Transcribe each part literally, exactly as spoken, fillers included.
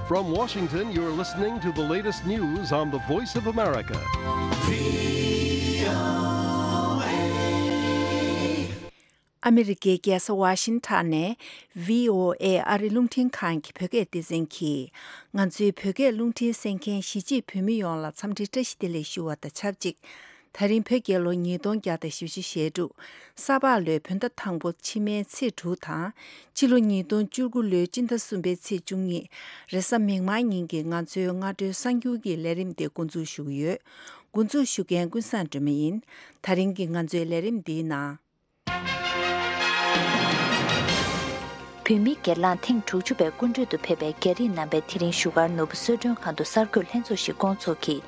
From Washington, you're listening to the latest news on the Voice of America. ཨ་མི་རི་ཀའི་རྒྱལ་ས་ཝ་ཤིང་ཊོན་ནས་བྷི་ཨོ་ཨེ་ཨ་རི་རླུང་འཕྲིན་ཁང་གི་བོད་སྐད་སྡེ་ཚན་གྱིས། ང་ཚོའི་བོད་སྐད་རླུང་འཕྲིན་གསན་མཁན་གཞིས་བྱེས་བོད་མི་ཡོངས་ལ་འཚམས་འདྲི་བཀྲ་ཤིས་བདེ་ལེགས་ཞུ་བ་དང་ཆབས་ཅིག་ད་རིང་བོད་རྒྱལ་ལོ་ཉིས་སྟོང་བརྒྱ་དང་བཞི་བཅུ་ཞེ་དྲུག་ས་ཕག་ལོའི་བོད་ཟླ་དང་པོ་ཕྱི་མའི་ཚེས་དྲུག་དང་། ཕྱི་ལོ་ཉིས་སྟོང་བཅུ་དགུ་ལོའི་སྤྱི་ཟླ་གསུམ་པའི་ཚེས་བཅུ་གཉིས། རེས་གཟའ་མིག་དམར་ཉིན་གྱི་ང་ཚོའི་སྔ་དྲོའི་གསར་འགྱུར་གྱི་ལས་རིམ་དེ་འགོ་འཛུགས་ཞུ་གི་ཡོད། འགོ་འཛུགས་ཞུ་མཁན་ཀུན་བཟང་སྒྲོལ་མ་ཡིན། ད་རིང་གི་ང་ཚོའི་ལས་རིམ་འདིའི་ནང་། བོད་མི་སྒེར་ལངས་ཐེངས་དྲུག་ཅུ་པའི་སྐུ་མགྲོན་དུ་ཕེབས་པའི་རྒྱ་རིགས་རྣམ་པས་དེ་རིང་བཞུགས་སྒར་ནོར་བུ་གསོལ་མགྲོན་ཁང་དུ་གསར་འགོད་ལྷན་ཚོགས་ཤིག་བསྐོང་ཚོགས་ཀྱིས།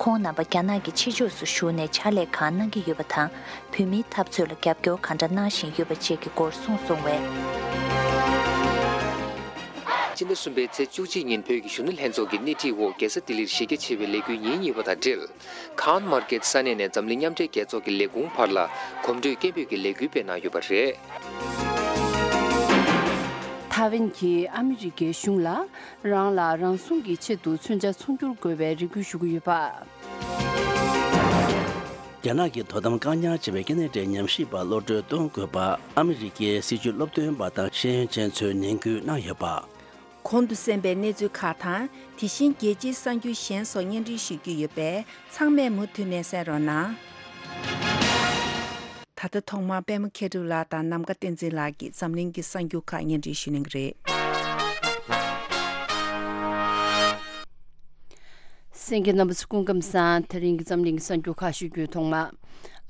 ཁོང་རྣམ་པ་རྒྱ་ནག་གི་ཕྱི་ཕྱོགས་སུ་བཞུགས་ནས་ཕྱག་ལས་གང་གནང་གི་ཡོད་པ་དང་། བོད་མིའི་འཐབ་རྩོད་ལ་རྒྱབ་སྐྱོར་གང་འདྲ་གནང་བཞིན་ཡོད་པ་བཅས་ཀྱི་སྐོར་གསུངས་སོང་བས། སྤྱི་ཟླ་གསུམ་པའི་ཚེས་བཅུ་གཅིག་ཉིན་བོད་ཀྱི་གཞོན་ནུ་ལྷན་ཚོགས་ཀྱི་སྣེ་ཁྲིད་འོག་རྒྱལ་ས་ལྡི་ལིར་གཞི་རྒྱ་ཆེ་བའི་ལས་འགུལ་ཉིན་གཉིས་པ་དང་འབྲེལ། ཁཱན་མར་ཀེད་ས་གནས་ནས་འཛམ་གླིང་མཉམ་འབྲེལ་རྒྱལ་ཚོགས་ཀྱི་ལས་ཁུངས་བར་ལ་གོམ་བགྲོད་སྐད་འབོད་ཀྱི་ལས་འགུལ་སྤེལ་གནང་ཡོད་པ་རེད། ཐའེ་ཝན་གྱིས་ཨ་མི་རི་ཀའི་གཞུང་ལ་རང་ལ་རང་སྲུང་གི་ཆེད་དུ་མཚོན་ཆ་ཚོང་སྒྱུར་དགོས་པའི་རེ་སྐུལ་ཞུ་གི་ཡོད་པ། རྒྱ་ནག་གི་དོ་དམ་བཀག་ཉར་བྱས་པའི་སྐྱེ་གནས་འབྲེལ་ཉམས་ཞིབ་པ་གློད་གྲོལ་གཏོང་དགོས་པ་ཨ་མི་རི་ཀའི་སྲིད་བྱུས་སློབ་སྟོན་པ་དང་ཤེས་ཡོན་ཅན་ཚོས་ནན་སྐུལ་གནང་ཡོད་པ། གོང་དུ་གསན་པའི་གནས་ཚུལ་ཁག་དང་། དེ་བཞིན་རྒྱལ་སྤྱིའི་གསར་འགྱུར་གཞན་སོགས་སྙན་སྒྲོན་ཞུ་རྒྱུ་ཡོད་པས། ཚང་མས་མུ་མཐུད་ནས་གསན་རོགས་གནང་། ད་ལྟ་ཐོག་མར་པད་མ་མཁས་གྲུབ་ལགས་དང་ནམ་མཁའ་བསྟན་འཛིན་ལགས་ཀྱིས་འཛམ་གླིང་གི་གསར་འགྱུར་ཁག་སྙན་སྒྲོན་ཞུ་གནང་གི་རེད། གསན་མཁན་རྣམ་པ་ཚོ་སྐུ་ཁམས་བཟང་། དེ་རིང་གི་འཛམ་གླིང་གི་གསར་འགྱུར་ཁག་ཞུ་རྒྱུའི་ཐོག་མ།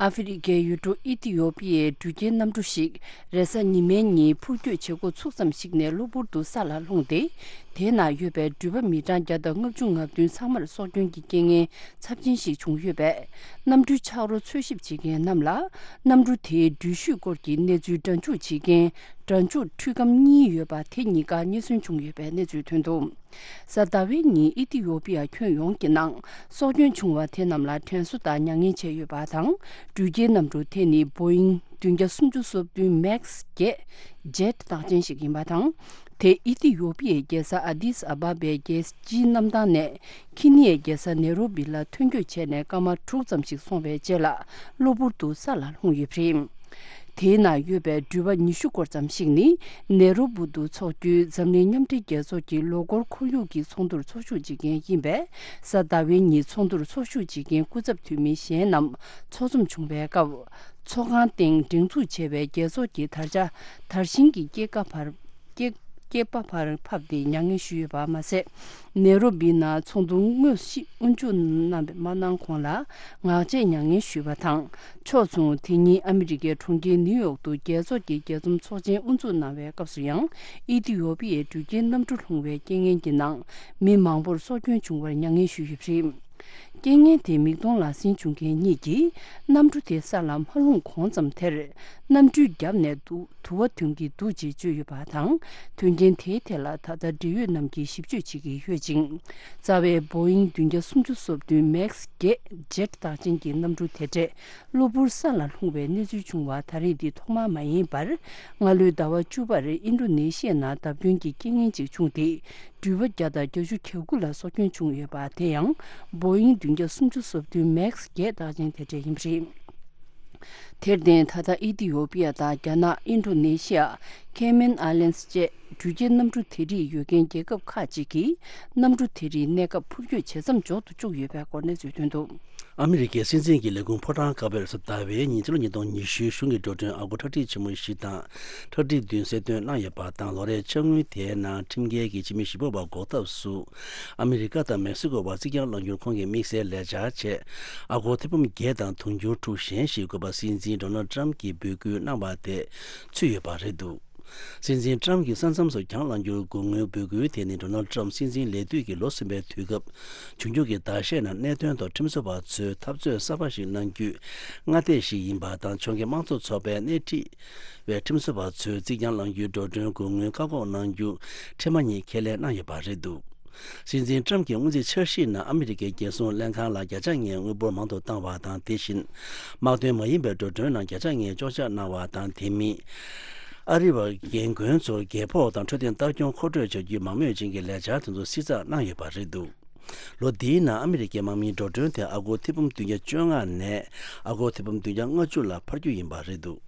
ཨ་ཧྥེ་རི་ཁའི་ཡུལ་གྲུ་ཨི་ཐི་ཡོ་པི་ཡའི་འགྲུལ་སྐྱེལ་གནམ་གྲུ་ཞིག་རེས་གཟའ་ཉི་མའི་ཉིན་འཕུར་སྐྱོད་བྱེད་འགོ་ཚུགས་ཙམ་ཞིག་ནས་གློ་བུར་དུ་ས་ལ་ལྷུང་སྟེ། དེའི་ནང་ཡོད་པའི་འགྲུལ་པ་མི་གྲངས་བརྒྱ་དང་ལྔ་བཅུ་ང་བདུན་ཚང་མར་སྲོག་སྐྱོན་གྱི་རྐྱེན་ངན་ཚབས་ཆེན་ཞིག་བྱུང་ཡོད་པས། གནམ་གྲུའི་ཆག་རོ་འཚོལ་ཞིབ་བྱེད་མཁན་རྣམས་ལ། གནམ་གྲུ་དེའི་འགྲུལ་བཞུད་སྐོར་གྱི་གནས་ཚུལ་སྒྲ་འཇུག་བྱེད་མཁན་སྒྲ་འཇུག་འཕྲུལ་སྒམ་གཉིས་ཡོད་པ་དེ་གཉིས་ཀ་རྙེད་སོན་བྱུང་ཡོད་པའི་གནས་ཚུལ་ཐོན་འདུག་གཟའ་ཟླ་བའི་ཉིན་ཨི་ཐི་ཡོ་པི་ཡ་ཁྱོན་ཡོངས་ཀྱི་ནང་སྲོག་སྐྱོན་བྱུང་བ་དེ་རྣམས་ལ་དྲན་གསོ་དང་མྱ་ངན་བྱས་ཡོད་པ་དང་། འགྲུལ་སྐྱེལ་གནམ་གྲུ་དེ་ནི་བོ་ཨིང་བདུན་བརྒྱ་སུམ་ཅུ་སོ་བདུན་མེག་སི་བརྒྱད་ཇེ་ཊི་རྟགས་ཅན་ཞིག་ཡིན་པ་དང་། དེ་ཨི་ཐི་ཡོ་པི་ཡའི་རྒྱལ་ས་ཨ་དིས་ཨ་བ་བའི་རྒྱལ་སྤྱིའི་གནམ་ཐང་ནས་ཁི་ནི་ཡའི་རྒྱལ་ས་ནེ་རོ་བི་ལ་ཐོན་སྐྱོད་བྱས་ནས་སྐར་མ་དྲུག་ཙམ་ཞིག་སོང་བའི་རྗེས་ལ་གློ་བུར་དུ་ས་ལ་ལྷུང་ཡོད་པ་རེད། དེའི་ནང་ཡོད་པའི་འགྲུལ་པ་ཉི་ཤུ་སྐོར་ཙམ་ཞིག་ནི་ནེ་རོ་བུ་དུ་འཚོགས་རྒྱུའི་འཛམ་གླིང་མཉམ་འབྲེལ་རྒྱལ་ཚོགས་ཀྱི་ལོ་འཁོར་ཁོར་ཡུག་གི་ཚོགས་འདུར་ཚོགས་ཞུགས་བྱེད་མཁན་ཡིན་པས། གཟའ་ཟླ་བའི་ཉིན་ཚོགས་འདུར་ཚོགས་ཞུགས་བྱེད་མཁན་སྐུ་ཚབ་འཐུས་མི་གཞན་རྣམས་ཚོགས་འཛོམས་བྱུང་བའི་སྐབས། ཚོགས་ཁང་སྟེང་སྒྲེང་འཛུགས་བྱས་པའི་རྒྱལ་ཚོགས་ཀྱི་དར་ཆ་དར་ཤིང་གི་སྐེད་ཀ་བར་སྐེད་སྐེད་པ་བར་ཕབ་སྟེ་མྱ་ངན་ཞུས་ཡོད་པ་མ་ཟད། ནེ་རོ་བི་ནང་ཚོགས་འདུ་དངོས་གཞི་དབུ་འཛུགས་གནང་མ་གནང་གོང་ལ་ངག་བཅད་མྱ་ངན་ཞུས་པ་དང་། ཕྱོགས་མཚུངས་དེ་ཉིན་ཨ་མི་རི་ཀའི་གྲོང་ཁྱེར་ནིའུ་ཡོག་ཏུ་རྒྱལ་ཚོགས་ཀྱི་རྒྱས་འཛོམས་ཚོགས་ཆེན་དབུ་འཛུགས་གནང་བའི་སྐབས་སུ་ཡང་ཨི་ཐི་ཡོ་པི་ཡའི་འགྲུལ་སྐྱེལ་གནམ་གྲུ་ལྷུང་བའི་རྐྱེན་ངན་གྱི་ནང་མི་མང་པོར་སྲོག་སྐྱོན་བྱུང་བར་མྱ་ངན་ཞུས་ཡོད་པ་རེད། རྐྱེན་ངན་དེ་མིག་མཐོང་ལག་ཟིན་བྱུང་མཁན་གཉིས་ཀྱིས་གནམ་གྲུ་དེ་ས་ལ་མ་ལྷུང་གོང་ཙམ་དེར་གནམ་གྲུའི་རྒྱབ་ནས་དུ་དུ་བ་ཐོན་གྱི་འདུག་ཅེས་བརྗོད་ཡོད་པ་དང་། དོན་རྐྱེན་དེའི་ཐད་ལ་ད་ལྟ་འབྲེལ་ཡོད་རྣམས་ཀྱིས་ཞིབ་དཔྱོད་བྱེད་ཀྱི་ཡོད་ཅིང་། རྩ་བའི་བོ་ཨིང་བདུན་བརྒྱ་སུམ་ཅུ་སོ་བདུན་མེག་སི་བརྒྱད་ཇེ་ཊི་རྟགས་ཅན་གྱི་གནམ་གྲུ་དེ་འདྲས་གློ་བུར་ས་ལ་ལྷུང་བའི་གནས་ཚུལ་བྱུང་བ་ད་རེས་འདི་ཐོག་མ་མ་ཡིན་པར། སྔ་ལོའི་ཟླ་བ་བཅུ་པར་ཨིན་ཌོ་ནེ་ཤི་ཡ་ནང་བརྡབ་སྐྱོན་གྱི་རྐྱེན་ངན་ཅིག་བྱུང་སྟེ། འགྲུལ་པ་བརྒྱ་དང་བརྒྱད་ཅུ་གྱ་དགུ་ལ་སྲོག་སྐྱོན་བྱུང་ཡོད་པ། དེ་ཡང་བོ་ཨིང་བདུན་བརྒྱ་སུམ་ཅུ་སོ་བདུན་མེག་སི་བརྒྱད་རྟགས་ཅན་དེ་འདྲ་ཡིན་པ་རེད། དེར་བརྟེན་ད་ལྟ་ཨི་ཐི་ཡོ་པི་ཡ་དང་རྒྱ་ནག་ཨིན་ཌོ་ནེ་ཤི་ཡ། ཁེ་མན་ཨའི་ལན་སི་བཅས་འགྲུལ་སྐྱེལ་གནམ་གྲུ་དེ་རིགས་ཡོད་མཁན་རྒྱལ་ཁབ་ཁག་ཅིག་གིས་གནམ་གྲུ་དེ་རིགས་གནས་སྐབས་འཕུར་སྐྱོད་བྱེད་མཚམས་འཇོག་ཏུ་བཅུག་ཡོད་པའི་སྐོར་གནས་ཚུལ་ཐོན་འདུག་ཨ་མི་རི་ཀའི་སྲིད་འཛིན་གྱི་ལས་ཁུངས་ཕོ་བྲང་དཀར་པོས་གཟའ་ཟླ་བའི་ཉིན་ཕྱི་ལོ་ཉིས་སྟོང་ཉི་ཤུའི་གཞུང་གི་འགྲོ་གྲོན་ཨ་སྒོར་ཁྲག་ཁྲིག་ཆེན་མོ་བཞི་དང་ཁྲག་ཁྲིག་བདུན་གསལ་སྟོན་གནང་ཡོད་པ་དང་། ལོ་རེའི་ཕྱག་དངུལ་དེའི་ནང་ཁྲིམས་འགལ་གྱི་ཕྱི་མི་ཞིབ་པ་བ་འགོག་ཐབས་སུ་ཨ་མི་རི་ཀ་དང་མེག་སི་ཀོ་བར་རྩིག་གྱང་བསླང་རྒྱུར་ཁོང་གིས་དམིགས་བསལ་ལས་འཆར་བྱས། ཨ་སྒོར་ཐེར་འབུམ་བརྒྱད་དང་དུང་ཕྱུར་དྲུག་གཞན་ཞིག་དགོས་པ་སྲིད་འཛིན་ཌོ་ནལ་ཌི་ཊརམ་གྱིས་འབོད་སྐུལ་གནང་བ་དེ་ཚུད་ཡོད་པ་རེད་འདུག་སྲིད་འཛིན་ཊརམ་གྱིས་ས་མཚམས་སུ་གྱང་བསླང་རྒྱུར་དགོས་དངུལ་འབོད་སྐུལ་དེ་ནི་ཌོ་ནལ་ཊརམ་སྲིད་འཛིན་ལས་དུས་ཀྱི་ལོ་གསུམ་པའི་དུས་སྐབས་བྱུང་རྒྱུ་གི་ཟླ་ཤས་ནང་གནད་དོན་ཐོག་ཁྲིམས་བཟོ་བ་ཚོས་འཐབ་རྩོད་གསར་པ་ཞིག་གནང་རྒྱུའི་སྔ་ལྟས་ཤིག་ཡིན་པ་དང་། ཕྱོགས་འགལ་དམངས་གཙོ་ཚོགས་པས་སྣེ་ཁྲིད་པའི་ཁྲིམས་བཟོ་བ་ཚོས་རྩིག་གྱང་བསླང་རྒྱུའི་འགྲོ་གྲོན་དགོས་དངུལ་བཀག་འགོག་གནང་རྒྱུ་ཁྲིམས་མ་ཉིད་ཁས་ལེན་གནང་ཡོད་པ་རེད་འདུག་སྲིད་འཛིན་ཊརམ་གྱི་སྔོན་རྩིས་འཆར་གཞིའི་ནང་ཨ་མི་རི་ཀའི་རྒྱལ་སྲུང་ལྷན་ཁང་ལ་བརྒྱ་ཆ་ལྔའི་དངུལ་འབོར་མང་དུ་བཏང་བ་དང་། དེ་བཞིན་དམག་དོན་མ་ཡིན་པའི་འགྲོ་གྲོན་ནང་བརྒྱ་ཆ་ལྔའི་གཅོག་ཆ་གནང་བ་དང་། དེ་མིན། ཨ་རི་བ་རྒན་རྒོན་ཚོར་རྒས་ཕོགས་དང་འཕྲོད་བསྟེན་ལྟ་སྐྱོང་མཁོ་སྤྲོད་བྱ་རྒྱུའི་མང་མོས་ཅན་གྱི་ལས་འཆར་དེ་ཚོ་བསྲི་ཚགས་གནང་ཡོད་པ་རེད་འདུག་ལོ་འདིའི་ནང་ཨ་མི་རི་ཀའི་དམག་མིའི་འགྲོ་གྲོན་དེ་ཨ་སྒོར་ཐེར་འབུམ་བདུན་བརྒྱ་བཅོ་ལྔ་ནས་ཨ་སྒོར་ཐེར་འབུམ་བདུན་བརྒྱ་ལྔ་བཅུ་ལ་འཕར་རྒྱུ་ཡིན་པ་རེད་འདུག་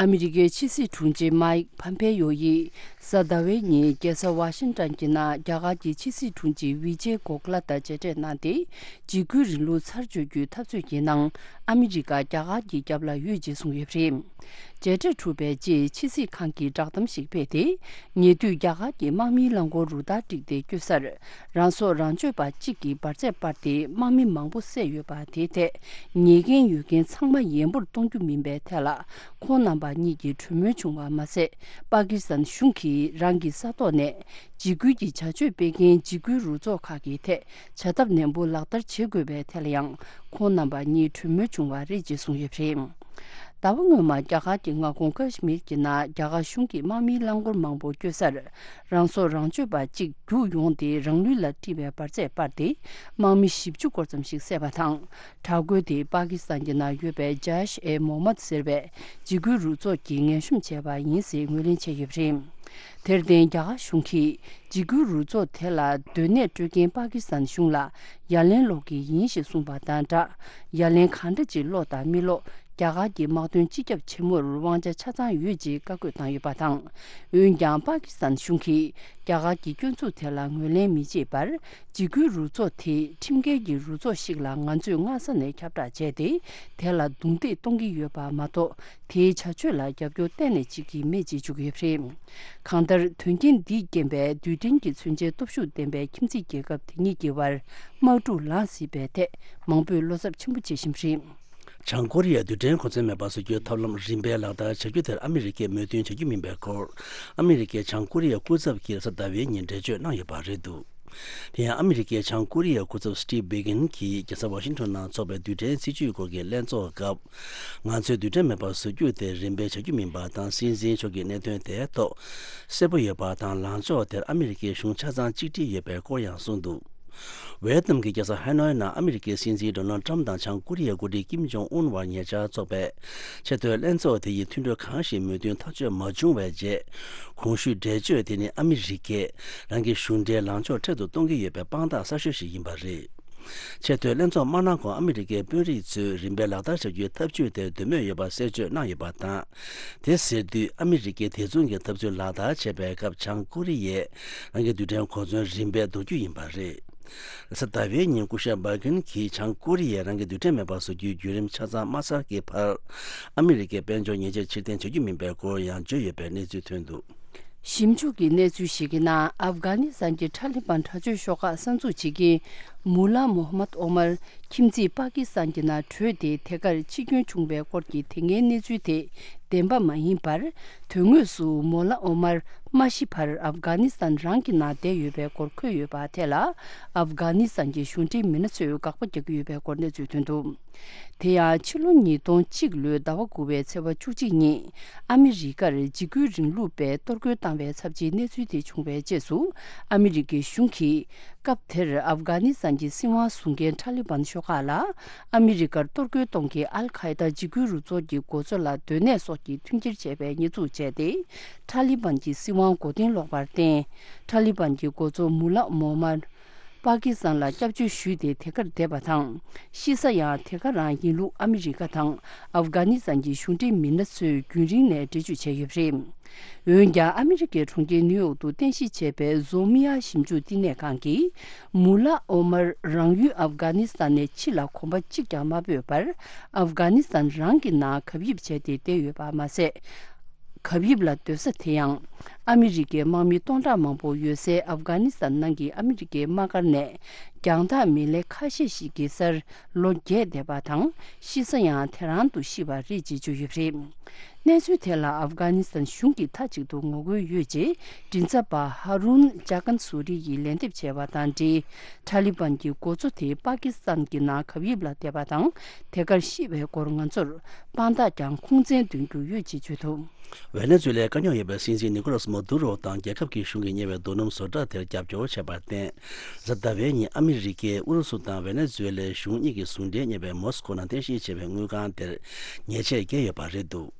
ཨ་མི་རི་ཀའི་ཕྱི་སྲིད་དྲུང་ཆེ་མའིག་ཕམ་ཕེ་ཡོ་ཡིས་གཟའ་ཟླ་བའི་ཉིན་རྒྱལ་ས་ཝ་ཤིང་ཏོན་གྱི་ནང་རྒྱ་གར་གྱི་ཕྱི་སྲིད་དྲུང་ཆེ་ཝི་ཇེ་གོ་ཁ་ལ་དང་མཇལ་འཕྲད་གནང་སྟེ། འཇིགས་སྐུལ་རིང་ལུགས་ཚར་གཅོད་རྒྱུའི་འཐབ་རྩོད་ཀྱི་ནང་ཨ་མི་རི་ཀ་རྒྱ་གར་གྱི་རྒྱབ་ལ་ཡོད་ཅེས་གསུངས་ཡོད་པ་རེད། མཇལ་འཕྲད་གྲུབ་པའི་རྗེས་ཕྱི་སྲིད་ཁང་གིས་བསྒྲགས་གཏམ་ཞིག་སྤེལ་ཏེ། ཉེ་དུས་རྒྱ་གར་གྱི་དམག་མིའི་རླངས་འཁོར་རུ་སྟར་བསྒྲིགས་ཏེ་བསྐྱོད་སར། རང་སྲོག་རང་གཅོད་པ་གཅིག་གིས་འབར་རྫས་སྤར་ཏེ་དམག་མི་མང་པོ་བསད་ཡོད་པ་དེའི་ཐད། ཉེས་འགན་ཡོད་མཁན་ཚང་མ་ཡན་པོར་གཏོང་རྒྱུ་མིན་པའི་ཐད་ལ། ཁོང་རྣམ་པ་གཉིས་ཀྱིས་གྲོས་མོལ་བྱུང་བ་མ་ཟད། པ་ཀི་སི་ཐན་གཞུང་གིས་རང་གི་ས་ཐོག་ནས། འཇིགས་སྐུལ་གྱི་བྱ་སྤྱོད་སྤེལ་མཁན་འཇིགས་སྐུལ་རུ་ཚོགས་ཁག་གི་ཐད་བྱ་ཐབས་ནན་པོ་ལག་བསྟར་བྱེད་དགོས་པའི་ཐད་ལ་ཡང་ཁོང་རྣམ་པ་གཉིས་གྲོས་མོལ་བྱུང་བ་རེད་ཅེས་གསུངས་ཡོད་པ་རེད། ཟླ་བ་སྔོན་མ་རྒྱ་གར་གྱི་མངའ་ཁོངས་ཀ་ཤི་མིར་གྱི་ནང་རྒྱ་གར་གཞུང་གི་དམག་མིའི་རླངས་འཁོར་མང་པོ་བསྐྱོད་སར་རང་སྲོག་རང་གཅོད་པ་གཅིག་རྒྱུགས་ཡོང་སྟེ་རང་ལུས་ལ་དཀྲིས་པའི་འབར་རྫས་སྤར་ཏེ་དམག་མི་བཞི་བཅུ་སྐོར་ཙམ་ཞིག་བསད་པ་དང་། དྲག་རྒོལ་དེ་པ་ཀི་སི་ཐན་གྱི་ནང་ཡོད་པའི་ཇཱ་ཤ་ཨེ་མོ་མད་ཟེར་བའི་འཇིགས་སྐུལ་རུ་ཚོགས་ཀྱིས་ངན་གཤོམ་བྱས་པ་ཡིན་ཟེར་ངོས་ལེན་བྱས་ཡོད་པ་རེད། དེར་བརྟེན་རྒྱ་གར་གཞུང་གིས་འཇིགས་སྐུལ་རུ་ཚོགས་དེ་ལ་སྡོད་གནས་སྤྲོད་མཁན་པ་ཀི་སི་ཐན་གཞུང་ལ་ཡ་ལན་སློག་གི་ཡིན་ཞེས་གསུངས་པ་དང་སྦྲགས། ཡ་ལན་གང་འདྲ་ཅིག་སློག་དང་མི་སློག་རྒྱ་གར་གྱི་དམག་དོན་སྤྱི་ཁྱབ་ཆེན་མོར་དབང་ཆ་ཆ་ཚང་ཡོད་ཅེས་བཀའ་བཀོད་བཏང་ཡོད་པ་དང་། འོན་ཀྱང་པ་ཀི་སི་ཐན་གཞུང་གིས་རྒྱ་གར་གྱི་སྐྱོན་འཛུགས་དེ་ལ་ངོས་ལེན་མི་བྱེད་པར། འཇིགས་སྐུལ་རུ་ཚོགས་དེ་ཁྲིམས་འགལ་གྱི་རུ་ཚོགས་ཤིག་ལ་ང་ཚོས་སྔ་ས་ནས་ཁྱབ་བསྒྲགས་བྱས་ཏེ། དེ་ལ་རྡུང་རྡེག་གཏོང་གི་ཡོད་པ་མ་གཏོགས། དེའི་བྱ་སྤྱོད་ལ་རྒྱབ་སྐྱོར་གཏན་ནས་བྱེད་ཀྱི་མེད་ཅེས་བརྗོད་ཀྱི་ཡོད་པ་རེད། གང་ལྟར། དོན་རྐྱེན་འདིས་རྐྱེན་པས་རྡུལ་ཕྲན་གྱི་མཚོན་ཆའི་སྟོབས་ཤུགས་ལྡན་པའི་ཁྱིམ་མཚེས་རྒྱལ་ཁབ་དེ་གཉིས་ཀྱི་བར་དམག་འཁྲུག་ལངས་སྲིད་པའི་ཐད་མང་པོས་བློ་འཚབ་ཆེན་པོ་བྱེད་བཞིན་པ་རེད། བྱང་ཀོ་རི་ཡས་རྡུལ་ཕྲན་གོ་མཚོན་མེད་པ་བཟོ་རྒྱུའི་ཐབས་ལམ་རིམ་པས་ལག་བསྟར་བྱ་རྒྱུ་དེར་ཨ་མི་རི་ཀས་མོས་མཐུན་བྱ་རྒྱུ་མིན་པའི་སྐོར། ཨ་མི་རི་ཀས་བྱང་ཀོ་རི་ཡའི་སྐུ་ཚབ་ཀྱིས་རེས་གཟའ་ཟླ་བའི་ཉིན་འགྲེལ་བརྗོད་གནང་ཡོད་པ་རེད་འདུག་དེ་ཡང་ཨ་མི་རི་ཀའི་བྱང་ཀོ་རི་ཡའི་སྐུ་ཚབ་སི་ཊིབ་བྷི་གིན་གྱིས་རྒྱལ་ས་ཝ་ཤིང་ཊོན་ནང་འཚོགས་པའི་རྡུལ་ཕྲན་སྲིད་ཇུས་སྐོར་གྱི་ལྷན་ཚོགས་སྐབས། ང་ཚོས་རྡུལ་ཕྲན་མེད་པར་བཟོ་རྒྱུ་དེ་རིམ་པས་བྱ་རྒྱུ་མིན་པ་དང་། སྲིད་འཛིན་མཆོག་གིས་གནད་དོན་དེའི་ཐོག་གསལ་པོ་ཡོད་པ་དང་། ལངས་ཕྱོགས་དེར་ཨ་མི་རི་ཀའི་གཞུང་ཆ་ཚང་གཅིག་སྒྲིལ་ཡོད་པའི་སྐོར་ཡང་གསུངས་འདུག་ཝེ་ཏི་ནམ་གྱི་རྒྱལ་ས་ཧ་ནོའི་ནང་ཨ་མི་རི་ཀའི་སྲིད་འཛིན་ཌོ་ནལ་ཏྲམ་དང་བྱང་ཀོ་རི་ཡའི་འགོ་ཁྲིད་ཀིམ་ཇོང་ཨུན་བར་ཉེ་ཆར་འཚོགས་པའི་ཆེས་མཐོའི་ལྷན་ཚོགས་དེ་ཡིས་མཐུན་གྲོས་གང་ཞིག་མོས་མཐུན་ཐག་གཅོད་མ་བྱུང་བའི་རྗེས། གོང་ཞུས་འགྲེལ་བརྗོད་དེ་ནི་ཨ་མི་རི་ཀས་རང་གི་གཞུང་འབྲེལ་ལངས་ཕྱོགས་འཕྲལ་དུ་གཏོང་གི་ཡོད་པའི་དཔང་རྟགས་གསར་ཤོས་ཤིག་ཡིན་པ་རེད། ཆེས་མཐོའི་ལྷན་ཚོགས་མ་གནང་གོང་ཨ་མི་རི་ཀའི་དཔོན་རིགས་ཚོས་རིམ་པས་ལག་བསྟར་བྱ་རྒྱུའི་ཐབས་ཇུས་དེར་འདོད་མོས་ཡོད་པ་གསལ་བརྗོད་གནང་ཡོད་པ་དང་། དེ་ཟེར་དུས་ཨ་མི་རི་ཀས་དེ་མཚུངས་ཀྱི་ཐབས་ཚུལ་ལག་བསྟར་བྱས་པའི་སྐབས་བྱང་ཀོ་རི་ཡས་རང་གི་རྡུལ་ཕྲན་གོ་མཚོན་རིམ་པས་འདོར་རྒྱུ་ཡིན་པ་རེད། རེས་གཟའ་ཟླ་བའི་ཉིན་སྐུ་ཞབས་བྷ་གིན་གྱིས་བྱང་ཀོ་རི་ཡས་རང་གི་རྡུལ་ཕྲན་མེད་པར་བཟོ་རྒྱུའི་བརྒྱུད་རིམ་ཆ་ཚང་མ་ཚར་གྱི་བར། ཨ་མི་རི་ཀའི་དཔལ་འབྱོར་ཉེས་ཆད་ཕྱིར་འཐེན་བྱ་རྒྱུ་མིན་པའི་སྐོར་ཡང་བརྗོད་ཡོད་པའི་གནས་ཚུལ་ཐོན་འདུག་ཞིབ་འཇུག་གི་གནས་ཚུལ་ཞིག་གི་ནང་ཨབ་གྷ་ནི་སི་ཐན་གྱི་ཊ་ལི་བན་དྲག་སྤྱོད་ཤོག་ཁག་གསར་འཛུགས་བྱེད་མཁན་མུ་ལ་མོ་ཧ་མད་ཨོ་མར་ཁྱིམ་མཚེས་པ་ཀི་སི་ཐན་གྱི་ནང་བྲོས་ཏེ་དེ་གར་འཆི་སྐྱོན་བྱུང་བའི་སྐོར་གྱི་དེ་སྔའི་གནས་ཚུལ་དེ་བདེན་པ་མ་ཡིན་པར། དོན་དངོས་སུ་མོ་ལ་ཨོ་མར་མ་ཤི་བར་ཨབ་གྷ་ནི་སི་ཐན་རང་གི་ནང་བསྡད་ཡོད་པའི་སྐོར་འཁོད་ཡོད་པ་དེ་ལ་ཨབ་གྷ་ནི་སི་ཐན་གྱི་གཞུང་འབྲེལ་མི་སྣ་ཚོས་དགག་པ་རྒྱག་གི་ཡོད་པའི་སྐོར་གནས་ཚུལ་ཐོན་འདུག་དེ་ཡང་ཕྱི་ལོ་ཉིས་སྟོང་གཅིག་ལོའི་ཟླ་བ་དགུ་པའི་ཚེས་པ་བཅུ་གཅིག་ཉིན་ཨ་མི་རི་ཀར་འཇིགས་སྐུལ་རིང་ལུགས་པས་གཏོར་རྒོལ་བཏང་བའི་ཚབས་ཆེའི་གནས་ཚུལ་དེ་བྱུང་བའི་རྗེས་སུ་ཨ་མི་རི་ཀའི་གཞུང་གིས་སྐབས་དེར་ཨབ་གྷ་ནི་སི་ཐན་གྱི་སྲིད་དབང་བཟུང་མཁན་ཊ་ལི་བན་ཤོག་ཁག་ལ་ཨ་མི་རི་ཀར་གཏོར་རྒོལ་གཏོང་མཁན་ཨལ་ཁ་ཡེ་ད་འཇིགས་སྐུལ་རུ་ཚོགས་ཀྱི་འགོ་གཙོ་ལ་སྡོད་གནས་སོགས་ཀྱི་མཐུན་འགྱུར་བྱས་པའི་ཉེས་འཛུགས་བྱས་ཏེ་ཊ་ལི་བན་གྱི་སྲིད་དབང་མགོ་རྟིང་སློག་པར་བརྟེན་ཊ་ལི་བན་གྱི་འགོ་གཙོ་མུ་ལ་མོ་མར། པ་ཀི་སི་ཐན་ལ་སྐྱབས་བཅོལ་ཞུས་ཏེ་དེ་གར་བསྡད་པ་དང་། ཤི་ས་ཡང་དེ་ག་རང་ཡིན་ལུགས་ཨ་མི་རི་ཀ་དང་ཨབ་གྷ་ནི་སི་ཐན་གྱི་གཞུང་འབྲེལ་མི་སྣ་ཚོས་རྒྱུན་རིང་ནས་འགྲེལ་བརྗོད་བྱས་ཡོད་པ་རེད། འོན་ཀྱང་ཨ་མི་རི་ཀའི་གྲོང་ཁྱེར་ནིའུ་ཡོག་ཏུ་རྟེན་གཞི་བྱས་པའི་ཟོ་མི་ཡ་ཞིབ་འཇུག་བསྟི་གནས་ཁང་གིས་མུ་ལ་ཨོ་མར་རང་ཡུལ་ཨབ་གྷ་ནི་སི་ཐན་ནས་ཕྱི་ལ་གོམ་པ་གཅིག་ཀྱང་མ་སྤོས་པར་ཨབ་གྷ་ནི་སི་ཐན་རང་གི་ནང་གབ་ཡིབ་བྱས་ཏེ་བསྡད་ཡོད་པ་མ་ཟད། གབ་ཡིབ་ལ་སྡོད་ས་དེ་ཡང་ཨ་མི་རི་ཀའི་དམག་མི་སྟོང་ཕྲག་མང་པོ་ཡོད་སའི་ཨབ་གྷ་ནི་སི་ཐན་ནང་གི་ཨ་མི་རི་ཀའི་དམག་སྒར་ནས་རྒྱང་ཐག་མི་ལེ་ཁ་ཤས་ཤིག་གི་སར་ལོ་བརྒྱད་བསྡད་པ་དང་ཤི་ས་ཡང་དེ་རང་དུ་ཤི་བ་རེད་ཅེས་བརྗོད་ཡོད་པ་རེད། གནས་ཚུལ་དེ་ལ་ཨབ་གྷ་ནི་སི་ཐན་གཞུང་གིས་མཐའ་གཅིག་ཏུ་ངོ་རྒོལ་ཡོད་ཅེས་མགྲིན་ཚབ་པ་ཧ་རུན་ཇཱ་ཀན་སུ་རི་ཡིས་ལན་འདེབས་བྱས་པ་དང་འབྲེལ། ཊ་ལི་བན་གྱི་འགོ་གཙོ་དེ་པ་ཀི་སི་ཐན་གྱི་ནང་གབ་ཡིབ་ལ་བསྡད་པ་དང་དེ་གར་ཤི་བའི་སྐོར་ང་ཚོར་དཔང་རྟགས་ཀྱང་ཁུངས་བཙན་འདོན་རྒྱུ་ཡོད་ཅེས་བརྗོད་འདུག་ཝེ་ནེ་ཛུ་ལའི་དཀའ་རྙོག་ཡོད་པའི་སྲིད་འཛིན་ནི་ཀོ་ལཱས་མ་དུ་རོ་དང་རྒྱལ་ཁབ་ཀྱི་གཞུང་གིས་གཉེར་བའི་རྡོ་སྣུམ་བཟོ་གྲྭ་དེར་རྒྱབ་སྐྱོར་བྱས་པར་བརྟེན། གཟའ་ཟླ་བའི་ཉིན་ཨ་མི་རི་ཀས་ཨུ་རུ་སུ་དང་ཝེ་ནེ་ཛུ་ལའི་གཞུང་གཉིས་ཀྱི་ཟུང་འབྲེལ་གཉེར་བའི་མོ་སི་ཀོ་ནང་རྟེན་གཞི་བྱས་པའི་དངུལ་ཁང་དེར་ཉེས་ཆད་བཀལ་ཡོད་པ་རེད་འདུག་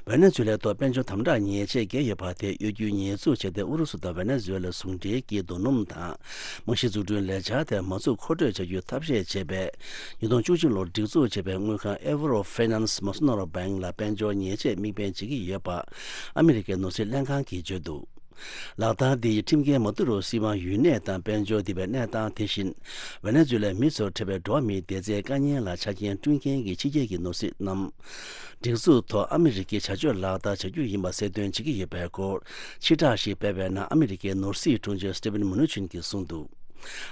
ཝེ་ནེ་ཛུ་ལའི་ཐོག་དཔལ་འབྱོར་དམ་དྲག་ཉེས་ཆད་བཀལ་ཡོད་པ་དེ་གཡོ་སྒྱུའི་ཉེས་འཛུགས་བྱས་ཏེ། ཨུ་རུ་སུ་དང་ཝེ་ནེ་ཛུ་ལ་ཟུང་འབྲེལ་གྱིས་རྡོ་སྣུམ་དང་རྨང་གཞི་འཛུགས་སྐྲུན་ལས་འཆར་དེ་མ་འཛུགས་མཁོ་སྤྲོད་བྱ་རྒྱུའི་ཐབས་ཤེས་བྱས་པའི་ཉིས་སྟོང་བཅུ་གཅིག་ལོར་སྒྲིག་འཛུགས་བྱས་པའི་དངུལ་ཁང་Avro Finance Masonoro Bank ལ་དཔལ་འབྱོར་ཉེས་ཆད་དམིགས་འབེན་བྱེད་ཀྱི་ཡོད་པ་ཨ་མི་རི་ཀའི་ནོར་སྲིད་ལྷན་ཁང་གིས་བརྗོད་འདུག་ལག་བསྟར་འདི་ཡིས་ཁྲིམས་འགལ་མ་བཏུབ་རུང་སྲིད་དབང་ཡུན་གནས་དང་དཔལ་འབྱོར་ལྡན་པའི་གནས་སྟངས། དེ་བཞིན་ཝེ་ནེ་ཛུ་ལའི་མི་ཚོར་འཕྲད་པའི་འགྲོ་བ་མིའི་བདེ་རྩའི་དཀའ་ངལ་ལ་ཆ་རྐྱེན་བསྐྲུན་མཁན་གྱི་ཕྱི་རྒྱལ་གྱི་ནོར་སྲིད་རྣམས་སྒྲིག་འཛུགས་ཐོག་ཨ་མི་རི་ཀའི་བྱ་སྤྱོད་ལག་བསྟར་བྱ་རྒྱུ་ཡིན་པ་གསལ་སྟོན་བྱེད་ཀྱི་ཡོད་པའི་སྐོར་ཕྱིར་བསྒྲགས་ཤིག་སྤེལ་བའི་ནང་ཨ་མི་རི་ཀའི་ནོར་སྲིད་དྲུང་ཆེ་Steven Mnuchin གྱིས་གསུངས་འདུག་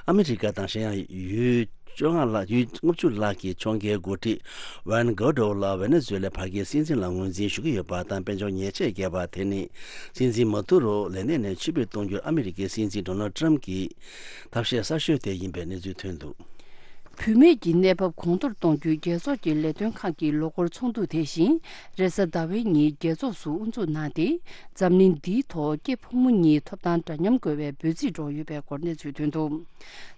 ཨ་མི་རི་ཀ་དང་གཞན་ཡང་ཡུལ་བཅོ་ལྔ་ལྷག་ཡུལ་ལྔ་བཅུ་ལྷག་གི་ཕྱོགས་འགལ་འགོ་ཁྲིད་Juan Guaido ལ་ཝེ་ནེ་ཛུ་ལའི་བར་བརྒལ་སྲིད་འཛིན་ལ་ངོས་འཛིན་ཞུ་གི་ཡོད་པ་དང་། དཔལ་འབྱོར་ཉེས་ཆད་བཀལ་བ་དེ་ནི་སྲིད་འཛིན་མ་དུ་རོ་ལས་གནས་ནས་ཕྱིར་འབུད་གཏོང་རྒྱུར་ཨ་མི་རི་ཀའི་སྲིད་འཛིན་Donald Trump གྱི་ཐབས་ཤེས་གསར་ཤོས་དེ་ཡིན་པའི་གནས་ཚུལ་ཐོན་འདུག་བུད་མེད་ཀྱི་གནས་བབ་གོང་མཐོར་གཏོང་རྒྱུའི་རྒྱལ་ཚོགས་ཀྱི་ལས་དོན་ཁང་གི་ལོ་འཁོར་ཚོགས་འདུ་དེ་བཞིན་རེས་གཟའ་ཟླ་བའི་ཉིན་རྒྱལ་ཚོགས་སུ་དབུ་འཛུགས་གནང་སྟེ། འཛམ་གླིང་འདིའི་ཐོག་སྐྱེས་ཕོ་མོ་གཉིས་ཐོབ་ཐང་འདྲ་མཉམ་དགོས་པའི་འབོད་ཚིག་སྒྲོག་ཡོད་པའི་སྐོར་གནས་ཚུལ་ཐོན་འདུག་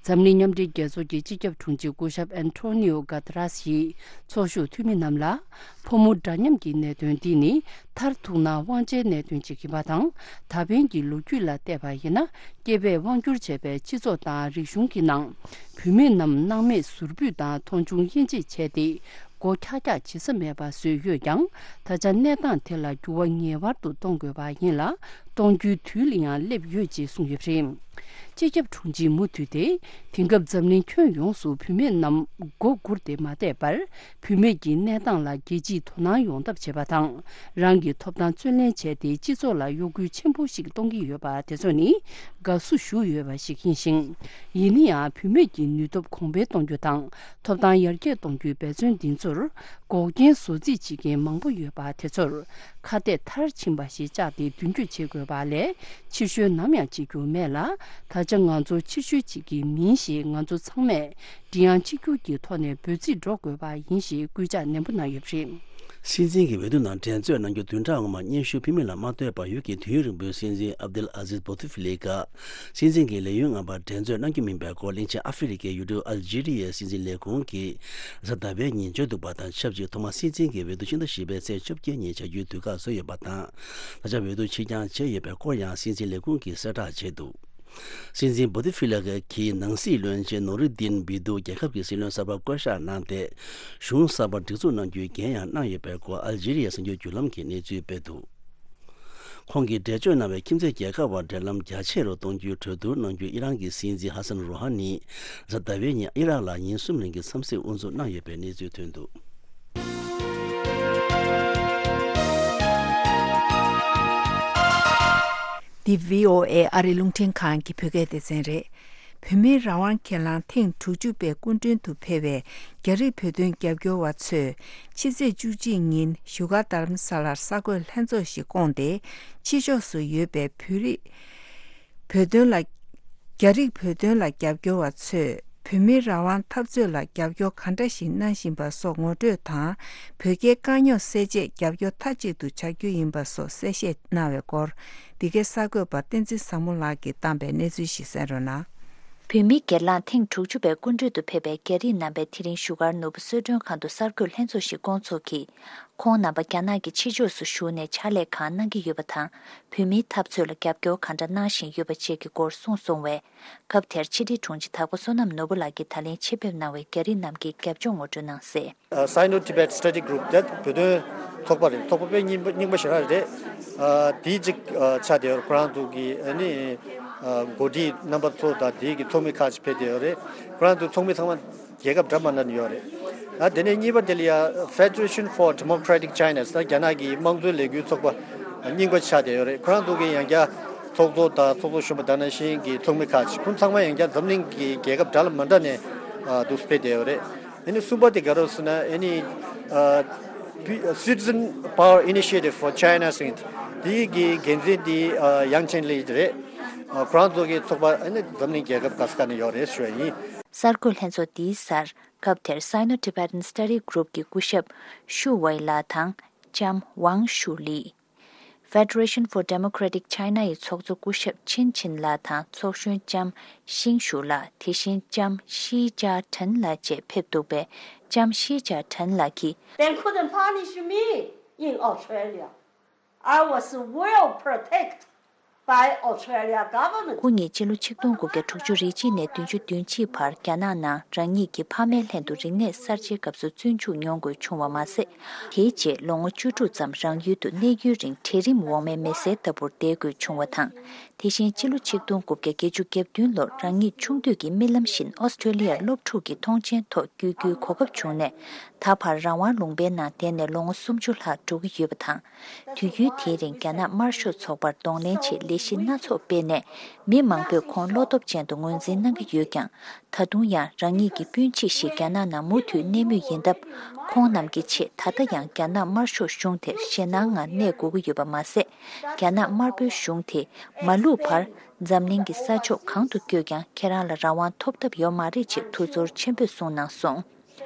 འཛམ་གླིང་མཉམ་འབྲེལ་རྒྱལ་ཚོགས་ཀྱི་སྤྱི་ཁྱབ་དྲུང་ཆེ་སྐུ་ཞབས་Antonio Guterres ཡིས་ཚོགས་ཞུགས་འཐུས་མི་རྣམས་ལ། ཕོ་མོ་འདྲ་མཉམ་གྱི་གནད་དོན་འདི་ནི་མཐར་ཐུག་ན་དབང་ཆའི་གནད་དོན་ཅིག་ཡིན་པ་དང་། ད་ཕན་གྱི་ལོ་རྒྱུས་ལ་བལྟས་པ་ཡིན་ན། སྐྱེས་པས་དབང་བསྒྱུར་བྱས་པའི་སྤྱི་ཚོགས་དང་རིག་གཞུང་གི་ནང་། བུད་མེད་རྣམས་སྣང་མེད་ཟུར་ཕུད་དང་མཐོང་ཆུང་དབྱེ་འབྱེད་བྱས་ཏེ། མགོ་འཁྱག་འཁྱག་བྱེད་ས་མེད་པ་བཟོས་ཡོད་ཀྱང་། ད་ཆ་གནས་སྟངས་དེ་ལ་འགྱུར་བ་ངེས་པར་དུ་གཏོང་དགོས་པ་ཡིན་ལ། གཏོང་རྒྱུའི་དུས་ལ་ཡང་སླེབས་ཡོད་ཅེས་གསུངས་ཡོད་པ་རེད། སྤྱི་ཁྱབ་དྲུང་ཆེས་མུ་མཐུད་དེ། དེང་སྐབས་འཛམ་གླིང་ཁྱོན་ཡོངས་སུ་བུད་མེད་རྣམས་མགོ་སྒུར་ཏེ་མ་བསྡད་པར། བུད་མེད་ཀྱི་གནས་སྟངས་ལ་རྒྱལ་སྤྱིས་དོ་སྣང་ཡོང་ཐབས་བྱེད་པ་དང་། རང་གི་ཐོབ་ཐང་བརྩོན་ལེན་བྱས་ཏེ། སྤྱི་ཚོགས་ལ་གཡོ་འགུལ་ཆེན་པོ་ཞིག་གཏོང་གི་ཡོད་པ་དེ་ཚོ་ནི་དགའ་བསུ་ཞུ་འོས་པ་ཞིག་ཡིན་ཞིང་། ཡིན་ན་ཡང་། བུད་མེད་ཀྱི་ནུས་སྟོབས་གོང་འཕེལ་གཏོང་རྒྱུ་དང་། ཐོབ་ཐང་ཡར་རྒྱས་གཏོང་རྒྱུའི་འབད་བརྩོན་འདི་ཚོར། འགོག་རྐྱེན་བཟོ་རྩིས་བྱེད་མཁན་མང་པོ་ཡོད་པ་དེ་ཚོར་ཁ་གཏད་མཐར་ཕྱིན་པ་ཞིག་བཅག་སྟེ་མདུན་སྐྱོད་བྱེད་དགོས་པ་ལས། ཕྱིར་བཤོལ་ནམ་ཡང་བྱེད་རྒྱུ་མེད་ལ། ད་ཆ་ང་ཚོ་ཕྱིར་བཤོལ་བྱེད་ཀྱི་མིན་ཞེས་ང་ཚོ་ཚང་མས་མགྲིན་དབྱངས་གཅིག་གྱུར་གྱི་ཐོག་ནས་འབོད་ཚིག་སྒྲོག་དགོས་པ་ཡིན་ཞེས་སྐུལ་ལྕག་ནན་པོ་གནང་ཡོད་པ་རེད། སྲིད་འཛིན་གྱི་འོས་བསྡུ་ནང་འགྲན་རྩོད་གནང་རྒྱུ་བདུན་ཕྲག་སྔོན་མ་སྙན་ཞུ་ཕུལ་མིན་ལ་མ་ལྟོས་པར། ཡུལ་གྱི་དུས་ཡུན་རིང་པོའི་སྲིད་འཛིན་ཨབ་དུལ་ཨ་ཟིز་བོ་ཏི་ཧྥི་ལི་ཀ་སྲིད་འཛིན་གྱི་ལས་ཡུན་མངའ་བར་འགྲན་རྩོད་གནང་རྒྱུ་མིན་པའི་སྐོར། གླིང་ཆེན་ཨ་ཧྥེ་རི་ཁའི་ཡུལ་གྲུ་ཨལ་ཇི་རི་ཡའི་སྲིད་འཛིན་ལས་ཁུངས་ཀྱིས་གཟའ་ཟླ་བའི་ཉིན་བརྗོད་འདུག་པ་དང་ཆབས་ཅིག་ཐོག་མར་སྲིད་འཛིན་གྱི་འོས་བསྡུ་ཕྱི་ཟླ་བཞི་པའི་ཚེས་བཅོ་བརྒྱད་ཉིན་བྱ་རྒྱུའི་དུས་བཀག་བཟོས་ཡོད་པ་དང་། ད་ཆ་འོས་བསྡུ་ཕྱིར་འགྱངས་བྱས་ཡོད་པའི་སྐོར་ཡང་སྲིད་འཛིན་ལས་ཁུངས་ཀྱིས་གསལ་བསྒྲགས་བྱས་འདུག་སྲིད་འཛིན་བོ་ཏི་ཧྥི་ལི་ཀའི་ནང་སྲིད་བློན་ཆེན་ནོ་རི་དིན་བི་ཏུ། རྒྱལ་ཁབ་ཀྱི་སྲིད་བློན་གསར་པ་བསྐོ་གཞག་གནང་སྟེ། གཞུང་གསར་པ་སྒྲིག་འཛུགས་གནང་རྒྱུའི་འགན་ཡང་གནང་ཡོད་པའི་སྐོར་ཨལ་ཇི་རི་ཡའི་གསར་འགྱུར་བརྒྱུད་ལམ་གྱིས་གནས་ཚུལ་སྤེལ་འདུག་ཁོང་གིས་འགྲེལ་བརྗོད་གནང་བའི་ཁྱིམ་མཚེས་རྒྱལ་ཁབ་བར་འབྲེལ་ལམ་རྒྱ་ཆེ་རུ་གཏོང་རྒྱུའི་གྲོས་བསྡུར་གནང་རྒྱུ། ཨི་རན་གྱི་སྲིད་འཛིན་ཧ་སན་རོ་ཧ་ནི་གཟའ་ཟླ་བའི་ཉིན་ཨི་རག་ལ་ཉིན་གསུམ་རིང་གི་འཚམས་གཟིགས་དབུ་འཛུགས་གནང་ཡོད་པའི་གནས་ཚུལ་ཐོན་འདུག་འདི་བྷི་ཨོ་ཨེ་ཨ་རི་རླུང་འཕྲིན་ཁང་གི་བོད་སྐད་སྡེ་ཚན་རེད། བོད་མིའི་རང་དབང་སྒེར་ལངས་ཐེངས་དྲུག་ཅུ་པའི་སྐུ་མགྲོན་དུ་ཕེབས་པའི་རྒྱ་རིགས་བོད་དོན་རྒྱབ་སྐྱོར་བ་ཚོས་ཕྱི་ཚེས་བཅུ་གཅིག་ཉིན་བཞུགས་སྒར་རྡ་རམ་ས་ལར་གསར་འགོད་ལྷན་ཚོགས་ཤིག་བསྐོངས་ཏེ། ཕྱི་ཕྱོགས་སུ་ཡོད་པའི་བོད་རིགས་བོད་དོན་ལ། རྒྱ་རིགས་བོད་དོན་ལ་རྒྱབ་སྐྱོར་བ་ཚོས་བོད་མིའི་རང་དབང་འཐབ་རྩོད་ལ་རྒྱབ་སྐྱོར་ག་འདྲ་ཞིག་གནང་བཞིན་པ་སོགས་ངོ་སྤྲོད་དང་། བོད་རྒྱའི་དཀའ་རྙོག་སེལ་ཆེད་རྒྱབ་སྐྱོར་མཐའ་གཅིག་ཏུ་བྱ་རྒྱུ་ཡིན་པ་སོགས་གསལ་བཤད་གནང་བའི་སྐོར། འདི་གའི་གསར་འགོད་པ་བསྟན་འཛིན་བཟང་མོ་ལགས་ཀྱིས་བཏང་པའི་གནས་ཚུལ་ཞིག་གསན་རོགས་གནང་། བོད་མིའི་སྒེར་ལངས་ཐེངས་དྲུག་ཅུ་པའི་སྐུ་མགྲོན་དུ་ཕེབས་པའི་རྒྱ་རིགས་རྣམ་པས་དེ་རིང་བཞུགས་སྒར་ནོར་བུ་གསོལ་མགྲོན་ཁང་དུ་གསར་འགོད་ལྷན་ཚོགས་ཤིག་བསྐོང་ཚོགས་ཀྱིས། ཁོང་རྣམ་པ་རྒྱ་ནག་གི་ཕྱི་ཕྱོགས་སུ་བཞུགས་ནས་ཕྱག་ལས་གང་གནང་གི་ཡོད་པ་དང་། བོད་མིའི་འཐབ་རྩོད་ལ་རྒྱབ་སྐྱོར་གང་འདྲ་གནང་བཞིན་ཡོད་པ་བཅས་ཀྱི་སྐོར་གསུངས་སོང་བས། སྐབས་དེར་ཕྱི་དྲིལ་དྲུང་ཆེ་དྭགས་པོ་བསོད་ནམས་ནོར་བུ་ལགས་ཀྱིས་ད་ལན་ཆེད་ཕེབས་གནང་བའི་རྒྱ་རིགས་རྣམས་ཀྱི་རྒྱབ་ལྗོངས་ངོ་སྤྲོད་གནང་གསལ། Sino Tibet Study Group དེ་བོད་དོན་ཚོགས་པ་རེད། ཚོགས་པ་དཔེ་རྙིང་པ་རྙིང་པ་ཞེ་དྲག་རེད། དེའི་གཅིག་ཆགས་བསྡད་ཡོད་རེད། ཁོ་རང་ཚོ་གི་ཨ་ནི་འགོ་ཁྲིད་རྣམ་པ་ཚོ་དང་དེའི་གི་ཚོགས་མི་ཁག་ཅིག་ཕེབས་བསྡད་ཡོད་རེད། ཁོ་རང་ཚོའི་ཚོགས་མི་ཚང་མ་རྒྱལ་ཁབ་འདྲ་མི་འདྲ་ནས་ཡོད་རེད། ཨ་དེ་ནས་གཉིས་པ་དེ་ལ་ཡ་Federation for Democratic China ཟེར་རྒྱ་ནག་གི་དམངས་གཙོའི་ལས་འགུལ་ཚོགས་པ་རྙིང་པ་ཆགས་བསྡད་ཡོད་རེད། ཁོ་རང་ཚོ་གི་ཡང་བསྐྱར་ཚོགས་གཙོ་དང་ཚོགས་གཙོ་གཞོན་པ་དེ་ནང་བཞིན་གྱི་ཚོགས་མི་ཁག་ཅིག་ཁོང་ཚང་མ་ཡང་བསྐྱར་འཛམ་གླིང་གི་རྒྱལ་ཁབ་འདྲ་མི་འདྲ་ནས་འདུག་སེ་ཕེབས་བསྡད་ཡོད་རེད། ཨ་ནི་གསུམ་པ་དེ་ག་རེ་ཟེར་ན་ཨ་ནི་Citizen Power Initiative for China ཟེར་དེའི་གི་འགན་འཛིན་དེ་ཡང་ཅིན་ལི་རེད། ཁོ་རང་ཚོ་གི་ཚོགས་པ་ཨ་ནི་འཛམ་གླིང་རྒྱལ་ཁབ་ག་ས་ག་ནས་ཡོད་རེད་ཞུ་བ་ཡིན། གསར་འགོད་ལྷན་ཚོགས་འདིའི་སར་སྐབས་དེར་Sino-Tibetan Study Group གི་སྐུ་ཞབས་ཤུ་ཝེ་ལགས་དང་ལྕམ་ཝང་ཤུ་ལི། Federation for Democratic China ཡི་ཚོགས་གཙོ་སྐུ་ཞབས་ཆིན་ཆིན་ལགས་དང་ཚོགས་གཞོན་ལྕམ་ཤིང་ཞུ་ལགས། དེ་བཞིན་ལྕམ་ཤི་ཅཱ་ཁྲེན་ལགས་བཅས་ཕེབས་འདུག་པས། ལྕམ་ཤི་ཅཱ་ཁྲེན་ལགས་ཀྱིས། They couldn't punish me. in Australia. I was well protected by Australia government. ཁོ་གཉིས་ཕྱི་ལོ་ཆིག་སྟོང་དགུ་བརྒྱ་དྲུག་ཅུ་རེ་གཅིག་ནས་བདུན་ཅུ་དོན་གཅིག་བར་རྒྱ་ནག་ནང་རང་ཉིད་ཀྱི་ཕ་མའི་ལྷན་དུ་རིག་གནས་གསར་བརྗེའི་སྐབས་སུ་བཙོན་འཇུག་མྱོང་དགོས་བྱུང་བ་མ་ཟད། དེའི་རྗེས་ལོ་ངོ་བཅུ་དྲུག་ཙམ་རང་ཡུལ་དུ་གནས་ཡུན་རིང་གྲལ་རིམ་འོག་མའི་མི་སེར་ལྟ་བུར་བསྡད་དགོས་བྱུང་བ་དང་། དེ་བཞིན་ཕྱི་ལོ་ཆིག་སྟོང་དགུ་བརྒྱ་བརྒྱད་ཅུ་གྱ་བདུན་ལོར་རང་ཉིད་ཆུང་དུས་ཀྱི་རྨི་ལམ་བཞིན་ཨོ་སི་ཀྲོ་ལི་ཡར་སློབ་ཕྲུག་གི་མཐོང་ཆེན་ཐོག་བསྐྱོད་རྒྱུའི་གོ་སྐབས་བྱུང་ནས། ད་བར་རང་དབང་ལུང་པའི་ནང་བསྡད་ནས་ལོ་ངོ་སུམ་ཅུ་ལྷག་འགྲོ་གི་ཡོད་པ་དང་། དུས་ཡུན་དེའི་རིང་རྒྱ་ནག་དམར་ཤོག་ཚོགས་པར་གདོང་ལེན་ཆེད་ལས་གཞི་སྣ་ཚོགས་སྤེལ་ནས། མི་མང་པོས་ཁོང་བློ་སྟོབས་ཅན་དུ་ངོས་འཛིན་གནང་གི་ཡོད་ཀྱང་། ད་དུང་ཡང་རང་ཉིད་ཀྱི་སྤུན་མཆེད་ཞིག་རྒྱ་ནག་ནང་མུ་མཐུད་གནས་མུས་ཡིན་སྟབས། ཁོང་རྣམས་ཀྱི་ཆེད་ད་ལྟ་ཡང་རྒྱ་ནག་དམར་ཤོག་གཞུང་དེར་ཞེད་སྣང་ངང་གནས་དགོས་ཀྱི་ཡོད་པ་མ་ཟད། རྒྱ་ནག་དམར་པོའི་གཞུང་དེས་མ་ལུས་བར་འཛམ་གླིང་གི་ས་ཕྱོགས་གང་དུ་བསྐྱོད་ཀྱང་ཁྱེད་རང་ལ་རང་དབང་ཐོབ་ཐབས་ཡོད་མ་རེད་ཅེས་ཐུགས་ཚོར་ཆེན་པོས་གསུངས་གནང་སོང་།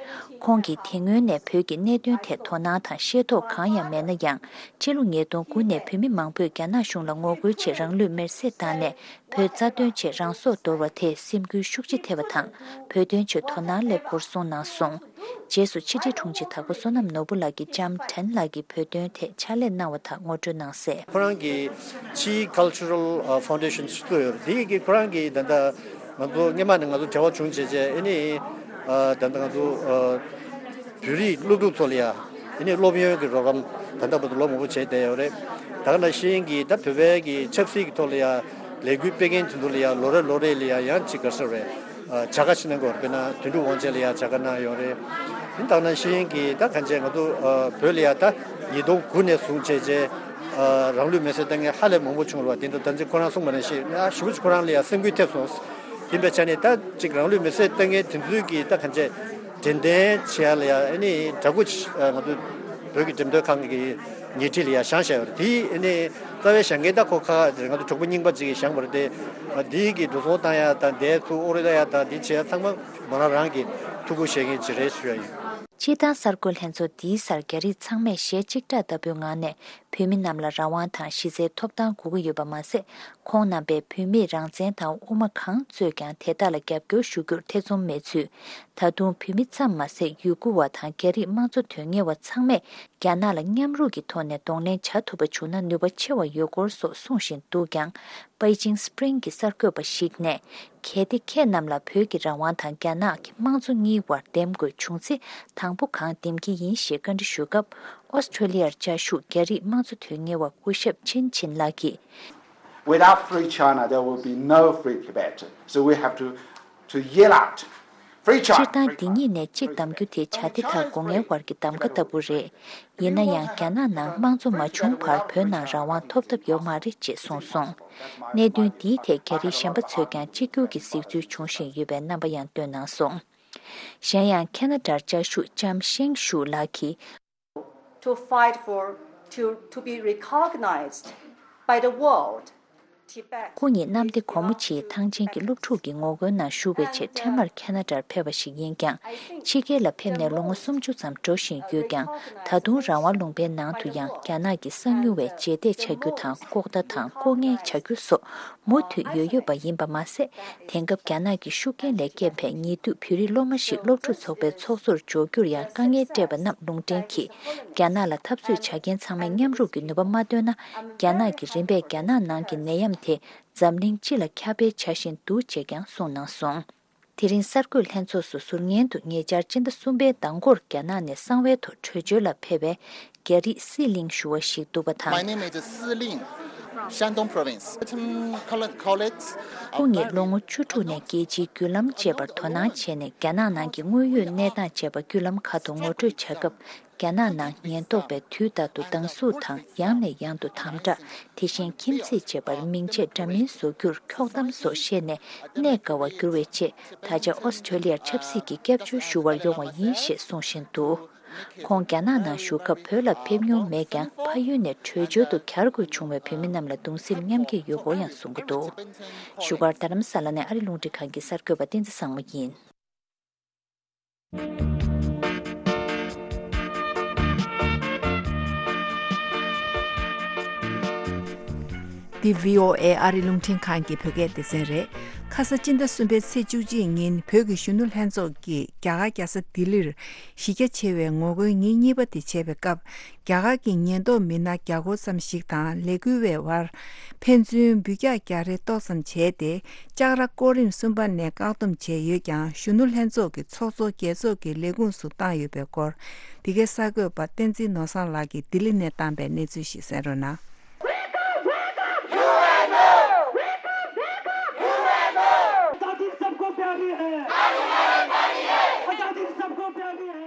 ཁོང་གིས་དེ་སྔོན་ནས་བོད་ཀྱི་གནད་དོན་ཐད་དོ་སྣང་དང་ཤེས་རྟོགས་གང་ཡང་མེད་ན་ཡང་། ཕྱི་ལོ་ཉིས་སྟོང་དགུ་ནས་བོད་མི་མང་པོས་རྒྱ་ནག་གཞུང་ལ་ངོ་རྒོལ་ཆེད་རང་ལུས་མེར་སྲེག་བཏང་ནས། བོད་རྩ་དོན་ཆེད་རང་སྲོག་དོར་བ་དེས་སེམས་འགུལ་ཤུགས་ཆེ་ཐེབས་པ་དང་། བོད་དོན་ཆེད་དོ་སྣང་སླེབས་སྐོར་གསུངས་གནང་སོང་། རྗེས་སུ་ཕྱི་དྲིལ་དྲུང་ཆེ་དྭགས་པོ་བསོད་ནམས་ནོར་བུ་ལགས་ཀྱིས་ལྕམ་ཁྲེན་ལགས་ཀྱི་བོད་དོན་ཐད་ཕྱག་ལས་གནང་བ་དག་ངོ་སྤྲོད་གནང་གསལ། ཁོ་རང་གི་ཕྱིའི་Cultural Foundation ཞིག་བཙུགས་ཡོད་རེད། དེ་གི་ཁོ་རང་གིས་ད་ལྟ་ང་ཚོ་སྔོན་མ་ནས་ང་ཚོ་འབྲེལ་བ་བྱུང་བྱས་བྱས་ཨ་ནི་ད་ལྟ་ང་ཚོ་བོད་རིགས་སློབ་ཕྲུག་ཚོ་ལ་ཡ་ཨ་ནི་སློབ་ཡོན་གྱི་རོགས་རམ་ད་ལྟ་བར་དུ་ལོ་མང་པོ་བྱས་བསྡད་ཡོད་རེད། ད་ག་ནང་བཞིན་གྱི་ད་བོད་པའི་གི་ཆབ་སྲིད་ཀྱི་ཐོག་ལ་ཡ་ལས་འགུལ་སྤེལ་མཁན་དེ་ཚོ་ལ་ཡ་ལོ་རེ་ལོ་རེ་ལ་ཡ་ཡང་ཅིག་ག་རེ་ཟེར་བས། བྱ་དགའ་ཞིག་གནང་གི་ཡོད་རེད། དཔེར་ན་དོན་གྲུབ་དབང་ཆེན་ལ་ཡང་བྱ་དགའ་གནང་ཡོད་རེད། དེ་དག་ནང་བཞིན་གྱི་ད་གང་བྱས་ང་ཚོ་བོད་ལ་ཡང་ད་ཉིས་སྟོང་དགུ་ནས་བཟུང་བྱས་རྗེས་རང་ལུས་མེར་སྲེག་བཏང་མཁན་ཧ་ལས་མང་པོ་བྱུང་རེད་བ། དེ་ཚོ་ད་ཅི་ཁོ་རང་གསུངས་པ་ནང་བཞིན་ཞེ་པོ་ཅིག་ཁོ་རང་ལ་ཡང་སེམས་འགུལ་ཐེབས་སོང་། ཡིན་པའི་ཆ་ནས་ད་ཅིག་རང་ལུས་མེར་སྲེག་བཏང་མཁན་དེ་ཚོའི་གི་ད་གང་བྱས་དྲན་རྟེན་བྱེད་ཡ་ལ་ཡང་ཨ་ནི་འདྲ་སྐུ་ང་ཚོ་བོད་ཀྱི་འགྲེམས་སྟོན་ཁང་གི་ཉེ་འཁྲིས་ལ་ཡང་བཞེངས་བཞག་ཡོད་རེད། དེ་ཨ་ནི་རྩ་བའི་བཞེངས་མཁན་ད་ཁོ་ཁ་ང་ཚོ་གྲོགས་པོ་རྙིང་པ་ཅིག་གིས་བཞེངས་པ་རེད་དེ། འདི་གི་འགྲོ་སོང་བཏང་ཡ་དང་འདས་ཚུར་ཨོ་རེ་ད་ཡ་དང་འདི་བྱས་ཡ་ཚང་མ་མོ་རང་རང་གི་ཐུགས་ཁུར་བཞེས་མཁན་ཅིག་རེད་ཞུ་ཡ་ཡིན། སྤྱིར་བཏང་གསར་འགོད་ལྷན་ཚོགས་འདིའི་སར་རྒྱ་རིགས་ཚང་མས་ཞལ་གཅིག་གྲགས་ལྟ་བུའི་ངང་ནས་བོད་མི་རྣམས་ལ་རང་དབང་དང་གཞི་རྩའི་ཐོབ་ཐང་དགོས་ཀྱི་ཡོད་པ་མ་ཟད། ཁོང་རྣམ་པས་བོད་མིས་རང་བཙན་དང་དབུ་མ་གང་རྩོད་ཀྱང་དེ་དག་ལ་རྒྱབ་སྐྱོར་ཞུ་རྒྱུར་ཐེ་ཚོམ་མེད་ཚུལ། ད་དུང་བོད་མི་ཙམ་མ་ཟད་ཡུ་གུར་བ་དང་རྒྱ་རིགས་དམངས་གཙོ་དོན་གཉེར་བ་ཚང་མས་རྒྱ་ནག་ལ་མཉམ་རུབ་ཀྱི་ཐོག་ནས་གདོང་ལེན་བྱ་ཐུབ་པ་བྱུང་ན་ནུས་པ་ཆེ་བ་ཡོད་སྐོར་སོགས་གསུང་བཞིན་འདུག་ཀྱང་། པེ་ཅིང་སི་པི་རིང་གི་གསར་འགོད་པ་ཞིག་ནས། གལ་ཏེ་ཁྱེད་རྣམས་ལ་བོད་ཀྱི་རང་དབང་དང་རྒྱ་ནག་གི་དམངས་གཙོ་གཉིས་བར་འདེམས་དགོས་བྱུང་ཚེ་དང་པོ་གང་འདེམས་ཀྱི་ཡིན་ཞེས་བཀའ་འདྲི་ཞུས་སྐབས། ཨོ་སི་ཀྲོ་ལི་ཡར་བཅའ་བཞུགས་རྒྱ་རིགས་དམངས་གཙོ་དོན་གཉེར་བ་སྐུ་ཞབས་ཆིན་ཆིན་ལགས་ཀྱིས། Without free China, there will be no free Tibet. So we have to, to yell out, "Free China!" སྤྱིར་བཏང་འདི་གཉིས་ནས་གཅིག་གདམ་རྒྱུ་དེ་བྱ་དེ་དང་སྒོ་ངའི་བར་གྱི་གདམ་ག་ལྟ་བུ་རེད། ཡིན་ན་ཡང་རྒྱ་ནག་ནང་དམངས་གཙོ་མ་བྱུང་བར་བོད་ནང་རང་དབང་ཐོབ་ཐབས་ཡོད་མ་རེད་ཅེས་གསུངས་སོང་། གནད་དོན་འདིའི་ཐད་རྒྱ་རིགས་གཞན་པ་ཚོས་ཀྱང་གཅིག་གྱུར་གྱི་གཟིགས་ཚུལ་འབྱུང་བཞིན་ཡོད་པའི་རྣམ་པ་ཡང་བཏོན་གནང་སོང་། གཞན་ཡང་ཁེ་ན་ཌར་བཅའ་བཞུགས་ལྕམ་ཤེང་ཞུ་ལགས་ཀྱིས། To fight for, to, to be recognized by the world, Tibet. ཁོ་ཉིད་གནམ་བདེ་སྒོ་མོ་ཆེའི་ཐང་ཆེན་གྱི་སློབ་ཕྲུག་གི་ངོ་རྒོལ་ནང་ཞུགས་པའི་ཆེད་འཕྲལ་མར་ཁེ་ན་ཌར་ཕེབས་པ་ཞིག་ཡིན་ཀྱང་། ཕྱི་རྒྱལ་ལ་ཕེབས་ནས་ལོ་ངོ་སུམ་ཅུ་ཙམ་འགྲོ་བཞིན་ཡོད་ཀྱང་། ད་དུང་རང་དབང་ལུང་པའི་ནང་དུ་ཡང་རྒྱ་ནག་གི་གསང་ཉུལ་བའི་རྗེས་འདེད་བྱ་རྒྱུ་དང་། ལྐོག་ལྟ་དང་ལྐོག་ངན་བྱ་རྒྱུ་སོགས་མུ་མཐུད་ཡོད་ཡོད་པ་ཡིན་པ་མ་ཟད། དེང་སྐབས་རྒྱ་ནག་གི་ཤུགས་རྐྱེན་ལས་སྐྱེས་པའི་ཉེ་དུས་བོད་རིགས་སློབ་མ་ཞིག་སློབ་ཕྲུག་ཚོགས་པའི་ཚོགས་གཙོར་འཇོག་རྒྱུར་ཡང་དཀའ་ངལ་སྤྲད་པ་རྣམས་ལུང་འདྲེན་གྱིས། རྒྱ་ནག་ལ་འཐབ་རྩོད་བྱ་མཁན་ཚང་མས་མཉམ་རུབ་ཀྱི་ནུས་པ་མ་བཏོན་ན། རྒྱ་ནག་གིས་རིམ་པས་རྒྱ་ནག་ནང་གི་ནད་ཡམས་དེ་འཛམ་གླིང་སྤྱི་ལ་ཁྱབ་སྤེལ་བྱ་བཞིན་འདུག་ཅེས་ཀྱང་གསུངས་གནང་སོང་། དེ་རིང་གསར་འགོད་ལྷན་ཚོགས་སུ་ཟུར་ཉན་དུ་ཉེ་ཆར་སྤྱི་ཟླ་གསུམ་པའི་ཟླ་འགོར་རྒྱ་ནག་ནས་གསང་བའི་ཐོག་བྲོས་བྱོལ་ལ་ཕེབས་པའི་རྒྱ་རིགས་སི་ལིང་ཞུ་བ་ཞིག་འདུག་པ་དང་། My name is Si Ling, Shandong Province. Some col- colleagues of ཁོང་ཉིད་ལོ་ངོ་བཅུ་དྲུག་ནས་རྒྱལ་སྤྱིའི་བརྒྱུད་ལམ་ཅེས་པར་དོ་སྣང་བྱས་ནས། རྒྱ་ནག་ནང་གི་དངོས་ཡོད་གནས་སྟངས་ཅེས་པ་བརྒྱུད་ལམ་ཁག་ཏུ་ངོ་སྤྲོད་བྱ་སྐབས། རྒྱ་ནག་ནང་ཉེན་རྟོག་པས་དུས་རྟག་ཏུ་སྡང་ཟུག་དང་ཡང་ནས་ཡང་དུ་དམ་དྲག་དེ་བཞིན་ཁྱིམ་མཚེས་བཅས་པར་མིང་ཆད་འདྲ་མིན་བཟོ་རྒྱུར་འཁྱོག་གཏམ་སོགས་བཤད་ནས་གནས་དགའ་བར་འགྱུར་བའི་ཆེད། ད་ཆ་ཨོ་སི་ཀྲོ་ལི་ཡར་ཆབ་སྲིད་ཀྱི་སྐྱབས་བཅོལ་ཞུ་བར་ཡོང་བ་ཡིན་ཞེས་གསུང་བཞིན་འདུག་ཁོང་རྒྱ་ནག་ནང་བཞུགས་སྐབས་བོད་ལ་ཕེབས་མྱོང་མེད་ཀྱང་། ཕ་ཡུལ་ནས་བྲོས་བྱོལ་དུ་གྱར་དགོས་བྱུང་བའི་བོད་མི་རྣམས་ལ་གདུང་སེམས་མཉམ་སྐྱེད་ཡོད་སྐོར་ཡང་གསུང་གི་འདུག་བཞུགས་སྒར་རྡ་རམ་ས་ལ་ནས་ཨ་རི་རླུང་འཕྲིན་ཁང་གི་གསར་འགོད་པ་བསྟན་འཛིན་བཟང་མོ་ཡིན། འདི་བྷི་ཨོ་ཨེ་ཨ་རི་རླུང་འཕྲིན་ཁང་གི་བོད་སྐད་སྡེ་ཚན་རེད། ཁ་ས་སྤྱི་ཟླ་གསུམ་པའི་ཚེས་བཅུ་གཅིག་ཉིན་བོད་ཀྱི་གཞོན་ནུ་ལྷན་ཚོགས་ཀྱིས་རྒྱ་གར་རྒྱལ་ས་ལྡི་ལིར་གཞི་རྒྱ་ཆེ་བའི་ངོ་རྒོལ་ཉིན་གཉིས་པ་དེ་བྱས་པའི་སྐབས། རྒྱ་གར་གྱི་ཉེན་རྟོག་མི་སྣ་བརྒྱ་སྐོར་ཙམ་ཞིག་དང་ལས་འགུལ་བའི་བར་ཕན་ཚུན་འབུད་རྒྱག་རྒྱག་རེས་ཏོག་ཙམ་བྱས་ཏེ། ལྕགས་ར་ཀོ་རིམ་གསུམ་པ་ནས་བཀག་སྡོམ་བྱས་ཡོད་ཀྱང་། གཞོན་ནུ་ལྷན་ཚོགས་ཀྱི་ཚོགས་གཙོ་རྒྱལ་ཚོགས་ཀྱི་ལས་ཁུངས་སུ་བཏང་ཡོད་པའི་སྐོར། འདི་གའི་གསར་འགོད་པ་བསྟན་འཛིན་ནོར་བཟང་ལགས་ཀྱིས་ལྡི་ལི་ནས་བཏང་པའི་གནས་ཚུལ་ཞིག་གསན་རོགས་གནང་། Wake up, wake up! U N O! Wake up, wake up! U N O! आजादी सबको प्यारी है। आजादी सबको प्यारी है।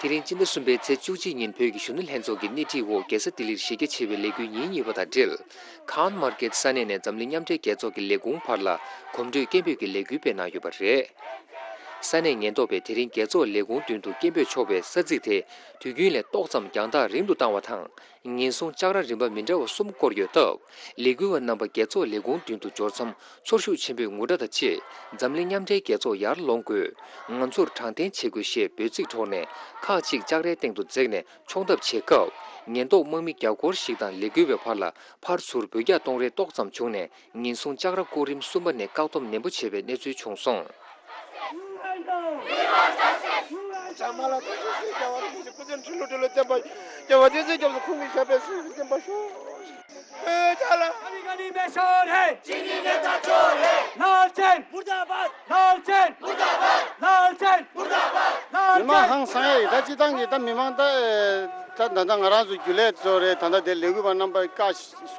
དེ་རིང་སྤྱི་ཟླ་གསུམ་པའི་ཚེས་བཅུ་གཅིག་ཉིན་བོད་ཀྱི་གཞོན་ནུ་ལྷན་ཚོགས་ཀྱི་སྣེ་ཁྲིད་འོག་རྒྱལ་ས་ལྡི་ལིར་གཞི་རྒྱ་ཆེ་བའི་ལས་འགུལ་ཉིན་གཉིས་པ་དང་འབྲེལ། ཁཱན་མར་ཀེད་ས་གནས་ནས་འཛམ་གླིང་མཉམ་འབྲེལ་རྒྱལ་ཚོགས་ཀྱི་ལས་ཁུངས་བར་ལ་གོམ་བགྲོད་སྐད་འབོད་ཀྱི་ལས་འགུལ་སྤེལ་གནང་ཡོད་པ་རེད། ས་གནས་ཉེན་རྟོག་པས་དེ་རིང་རྒྱལ་ཚོགས་ལས་ཁུངས་མདུན་དུ་སྐད་འབོད་ཆོག་པའི་ས་ཚིགས་དེ་དུས་རྒྱུན་ལས་ཏོག་ཙམ་རྒྱང་ཐག་རིང་དུ་བཏང་བ་དང་། ཉེན་སྲུང་ལྕགས་ར་རིམ་པ་མི་འདྲ་བ་གསུམ་བསྐོར་ཡོད་སྟབས། ལས་འགུལ་བ་རྣམ་པ་རྒྱལ་ཚོགས་ལས་ཁུངས་མདུན་དུ་འབྱོར་མཚམས་ཚོར་ཤུགས་ཆེན་པོས་ངུ་སྒྲ་དང་བཅས། འཛམ་གླིང་མཉམ་འབྲེལ་རྒྱལ་ཚོགས་ཡར་ལོངས་དགོས། ང་ཚོར་དྲང་བདེན་བྱེད་དགོས་ཞེས་འབོད་ཚིག་སྒྲོག་ནས་ཁག་ཅིག་ལྕགས་རའི་སྟེང་དུ་འཛེགས་ནས་མཆོང་ཐབས་བྱེད་སྐབས། ཉེན་རྟོག་དམག་མི་བརྒྱ་སྐོར་ཞིག་དང་ལས་འགུལ་བའི་བར་ལ་ཕར་ཚུར་འབུད་རྒྱག་གཏོང་རེས་ཏོག་ཙམ་བྱུང་ནས། ཉེན་སྲུང་ལྕགས་ར་སྐོར་རིམ་གསུམ་པ་ནས་བཀག་སྡོམ་ནན་པོ་བྱས་པའི་གནས་ཚུལ་བྱུང་སོང་། མི་མང་ཧང་སང་ཡ་ཡིན། ད་སྤྱི་བཏང་གི་ད་མི་མང་ད་ད་ད་ང་རང་ཚོ་རྒྱུན་ལས་ཚོ་རེད། ད་ད་དེ་ལས་འགུལ་བ་རྣམ་པ་བཀག་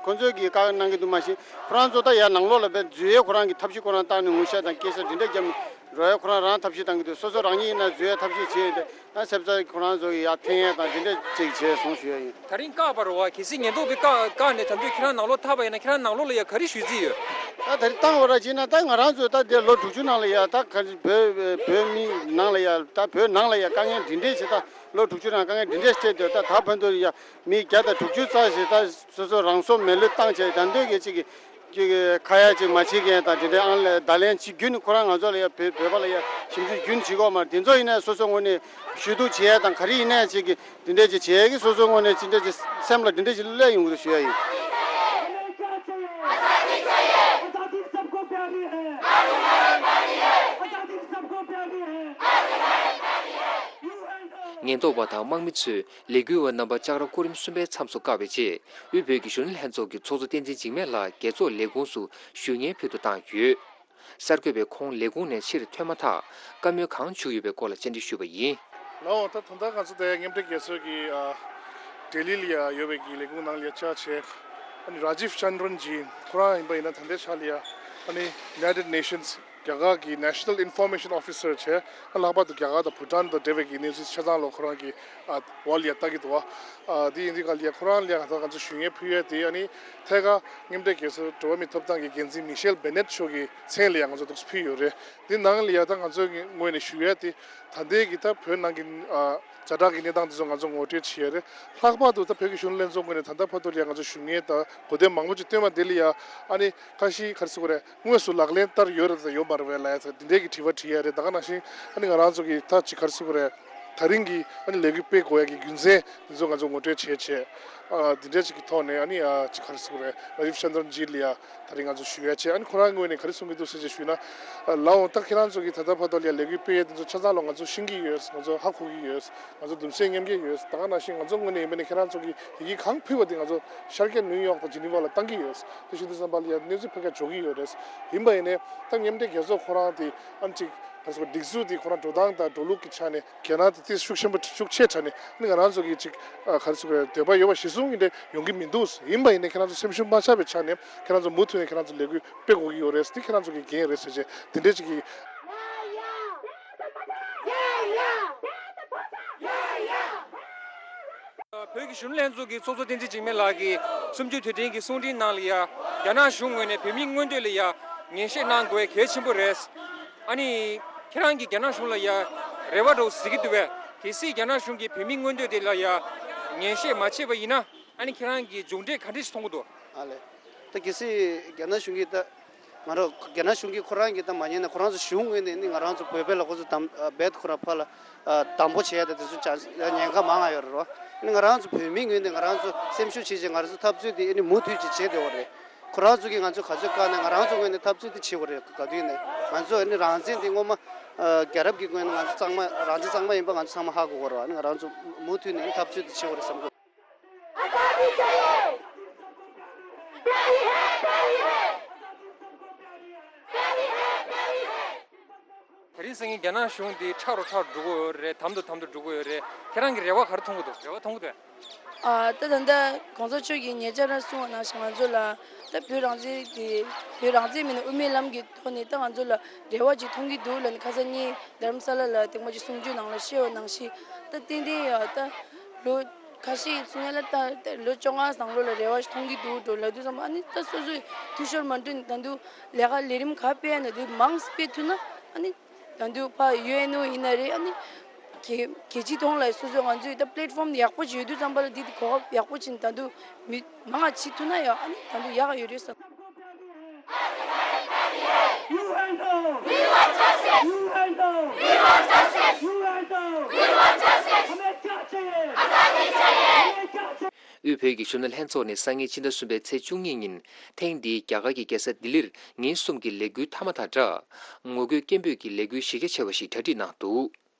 ཁོ་ཚོས་ཀྱིས་བཀག་གནང་གི་འདུག་མ་གཞི་ཁོ་རང་ཚོ་ད་ཡར་ནང་ལོགས་ལ་བས་འཛུལ་ཡས་ཁོ་རང་གི་ཐབས་ཤེས་ཁོ་རང་བཏང་ནས་ངུ་ཤ་དང་སྐད་ཤ་འདི་འདྲ་བརྒྱབ་ནས་རོགས་ཡས་ཁོ་རང་རང་ཐབས་ཤེས་བཏང་གི་འདུག་སོ་སོ་རང་ཉིད་ཡིན་ན་འཛུལ་ཡས་ཐབས་ཤེས་བྱས་ཏེ་ད་སེམས་རྩ་ཁོ་རང་ཚོ་གི་ཡར་འཐེན་ཡས་དང་འདི་འདྲ་ཅིག་བྱས་སོང་ཞུ་ཡས་ཡིན། ད་རིང་བཀག་པ་རེད་བ། གལ་སྲིད་ཉེན་རྟོག་པས་བཀག་བཀག་ནས་ད་དུང་ཁྱེད་རང་ནང་ལོགས་ཐར་པ་ཡིན་ན་ཁྱེད་རང་ནང་ལོགས་ལ་ཡ་ག་རེ་ཞུ་རྩིས་ཡོད། ད་ད་རིང་བཏང་བ་ར་བྱས་ན་ད་ང་རང་ཚོ་ད་འདིར་ལོ་དྲུག་ཅུ་ནང་ལ་ཡ་ད་ག་བོད་བོད་མི་ནང་ལ་ཡ་ད་བོད་ནང་ལ་ཡ་དཀའ་ངལ་འདི་འདྲས་ཞིག་ད་ལོ་དྲུག་ཅུ་ནང་དཀའ་ངལ་འདི་འདྲས་སྤྲད་དེ་ད་ད་ཕན་ཐོགས་ཡ་མི་བརྒྱ་དང་དྲུག་ཅུ་རྩ་ཞིག་ད་སོ་སོ་རང་སྲོག་མེ་ལུས་བཏང་བྱས་ད་འདོད་ཀྱི་ཅིག་གི་ཅིག་གི་ཁ་ཡ་ཅིག་མ་བྱེད་མཁན་དང་དེ་འདྲའི་ཨང་ལས་བརྡ་ལན་ཅིག་རྒྱུན་ཁོ་རང་ང་ཚོ་ལ་ཡ་བོད་བོད་པ་ལ་ཡ་ཞིབ་འཇུག་རྒྱུན་བྱེད་དགོས་མ་རེད། དེ་ཚོ་ཡིན་ན་སོ་སོ་ངོས་ནས་ཞུ་གཏུག་བྱེད་ཡ་དང་ག་རེ་ཡིན་ན་ཅིག་གི་དེ་འདྲས་ཅིག་བྱེད་ཡ་གི་སོ་སོ་ངོས་ནས་ཅི་འདྲས་ཅིག་སེམས་ལ་དེ་འདྲས་ཅིག་སླེབས་ཡོང་གི་རེད་ཞུ་ཡ་ཡིན། ཉེན་རྟོག་པ་དང་དམག་མི་ཚོས་ལས་འགུལ་བ་རྣམ་པ་ལྕགས་ར་སྐོར་རིམ་གསུམ་པའི་མཚམས་སུ་བཀག་པའི་རྗེས། དབུས་བོད་ཀྱི་གཞོན་ནུ་ལྷན་ཚོགས་ཀྱི་ཚོགས་གཙོ་བསྟན་འཛིན་འཇིགས་མེད་ལགས་རྒྱལ་ཚོགས་ལས་ཁུངས་སུ་ཞུ་སྙན་ཕུལ་དུ་བཏང་ཡོད། གསར་འགོད་པས་ཁོང་ལས་ཁུངས་ནས་ཕྱིར་ཐོན་མ་ཐག་བཀའ་མོལ་གང་བྱུང་ཡོད་པའི་སྐོར་ལ་བཅར་འདྲི་ཞུས་པ་ཡིན། ལགས་འོང་། ད་ད་ལྟ་ང་ཚོ་དེ་མཉམ་འབྲེལ་རྒྱལ་ཚོགས་ཀྱི་ཨ་ལྡི་ལི་ལ་ཡ་ཡོད་པའི་གི་ལས་ཁུངས་ནང་ལ་ཡ་བཅར་བྱས། ཨ་ནི་རཱ་ཇིབ་ཅན་དྲན་ཇི་ཁོ་རང་ཡིན་པ་ཡིན་ན་ད་ལྟའི་ཆ་ལ་ཡ་ཨ་ནི་United Nations རྒྱ་གར་གྱི་National Information Officer བྱས། ཨ་ལྷག་པར་དུ་རྒྱ་གར་དང་བྷུ་ཊན་དང་འབྲེལ་བའི་གི་གནས་ཚུལ་ཆ་ཚང་ལོ་ཁོ་རང་གི་ཨ་འོག་ལ་ཡ་ལྟ་གི་འདུག་བ། ཨ་དེ་ཡིན་དུས་ག་ལ་ཡ་ཁོ་རང་ལ་ཡ་ད་ང་ཚོ་ཞུ་སྙན་ཕུལ་ཡས་དེ་ཨ་ནི་ཐད་ཀར་མཉམ་འབྲེལ་རྒྱལ་ཚོགས་འགྲོ་བ་མིའི་ཐོབ་ཐང་གི་འགན་འཛིན་མི་ཤེལ་བེ་ནེད་མཆོག་གི་མཚན་ལ་ཡ་ང་ཚོ་འདུག་སེ་ཕུལ་ཡོད་རེད། དེ་ནང་ལ་ཡ་ད་ང་ཚོའི་ངོས་ནས་ཞུ་ཡས་དེ་ད་ལྟའི་གི་ད་བོད་ནང་གི་ཨ་ཛ་དྲག་གི་གནས་སྟངས་དེ་ཚོ་ང་ཚོ་ངོ་སྤྲོད་བྱེད་ཡས་རེད། ལྷག་པར་དུ་ད་བོད་ཀྱི་གཞོན་ནུ་ལྷན་ཚོགས་ངོས་ནས་ད་ལྟ་བར་དུ་ལ་ཡ་ང་ཚོ་ཞུ་སྙན་དང་གོ་དོན་མང་པོ་ཅིག་བཏོན་པ་དེ་ལ་ཡ་ཨ་ནི་ཁ་ཤས་ག་རེ་ཟེར་དགོས་རེད། དངོས་སུ་ལག་ལེན་བསྟར་ཡོད་རེད་དང་ཡོད་མ་རེད་པས་ལབ་ཡ་དེ་འདྲའི་གི་དྲི་བ་དྲི་ཡ་རེད། ད་ག་ནང་བཞིན་ཨ་ནི་ང་རང་ཚོ་གི་ད་ཅིག་ག་རེ་ཟེར་དགོས་རེད། ད་རིང་གི་ཨ་ནི་ལས་འགུལ་སྤེལ་དགོས་ཡ་གི་རྒྱུ་མཚན་འདི་ཚོ་ང་ཚོ་ངོ་སྤྲོད་བྱས་བྱས། ཨ་འདི་འདྲ་ཅིག་གི་ཐོག་ནས་ཨ་ནི་ཨ་ཅིག་ག་རེ་ཟེར་དགོས་རེད། རཱ་ཇིབ་ཅན་དྲན་ཇི་ལ་ཡ་ད་རིང་ང་ཚོ་ཞུ་ཡ་བྱས། ཨ་ནི་ཁོ་རང་ངོས་ནས་ག་རེ་གསུང་གི་འདུག་ཟེར་བྱས་ཞུས་ན། ཨ་ལགས་འོང་། ད་ཁྱེད་རང་ཚོ་གི་ད་ལྟ་བར་དུ་ལ་ཡ་ལས་འགུལ་སྤེལ་ཡ་འདི་ཚོ་ཆ་ཚང་ལ་ང་ཚོ་ཤེས་ཀྱི་ཡོད། ང་ཚོ་ཧ་གོ་གི་ཡོད། ང་ཚོ་གདུང་སེམས་མཉམ་སྐྱེད་ཡོད། ད་ག་ནང་བཞིན་ང་ཚོ་ངོས་ནས་ཡིན་པ་ནི་ཁྱེད་རང་ཚོ་གི་ཡི་གེ་གང་ཕུལ་བ་དེ་ང་ཚོ་ཤར་རྒྱག་ནིའུ་ཡོག་དང་ཇི་ནི་ཝ་ལ་བཏང་གི་ཡོད། དེ་བཞིན་དུ་བསམ་པ་ལ་ཡ་གནས་ཚུལ་ཕལ་སྐད་འཇོག་གི་ཡོད་རེད། ཡིན་པ་ཡིན་ནའི་ད་མཉམ་འབྲེལ་རྒྱལ་ཚོགས་ཁོ་རང་དེ་ཨ་ནི་ཅིག་ག་རེ་ཟེར་དགོས། སྒྲིག་འཛུགས་དེ་ཁོ་རང་འགྲོ་སྟངས་དང་འགྲོ་ལུགས་ཀྱི་ཆ་ནས་གལ་གནད་དེ་ཏོག་ཙམ་ཤུགས་ཆེན་པོ་ཤུགས་ཆེ་དྲགས་ནས་ཨ་ནི་ང་རང་ཚོ་གི་ཅིག་ཨ་ག་རེ་ཟེར་དགོས་རེད། འདོད་པ་ཡོད་པ་གཞི་བཟུང་གི་འདྲ་ཡོང་གི་མི་འདུག་ཡིན་པ་ཡིན་ནའི་ཁྱེད་རང་ཚོ་སེམས་ཤུགས་མ་ཆག་པའི་ཆ་ནས་ཁྱེད་རང་ཚོ་མུ་མཐུད་ནས་ཁྱེད་རང་ཚོ་ལས་འགུལ་སྤེལ་དགོས་ཀྱི་ཡོད་རེད། འདི་ཁྱེད་རང་ཚོ་གི་འགན་རེད་ཟེར་བྱས་དེ་འདྲས་ཅིག་གི། བོད་ཀྱི་གཞོན་ནུ་ལྷན་ཚོགས་ཀྱི་ཚོགས་གཙོ་བསྟན་འཛིན་འཇིགས་མེད་ལགས་ཀྱིས་གསུམ་བཅུའི་དུས་དྲན་གྱི་གསུང་འཕྲིན་ནང་ལ་ཡ། རྒྱ་ནག་གཞུང་ངོས་ནས་བོད་མིའི་མངོན་འདོད་ལ་ཡ་ངན་བཤད་གནང་དགོས་གལ་ཆེན་པོ་རེད། ཨ་ནི་ཁྱེད་རང་གིས་རྒྱ་ནག་གཞུང་ལ་ཡ་རེ་བ་འདྲ་བོ་གཟིགས་ཀྱི་འདུག་པས། གལ་སྲིད་རྒྱ་ནག་གཞུང་གིས་བོད་མིའི་མངོན་འདོད་དེ་ལ་ཡ་ངན་བཤད་མ་བྱས་པ་ཡིན་ན། ཨ་ནི་ཁྱེད་རང་གིས་མཇུག་འབྲས་ག་འདྲ་ཞིག་མཐོང་གི་འདུག་ཨ་ལས། ད་གལ་སྲིད་རྒྱ་ནག་གཞུང་གིས་ད་ང་རང་རྒྱ་ནག་གཞུང་གིས་ཁོ་རང་གིས་ད་མ་ཉན་ན་ཁོ་རང་ཚོ་གཞུང་ངོས་ནས་ནི་ང་རང་ཚོ་བོད་པའི་ལ་ཁོ་ཚོ་དམ་རྦད་ཁོ་རང་ཕར་ལ་དམ་པོ་བྱས་ད་དེ་ཚོ་ཅང་ཉེན་ཁ་མང་ང་ཡོད་རེད་རོ། ནི་ང་རང་ཚོ་བོད་མིའི་ངོས་ནས་ང་རང་ཚོ་སེམས་ཤུགས་ཆེ་ཆེ་ང་རང་ཚོ་འཐབ་རྩོད་དེ་ཨ་ནི་མུ་མཐུད་ཅིག་བྱེད་བསྡད་ཡོད་རེད། ཁོ་རང་ཚོ་གིས་ང་ཚོ་ག་ཚོད་བཀག་ན་ང་རང་ཚོ་ངོས་ནས་འཐབ་རྩོད་དེ་བྱེད་དགོས་རེད། ག་དུས་ནས་ང་ཚོ་ཨ་ནི་རང་བཙན་དེ་སྔོན་མ་ཨ་རྒྱལ་རབས་ཀྱི་སྔོན་ནས་ང་ཚོ་གཙང་མ་རང་བཙན་གཙང་མ་ཡིན་པ་ང་ཚོ་ཚང་མ་ཧ་གོ་གི་རེད། ཨ་ནི་ང་རང་ཚོ་མུ་མཐུད་ནས་ཨ་ནི་འཐབ་རྩོད་དེ་བྱེད་དགོས་རེད་བསམ་གི། དེ་རིང་སང་ཉིན་རྒྱ་ནག་གཞུང་འདི་ཁྲག་རུ་ཁྲག་རུ་འགྲོ་གི་ཡོད་རེད། དམ་དུ་དམ་དུ་འགྲོ་གི་ཡོད་རེད། ཁྱེད་རང་གི་རེ་བ་ག་རེ་མཐོང་གི་འདུག་རེ་བ་མཐོང་གི་འདུག་ཨ། ད་ད་ལྟ་གོང་ས་མཆོག་གིས་ཉེ་ཆར་གསུངས་པ་ནང་བཞིན་ང་ཚོ་ལ་ད་བོད་རང་བཙན་གྱི་བོད་རང་བཙན་མིན་ན་དབུ་མའི་ལམ་གྱི་ཐོག་ནས་ད་ང་ཚོ་ལ་རེ་བ་ཅིག་མཐོང་གི་འདུག་ལབ་ནས་ཁ་སང་ཉིན་རྡ་རམ་ས་ལ་ལ་དེ་མ་ཅིག་གསུང་ཆོས་ནང་ལ་བཤད་པ་ནང་བཞིན་ད་ཏན་ཏན་ཡ་ད་ལོ་ཁ་ཤས་ཀྱི་ཚུན་ལ་ད་ལོ་བཅོ་ལྔ་ནང་ལོགས་ལ་རེ་བ་ཞིག་མཐོང་གི་འདུག་འགྲོ་ལབ་དུས་ཙམ་པ་ཨ་ནི་ད་སོ་སོས་འཐུས་ཤོར་མ་འགྲོ་ནས་ད་དུང་ལས་ཀ་ལས་རིམ་ག་སྤེལ་ཡ་ན་དེ་མང་སྤེལ་ཐུབ་ན་ཨ་ནི། ད་དུང་ཕ་ཡུ་ཨེན་ཨོ་ཡིན་ན་རེད། ཨ་ནི་རྒྱལ་རྒྱལ་སྤྱིའི་ཐོག་ལ་སོ་སོ་ང་ཚོས་ད་པི་ལེ་ཊི་ཕོམ་ཡག་པོ་ཅིག་ཡོད་དུས་ཙམ་པ་ལ་འདི་དེ་གོ་སྐབས་ཡག་པོ་ཅིག་ད་དུང་མི་མང་ང་བྱེད་ཐུབ་ན་ཡང་ཨ་ནི་ད་དུང་ཡག་ག་ཡོད་རེད་བསམ། དབུས་བོད་ཀྱི་གཞོན་ནུ་ལྷན་ཚོགས་ནས་སང་ཉིན་ཕྱི་ཟླ་གསུམ་པའི་ཚེས་བཅུ་གཉིས་ཉིན་ཐེངས་འདིའི་རྒྱ་གར་གྱི་རྒྱལ་ས་ལྡི་ལིར་ཉིན་གསུམ་གྱི་ལས་འགུལ་མཐའ་མ་དང་སྦྲགས་ངོ་རྒོལ་སྐད་འབོད་ཀྱི་ལས་འགུལ་གཞི་རྒྱ་ཆེ་བ་ཞིག་གྲ་སྒྲིག་གནང་འདུག་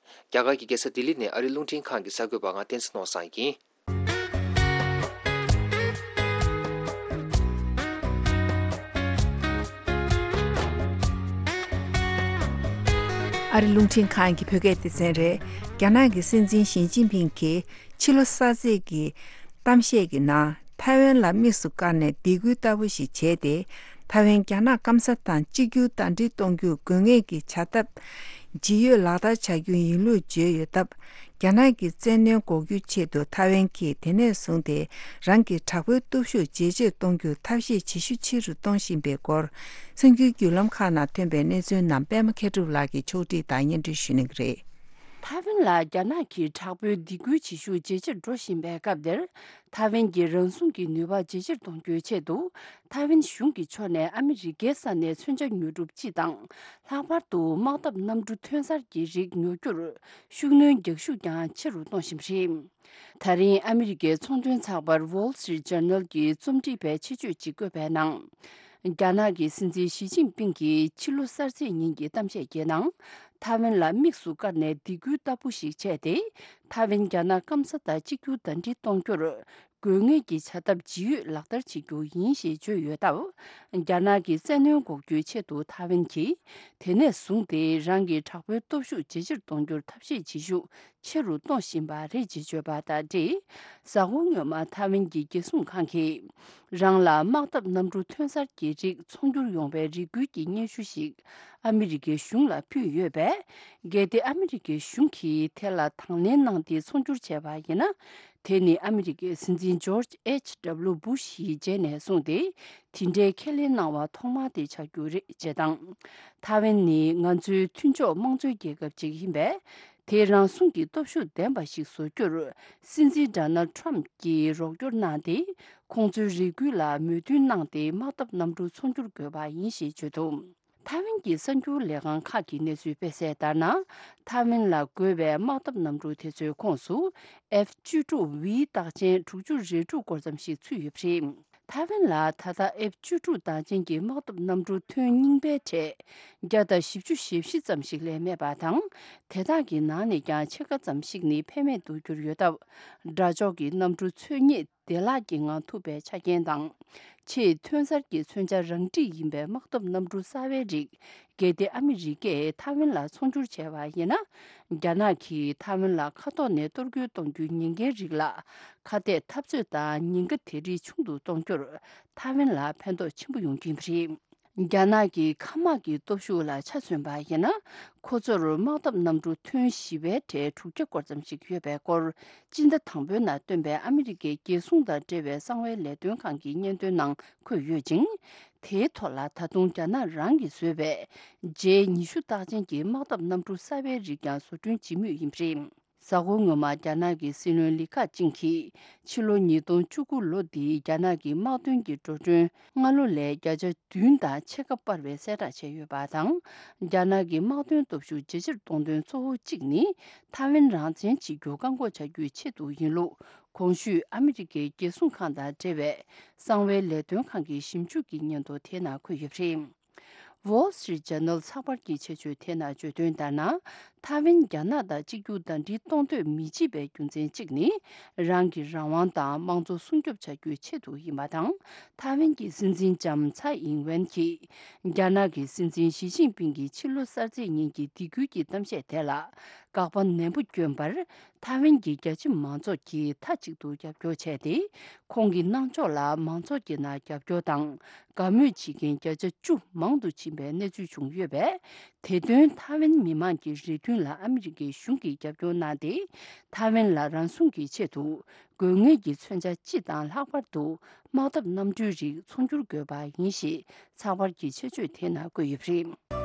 རྒྱ་གར་གྱི་རྒྱལ་ས་ལྡི་ལི་ནས་ཨ་རིའི་རླུང་འཕྲིན་ཁང་གི་གསར་འགོད་པ་ང་བསྟན་འཛིན་ནོར་བཟང་ཡིན། ཨ་རི་རླུང་འཕྲིན་ཁང་གི་བོད་སྐད་སྡེ་ཚན་རེད། རྒྱ་ནག་གི་སྲིད་འཛིན་ཞི་ཅིན་ཕིང་གིས་ཕྱི་ལོ་གསར་ཚེས་ཀྱི་གཏམ་བཤད་ཀྱི་ནང་ཐའེ་ཝན་ལ་དམིགས་སུ་བཀར་ནས་སྡིགས་སྐུལ་ལྟ་བུ་ཞིག་བྱས་ཏེ། ཐའེ་ཝན་རྒྱ་ནག་སྐམ་ས་དང་གཅིག་གྱུར་ཟླ་སྒྲིལ་གཏོང་རྒྱུར་དགོས་ངེས་ཀྱི་བྱ་ཐབས་ཇི་ཡོད་ལག་བསྟར་བྱ་རྒྱུ་ཡིན་ལུགས་བརྗོད་ཡོད་སྟབས། རྒྱ་ནག་གི་བཙན་གནོན་འགོག་རྒྱུའི་ཆེད་དུ་ཐའེ་ཝན་གྱིས་དེ་ནས་བཟུང་སྟེ་རང་གི་དྲག་པོའི་སྟོབས་ཤུགས་ཇེ་ཆེར་གཏོང་རྒྱུར་ཐབས་ཤེས་ཇེ་ཤུགས་ཆེ་རུ་གཏོང་བཞིན་པའི་སྐོར། གསར་འགྱུར་བརྒྱུད་ལམ་ཁག་ནང་ཐོན་པའི་གནས་ཚུལ་རྣམས་པད་མ་མཁས་གྲུབ་ལགས་ཀྱིས་ཕྱོགས་སྒྲིག་དང་སྙན་སྒྲོན་ཞུ་གནང་གི་རེད། ཐའེ་ཝན་ལ་རྒྱ་ནག་གིས་དྲག་པོའི་སྡིགས་སྐུལ་བྱེད་ཤུགས་ཇེ་ཆེར་འགྲོ་བཞིན་པའི་སྐབས་འདིར། ཐའེ་ཝན་གྱི་རང་སྲུང་གི་ནུས་པ་ཇེ་ཆེར་གཏོང་རྒྱུའི་ཆེད་དུ། ཐའེ་ཝན་གཞུང་གི་ཕྱོགས་ནས་ཨ་མི་རི་ཀའི་ས་ནས་མཚོན་ཆ་ཉོ་སྒྲུབ་སྤྱི་དང་། ལྷག་པར་དུ་དམག་འཐབ་གནམ་གྲུ་ཐོན་གསར་གྱི་རིགས་ཉོ་རྒྱུར་ཤུགས་སྣོན་རྒྱག་ཤུགས་ཀྱང་ཆེ་རུ་གཏོང་བཞིན་པ་རེད། ད་རིང་ཨ་མི་རི་ཀའི་ཚོང་དོན་ཚགས་པར་Wall Street Journal གྱིས་རྩོམ་སྒྲིག་པའི་ཆེད་བརྗོད་ཅིག་བཀོད་པའི་ནང་། རྒྱ་ནག་གི་སྲིད་འཛིན་ཞི་ཅིན་ཕིང་གིས་ཕྱི་ལོ་གསར་ཚེས་ཉིན་གྱི་གཏམ་བཤད་ཀྱི་ནང་། ཐའེ་ཝན་ལ་དམིགས་སུ་བཀར་ནས་སྡིགས་སྐུལ་ལྟ་བུ་ཞིག་བྱས་ཏེ། ཐའེ་ཝན་རྒྱ་ནག་སྐམ་ས་དང་གཅིག་གྱུར་ཟླ་སྒྲིལ་གཏོང་རྒྱུར། དགོས་ངེས་ཀྱི་བྱ་ཐབས་ཇི་ཡོད་ལག་བསྟར་བྱེད་རྒྱུ་ཡིན་ཞེས་བརྗོད་ཡོད་སྟབས། རྒྱ་ནག་གི་བཙན་གནོན་འགོག་རྒྱུའི་ཆེད་དུ་ཐའེ་ཝན་གྱིས་དེ་ནས་བཟུང་སྟེ་རང་གི་དྲག་པོའི་སྟོབས་ཤུགས་ཇེ་ཆེར་གཏོང་རྒྱུར་ཐབས་ཤེས་བྱེད་ཤུགས་ཆེ་རུ་གཏོང་བཞིན་པ་རེད་ཅེས་བརྗོད་པ་དང་འབྲེལ། གཟའ་འཁོར་སྔོན་མ་ཐའེ་ཝན་གྱི་རྒྱལ་སྲུང་ཁང་གིས་རང་ལ་དམག་འཐབ་གནམ་གྲུ་ཐོན་གསར་གྱི་རིགས་ཚོང་སྒྱུར་ཡོང་བའི་རེ་སྐུལ་གྱི་སྙན་ཞུ་ཞིག་ཨ་མི་རི་ཀའི་གཞུང་ལ་ཕུལ་ཡོད་པས། གལ་ཏེ་ཨ་མི་རི་ཀའི་གཞུང་གིས་དེ་ལ་དང་ལེན་གནང་སྟེ་ཚོང་སྒྱུར་བྱས་པ་ཡིན་ན། དེ་ནི་ཨ་མི་རི་ཀའི་སྲིད་འཛིན་ཇོརྗ་ཨེཆ་ཌབ་ལུ་བུ་ཤ་ཡི་རྗེས་ནས་བཟུང་སྟེ་དེ་འདྲའི་ཁས་ལེན་གནང་བ་ཐོག་མ་དེ་ཆགས་རྒྱུ་རེད་ཅེས་དང་། ཐའེ་ཝན་ནི་ང་ཚོའི་མཐུན་ཕྱོགས་དམངས་གཙོའི་རྒྱལ་ཁབ་ཅིག་ཡིན་པས། དེ་རང་སྲུང་གི་སྟོབས་ཤུགས་ལྡན་པ་ཞིག་བཟོ་རྒྱུར་སྲིད་འཛིན་ཌོ་ནལ་ཌི་ཊརམ་ཕ་གྱིས་རོགས་སྐྱོར་གནང་སྟེ། ཁོང་ཚོའི་རེ་སྐུལ་ལ་མོས་མཐུན་གནང་སྟེ་དམག་འཐབ་གནམ་གྲུ་ཚོང་སྒྱུར་དགོས་པ་ཡིན་ཞེས་བརྗོད་འདུག་ཐའེ་ཝན་གྱི་གསར་འགྱུར་ལས་ཁང་ཁག་གིས་གནས་ཚུལ་སྤེལ་གསལ་ལྟར་ན། ཐའེ་ཝན་ལ་དགོས་པའི་དམག་འཐབ་གནམ་གྲུ་དེ་ཚོའི་ཁོངས་སུ་ཨེཕ་བཅུ་དྲུག་ཝི་རྟགས་ཅན་དྲུག་ཅུ་རེ་དྲུག་སྐོར་ཙམ་ཞིག་ཚུད་ཡོད་པ་རེད། ཐའེ་ཝན་ལ་ད་ལྟ་ཨེཕ་བཅུ་དྲུག་རྟགས་ཅན་གྱི་དམག་འཐབ་གནམ་གྲུ་ཐོན་རྙིང་པའི་གྲས་བརྒྱ་དང་བཞི་བཅུ་ཞེ་བཞི་ཙམ་ཞིག་ལས་མེད་པ་དང་། དེ་དག་གི་ནང་ནས་ཀྱང་ཕྱེད་ཀ་ཙམ་ཞིག་ནི་ཕན་མེད་དུ་གྱུར་ཡོད་སྟབས། དགྲ་ཕྱོགས་ཀྱི་གནམ་གྲུ་འཚོལ་སྙེག་བདེ་བླག་གི་ངང་ཐུབ་པའི་ཆ་རྐྱེན་དང་། ཆེས་ཐོན་གསར་གྱི་མཚོན་ཆ་རང་འགྲིག་ཡིན་པའི་དམག་འཐབ་གནམ་གྲུ་གསར་བའི་རིགས། གལ་ཏེ་ཨ་མི་རི་ཀས་ཐའེ་ཝན་ལ་ཚོང་སྒྱུར་བྱས་པ་ཡིན་ན། རྒྱ་ནག་གིས་ཐའེ་ཝན་ལ་མཁའ་ཐོག་ནས་གཏོར་རྒོལ་གཏོང་རྒྱུའི་ཉེན་ཁའི་རིགས་ལ། ཁ་གཏད་འཐབ་རྩོད་དང་ཉེན་ཁ་དེ་རིགས་ཆུང་དུ་གཏོང་རྒྱུར། ཐའེ་ཝན་ལ་ཕན་ཐོགས་ཆེན་པོ་ཡོང་རྒྱུ་ཡིན་པ་རེད། རྒྱ་ནག་གི་མཁའ་དམག་གི་སྟོབས་ཤུགས་ལ་ཆ་མཚོན་པ་ཡིན་ན། ཁོ་ཚོར་དམག་འཐབ་གནམ་གྲུ་ཐོན་བཞི་པའི་གྲས་དྲུག་བརྒྱ་སྐོར་ཙམ་ཞིག་ཡོད་པའི་སྐོར། སྤྱི་ཟླ་དང་པོའི་ནང་བཏོན་པའི་ཨ་མི་རི་ཀའི་རྒྱལ་སྲུང་དང་འབྲེལ་བའི་གསང་བའི་ལས་དོན་ཁང་གི་སྙན་ཐོའི་ནང་འཁོད་ཡོད་ཅིང་། དེའི་ཐོག་ལ་ད་དུང་རྒྱ་ནག་རང་གིས་བཟོས་པའི་ཇེ་ཉི་ཤུ་རྟགས་ཅན་གྱི་དམག་འཐབ་གནམ་གྲུ་གསར་པའི་རིགས་ཀྱང་བཟོ་སྐྲུན་བྱེད་མུས་ཡིན་པ་རེད། གཟའ་འཁོར་སྔོན་མ་རྒྱ་ནག་གི་སྲིད་བློན་ལི་ཁ་ཅིང་གིས་ཕྱི་ལོ་ཉིས་སྟོང་བཅུ་དགུ་ལོ་འདིའི་རྒྱ་ནག་གི་དམག་དོན་གྱི་འགྲོ་གྲོན་སྔ་ལོ་ལས་བརྒྱ་ཆ་བདུན་དང་ཕྱེད་ཀ་སྤར་བའི་གསལ་བསྒྲགས་བྱས་ཡོད་པ་དང་། རྒྱ་ནག་གི་དམག་དོན་སྟོབས་ཤུགས་ཇེ་ཆེར་གཏོང་དོན་གཙོ་བོ་གཅིག་ནི་ཐའེ་ཝན་རང་བཙན་བྱེད་རྒྱུ་བཀག་འགོག་བྱ་རྒྱུའི་ཆེད་དུ་ཡིན་ལུགས། གོང་ཞུས་ཨ་མི་རི་ཀའི་རྒྱལ་སྲུང་ཁང་དང་འབྲེལ་བའི་གསང་བའི་ལས་དོན་ཁང་གི་ཞིབ་འཇུག་གི་སྙན་ཐོ་དེ་ནང་འཁོད་ཡོད་པ་རེད། Wall Street Journal་ཚགས་པར་གྱི་ཆེད་བརྗོད་དེ་ནང་བརྗོད་དོན་ལྟར་ན། ཐའེ་ཝན་རྒྱ་ནག་དང་གཅིག་གྱུར་ཟླ་སྒྲིལ་གཏོང་འདོད་མི་བྱེད་པའི་རྒྱུ་མཚན་གཅིག་ནི། རང་གི་རང་དབང་དང་དམངས་གཙོ་སྲུང་སྐྱོབ་བྱ་རྒྱུའི་ཆེད་དུ་ཡིན་པ་དང་། ཐའེ་ཝན་གྱི་སྲིད་འཛིན་ལྕམ་ཚའེ་ཨིང་ཝེན་གྱིས། རྒྱ་ནག་གི་སྲིད་འཛིན་ཞི་ཅིན་ཕིང་གི་ཕྱི་ལོ་གསར་ཚེས་ཉིན་གྱི་སྡིགས་སྐུལ་གྱི་གཏམ་བཤད་དེ་ལ། དགག་པ་ནན་པོ་བསྐྱོན་པར། ཐའེ་ཝན་གྱི་རྒྱ་ཆེ་མང་ཚོགས་ཀྱིས་མཐའ་གཅིག་ཏུ་རྒྱབ་སྐྱོར་བྱས་ཏེ། ཁོང་གི་གནང་ཕྱོགས་ལ་མང་ཚོགས་ཀྱི་ནང་རྒྱབ་སྐྱོར་དང་དགའ་མོས་བྱེད་མཁན་བརྒྱ་ཆ་བཅུ་མང་དུ་ཕྱིན་པའི་གནས་ཚུལ་བྱུང་ཡོད་པས། དེ་དོན་ཐའེ་ཝན་མི་མང་གི་རེ་འདུན་ལ་ཨ་མི་རི་ཀའི་གཞུང་གིས་རྒྱབ་སྐྱོར་གནང་སྟེ། ཐའེ་ཝན་ལ་རང་སྲུང་གི་ཆེད་དུ་དགོས་ངེས་ཀྱི་མཚོན་ཆ་སྤྱི་དང་ལྷག་པར་དུ་དམག་འཐབ་གནམ་གྲུའི་རིགས་ཚོང་སྒྱུར་དགོས་པ་ཡིན་ཞེས་ཚགས་པར་གྱི་ཆེད་བརྗོད་དེ་ནང་བཀོད་ཡོད་པ་རེད།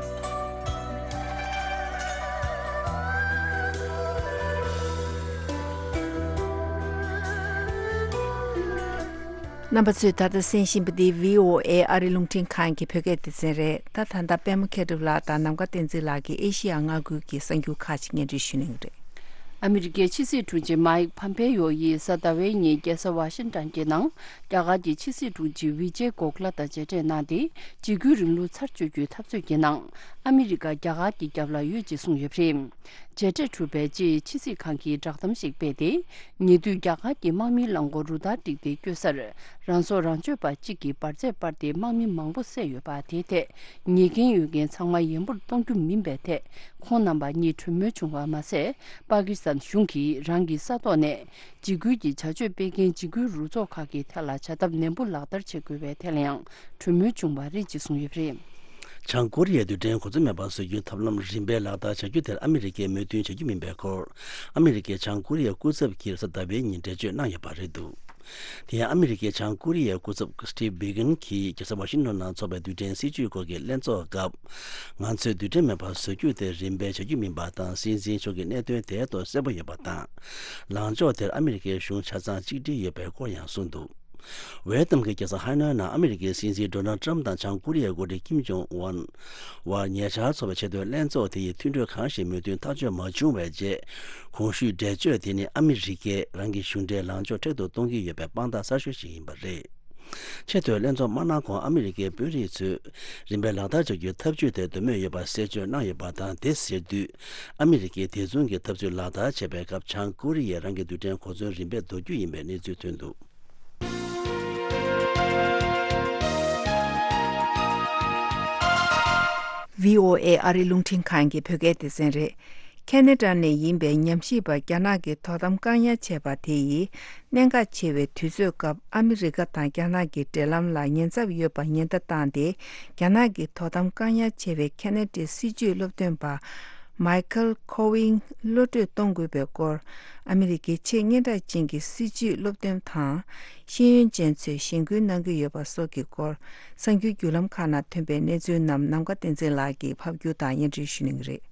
རྣམ་པ་ཚོས་ད་ལྟ་གསན་བཞིན་པ་འདི་བྷི་ཨོ་ཨེ་ཨ་རི་རླུང་འཕྲིན་ཁང་གི་བོད་སྐད་སྡེ་ཚན་རེད། ད་ད་ལྟ་པད་མ་མཁས་གྲུབ་ལགས་དང་ནམ་མཁའ་བསྟན་འཛིན་ལགས་ཀྱིས་ཨེ་ཤི་ཡ་མངའ་ཁུལ་གྱི་གསར་འགྱུར་ཁག་ཅིག་སྙན་སྒྲོན་ཞུ་གནང་གི་རེད། ཨ་མི་རི་ཀའི་ཕྱི་སྲིད་དྲུང་ཆེ་མའིག་ཕམ་པེ་ཡོ་ཡིས་གཟའ་ཟླ་བའི་ཉིན་རྒྱལ་ས་ཝ་ཤིང་ཊོན་གྱི་ནང་རྒྱ་གར་གྱི་ཕྱི་སྲིད་དྲུང་ཆེ་ཝི་ཇེ་གོ་ཁླ་དང་མཇལ་འཕྲད་གནང་སྟེ། འཇིགས་སྐུལ་རིང་ལུགས་ཚར་གཅོད་རྒྱུའི་འཐབ་རྩོད་ཀྱི་ནང་ཨ་མི་རི་ཀ་རྒྱ་གར་གྱི་རྒྱབ་ལ་ཡོད་ཅེས་གསུངས་ཡོད་པ་རེད། མཇལ་འཕྲད་གྲུབ་པའི་རྗེས་ཕྱི་སྲིད་ཁང་གིས་བསྒྲགས་གཏམ་ཞིག་སྤེལ་ཏེ། ཉེ་དུས་རྒྱ་གར་གྱི་དམག་མིའི་རླངས་འཁོར་རུ་སྟར་བསྒྲིགས་ཏེ་བསྐྱོད་སར། རང་སྲོག་རང་གཅོད་པ་གཅིག་གིས་འབར་རྫས་སྤར་ཏེ་དམག་མི་མང་པོ་བསད་ཡོད་པ་དེའི་ཐད། ཉེས་འགན་ཡོད་མཁན་ཚང་མ་ཡན་པོར་གཏོང་རྒྱུ་མིན་པའི་ཐད། ཁོང་རྣམ་པ་གཉིས་གྲོས་མོལ་བྱུང་བ་མ་ཟད། པ་ཀི་སི་ཐན་གཞུང་གིས་རང་གི་ས་ཐོག་ནས་འཇིགས་སྐུལ་གྱི་བྱ་སྤྱོད་སྤེལ་མཁན་འཇིགས་སྐུལ་རུ་ཚོགས་ཁག་གི་ཐད་ལ་བྱ་ཐབས་ནན་པོ་ལག་བསྟར་བྱེད་དགོས་པའི་ཐད་ལ་ཡང་གྲོས་མོལ་བྱུང་བ་རེད་ཅེས་གསུངས་ཡོད་པ་རེད། བྱང་ཀོ་རི་ཡའི་རྡུལ་ཕྲན་གོ་མཚོན་མེད་པར་བཟོ་རྒྱུའི་ཐབས་ལམ་རིམ་པས་ལག་བསྟར་བྱ་རྒྱུ་དེར་ཨ་མི་རི་ཀས་མོས་མཐུན་བྱ་རྒྱུ་མིན་པའི་སྐོར། ཨ་མི་རི་ཀའི་བྱང་ཀོ་རི་ཡའི་སྐུ་ཚབ་ཀྱིས་གཟའ་ཟླ་བའི་ཉིན་འགྲེལ་བརྗོད་གནང་ཡོད་པ་རེད་འདུག་དེ་ཡང་ཨ་མི་རི་ཀའི་བྱང་ཀོ་རི་ཡའི་སྐུ་ཚབ་སི་ཊིབ་བྷི་གན་གྱིས་རྒྱལ་ས་ཝ་ཤིང་ཊོན་ནང་འཚོགས་པའི་རྡུལ་ཕྲན་སྲིད་ཇུས་སྐོར་གྱི་ལྷན་ཚོགས་སྐབས། ང་ཚོས་རྡུལ་ཕྲན་མེད་པར་བཟོ་རྒྱུ་དེ་རིམ་པས་བྱ་རྒྱུ་མིན་པ་དང་། སྲིད་འཛིན་མཆོག་གི་གནད་དོན་དེ་ཐོག་གསལ་པོ་ཡོད་པ་དང་། ལངས་ཕྱོགས་དེར་ཨ་མི་རི་ཀའི་གཞུང་ཆ་ཚང་གཅིག་སྒྲིལ་ཡོད་པའི་སྐོར་ཡང་གསུངས་འདུག་ཝེ་ཏམ་གྱི་རྒྱལ་ས་ཧ་ནོའི་ནང་ཨ་མི་རི་ཀའི་སྲིད་འཛིན་ཌོ་ནལ་ཏྲམ་དང་བྱང་ཀོ་རི་ཡའི་འགོ་ཁྲིད་ཀིམ་ཇོང་ཨུན། བར་ཉེ་ཆར་འཚོགས་པའི་ཆེས་མཐོའི་ལྷན་ཚོགས་དེ་ཡི་མཐུན་གྲོས་གང་ཞིག་མོས་མཐུན་ཐག་གཅོད་མ་བྱུང་བའི་རྗེས། གོང་ཞུས་འགྲེལ་བརྗོད་དེ་ནི་ཨ་མི་རི་ཀས་རང་གི་གཞུང་འབྲེལ་ལངས་ཕྱོགས་མཁྲེགས་པོ་གཏོང་གི་ཡོད་པའི་དཔང་རྟགས་གསར་ཤོས་ཤིག་ཡིན་པ་རེད། ཆེས་མཐོའི་ལྷན་ཚོགས་མ་གནང་གོང་ཨ་མི་རི་ཀའི་དཔོན་རིགས་ཚོས་རིམ་པས་ལག་བསྟར་བྱ་རྒྱུའི་ཐབས་ཇུས་དེར་འདོད་མོས་ཡོད་པ་གསལ་བརྗོད་གནང་ཡོད་པ་དང་། དེ་ཟེར་དུས་ཨ་མི་རི་ཀས་དེ་མཚུངས་ཀྱི་ཐབས་ཇུས་ལག་བསྟར་བྱེད་པའི་སྐབས་བྱང་ཀོ་རི་ཡས་རང་གི་རྡུལ་ཕྲན་གོ་མཚོན་རིམ་པས་འདོར་རྒྱུ་ཡིན་པའི་གནས་ཚུལ་ཐོན་འདུག་བྷི་ཨོ་ཨེ་ཨ་རི་རླུང་འཕྲིན་ཁང་གི་བོད་སྐད་སྡེ་ཚན་རེད། ཁེ་ན་ཌ་ནས་ཡིན་པའི་ཉམས་ཞིབ་པ་རྒྱ་ནག་གི་དོ་དམ་བཀག་ཉར་བྱས་པ་དེ་ཡིས་གནད་འགག་ཆེ་བའི་དུས་ཚོད་སྐབས་ཨ་མི་རི་ཀ་དང་རྒྱ་ནག་གི་འབྲེལ་ལམ་ལ་ཉེན་ཚབས་ཡོད་པ་ཉེན་བརྡ་བཏང་སྟེ། རྒྱ་ནག་གི་དོ་དམ་བཀག་ཉར་བྱས་པའི་ཁེ་ན་ཌའི་སྲིད་བྱུས་སློབ་སྟོན་པ། མའི་ཁལ་ཁོ་ཝིང་གློད་གྲོལ་གཏོང་དགོས་པའི་སྐོར། ཨ་མི་རི་ཀའི་ཆེས་སྙན་གྲགས་ཅན་གྱི་སྲིད་བྱུས་སློབ་སྟོན་དང་། ཤེས་ཡོན་ཅན་ཚོས་གཞེན་སྐུལ་གནང་གི་ཡོད་པ་སོགས་ཀྱི་སྐོར། གསར་འགྱུར་བརྒྱུད་ལམ་ཁག་ནང་ཐོན་པའི་གནས་ཚུལ་རྣམས་ནམ་མཁའ་བསྟན་འཛིན་ལགས་ཀྱིས་ཕབ་སྒྱུར་དང་སྙན་སྒྲོན་ཞུ་གནང་གི་རེད།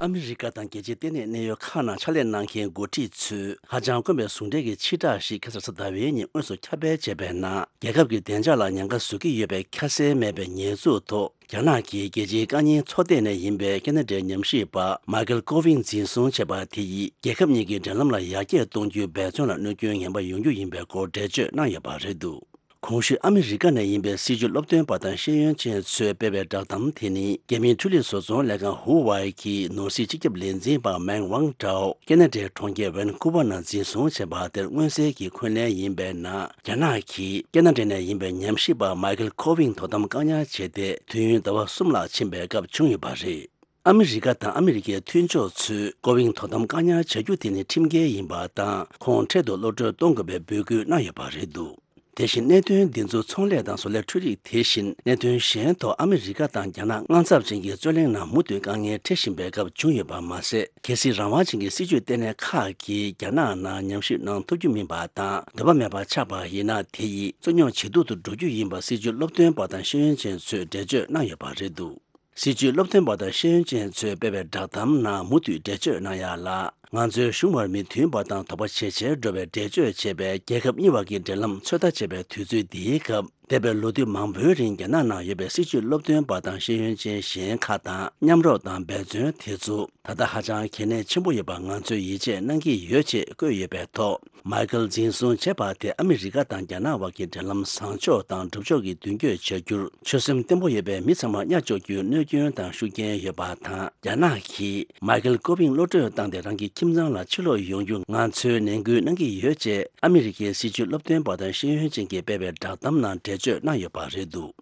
ཨ་མི་རི་ཀ་དང་རྒྱལ་སྤྱིའི་ལྟེ་གནས་གནད་ཡོད་ཁག་ནང་ཕྱག་ལས་གནང་མཁན་འགོ་ཁྲིད་ཚོས་ཧ་ཅང་དཀོན་པའི་ཟུང་འབྲེལ་གྱི་ཕྱིར་བསྒྲགས་ཤིག་ཁ་སང་གཟའ་ཟླ་བའི་ཉིན་དངོས་སུ་ཁྱབ་སྤེལ་བྱས་པའི་ནང་། རྒྱལ་ཁབ་ཀྱི་བདེ་འཇགས་ལ་ཉེན་ཁ་བཟོ་གི་ཡོད་པའི་ཁ་གསལ་མེད་པའི་ཉེས་འཛུགས་ཐོག་རྒྱ་ནག་གིས་རྒྱལ་སྤྱིའི་དཀའ་ཉེན་ཚོགས་སྡེ་ནས་ཡིན་པའི་ཁེ་ན་ཌའི་ཉམས་ཞིབ་པ་མའི་ཁལ་ཀོ་ཝིང་འཛིན་བཟུང་བྱས་པ་དེ་ཡིས་རྒྱལ་ཁབ་གཉིས་ཀྱི་འབྲེལ་ལམ་ལ་ཡར་རྒྱས་གཏོང་རྒྱུའི་འབད་བརྩོན་ལ་གནོད་སྐྱོན་ངན་པ་ཡོང་རྒྱུ་ཡིན་པའི་སྐོར་འགྲེལ་བརྗོད་གནང་ཡོད་པ་རེད་འདུག་གོང་ཞུས་ཨ་མི་རི་ཀ་ནས་ཡིན་པའི་སྲིད་བྱུས་སློབ་སྟོན་པ་དང་ཤེས་ཡོན་ཅན་ཚོས་སྤེལ་བའི་བསྒྲགས་གཏམ་དེ་ནི། རྒྱ་མིའི་འཕྲུལ་ལས་བཟོ་ཚོང་ལས་ཁང་ཧུ་ཝའེ་གི་ནོར་སྲིད་སྤྱི་ཁྱབ་ལས་འཛིན་པ་མེང་ཝང་ཀྲའོ་ཁེ་ན་ཌའི་གྲོང་ཁྱེར་ཝན་ཀུ་ཝར་ནང་འཛིན་བཟུང་བྱས་པ་དེར་མངོན་གསལ་གྱི་འཁོན་ལན་ཡིན་པའི་ནང་། རྒྱ་ནག་གིས་ཁེ་ན་ཌ་ནས་ཡིན་པའི་ཉམས་ཞིབ་པ་མའི་ཁལ་ཁོ་ཝིང་དོ་དམ་བཀག་ཉར་བྱས་ཏེ། དུས་ཡུན་ཟླ་བ་གསུམ་ལྷག་ཕྱིན་པའི་སྐབས་བྱུང་ཡོད་པ་རེད། ཨ་མི་རི་ཀ་དང་ཨ་མི་རི་ཀའི་མཐུན་ཕྱོགས་ཚོས་ཀོ་ཝིང་དོ་དམ་བཀག་ཉར་བྱ་རྒྱུ་དེ་ནི་ཁྲིམས་འགལ་ཡིན་པ་དང་། ཁོང་འཕྲལ་དུ་གློད་གྲོལ་གཏོང་དགོས་པའི་འབོད་སྐུལ་གནང་ཡོད་པ་རེད་འདུག་དེ་བཞིན་གནད་དོན་འདི་ཚོ་ཚོང་ལས་དང་བཟོ་ལས་འཕྲུལ་རིག་དེ་བཞིན་གནད་དོན་གཞན་ཐོག་ཨ་མི་རི་ཀ་དང་རྒྱ་ནག་དངངས་འཚབ་ཅན་གྱི་རྩོད་གླེང་ནང་མུ་མཐུད་དཀའ་ངལ་འཕྲད་བཞིན་པའི་སྐབས་བྱུང་ཡོད་པ་མ་ཟད། གལ་སྲིད་རང་དབང་ཅན་གྱི་སྲིད་བྱུས་ལྟེ་གནས་ཁག་གིས་རྒྱ་ནག་ནང་ཉམས་ཞིབ་གནང་ཐུབ་རྒྱུ་མིན་པ་དང་། འདོད་པ་མེད་པ་ཆགས་པ་ཡིན་ན། དེ་ཡིས་རྩོད་རྙོག་ཇེ་སྡུག་ཏུ་འགྲོ་རྒྱུ་ཡིན་པ་སྲིད་བྱུས་སློབ་སྟོན་པ་དང་ཤེས་ཡོན་ཅན་ཚོས་འགྲེལ་བརྗོད་གནང་ཡོད་པ་རེད་འདུག་སྲིད་བྱུས་སློབ་སྟོན་པ་དང་ཤེས་ཡོན་ཅན་ཚོས་སྤེལ་བའི་བསྒྲགས་གཏམ་ནང་མུ་མཐུད་འགྲེལ་བརྗོད་གནང་ཡ་ལ། ང་ཚོའི་གཞུང་བར་མི་མཐུན་པ་དང་དོགས་པ་ཇེ་ཆེར་འགྲོ་བའི་འགྲེལ་བརྗོད་བྱེད་པའི་རྒྱལ་ཁབ་གཉིས་བར་གྱི་འབྲེལ་ལམ་ཚོད་ལྟ་བྱེད་པའི་དུས་ཚོད་འདིའི་སྐབས། འདས་པའི་ལོ་དུས་མང་པོའི་རིང་རྒྱ་ནག་ནང་ཡོད་པའི་སྲིད་བྱུས་སློབ་སྟོན་པ་དང་ཤེས་ཡོན་ཅན་གཞན་ཁག་དང་མཉམ་རོགས་དང་འབད་བརྩོན་དེ་ཚོ་ད་ལྟ་ཧ་ཅང་གལ་གནད་ཆེན་པོ་ཡོད་པ་ང་ཚོས་ཡིད་ཆེས་གནང་གི་ཡོད་ཅེས་བཀོད་ཡོད་པའི་ཐོག་མའི་ཁལ་འཛིན་བཟུང་བྱས་པ་དེ་ཨ་མི་རི་ཀ་དང་རྒྱ་ནག་བར་གྱི་འབྲེལ་ལམ་བཟང་ཕྱོགས་དང་སྒྲུབ་ཕྱོགས་ཀྱི་མདུན་སྐྱོད་བྱ་རྒྱུར་ཆོད་སེམས་བརྟན་པོ་ཡོད་པའི་མི་ཚང་མར་གཉའ་གཅོག་རྒྱུའི་གནོད་སྐྱོན་དང་ཤུགས་རྐྱེན་ཡོད་པ་དང་། རྒྱ་ནག་གིས་མའི་ཁལ་ཀོ་ཝིང་གློད་གྲོལ་བཏང་སྟེ་རང་གི་ཁྱིམ་ཚང་ལ་ཕྱིར་ལོག་ཡོང་རྒྱུ་ང་ཚོས་ནན་སྐུལ་གནང་གི་ཡོད་ཅེས་ཨ་མི་རི་ཀའི་སྲིད་བྱུས་སློབ་སྟོན་པ་དང་ཤེས་ཡོན་ཅན་གྱིས་སྤེལ་བའི་བསྒྲགས་གཏམ་ནང་འགྲེལ་བརྗོད་གནང་ཡོད་པ་རེད་འདུག་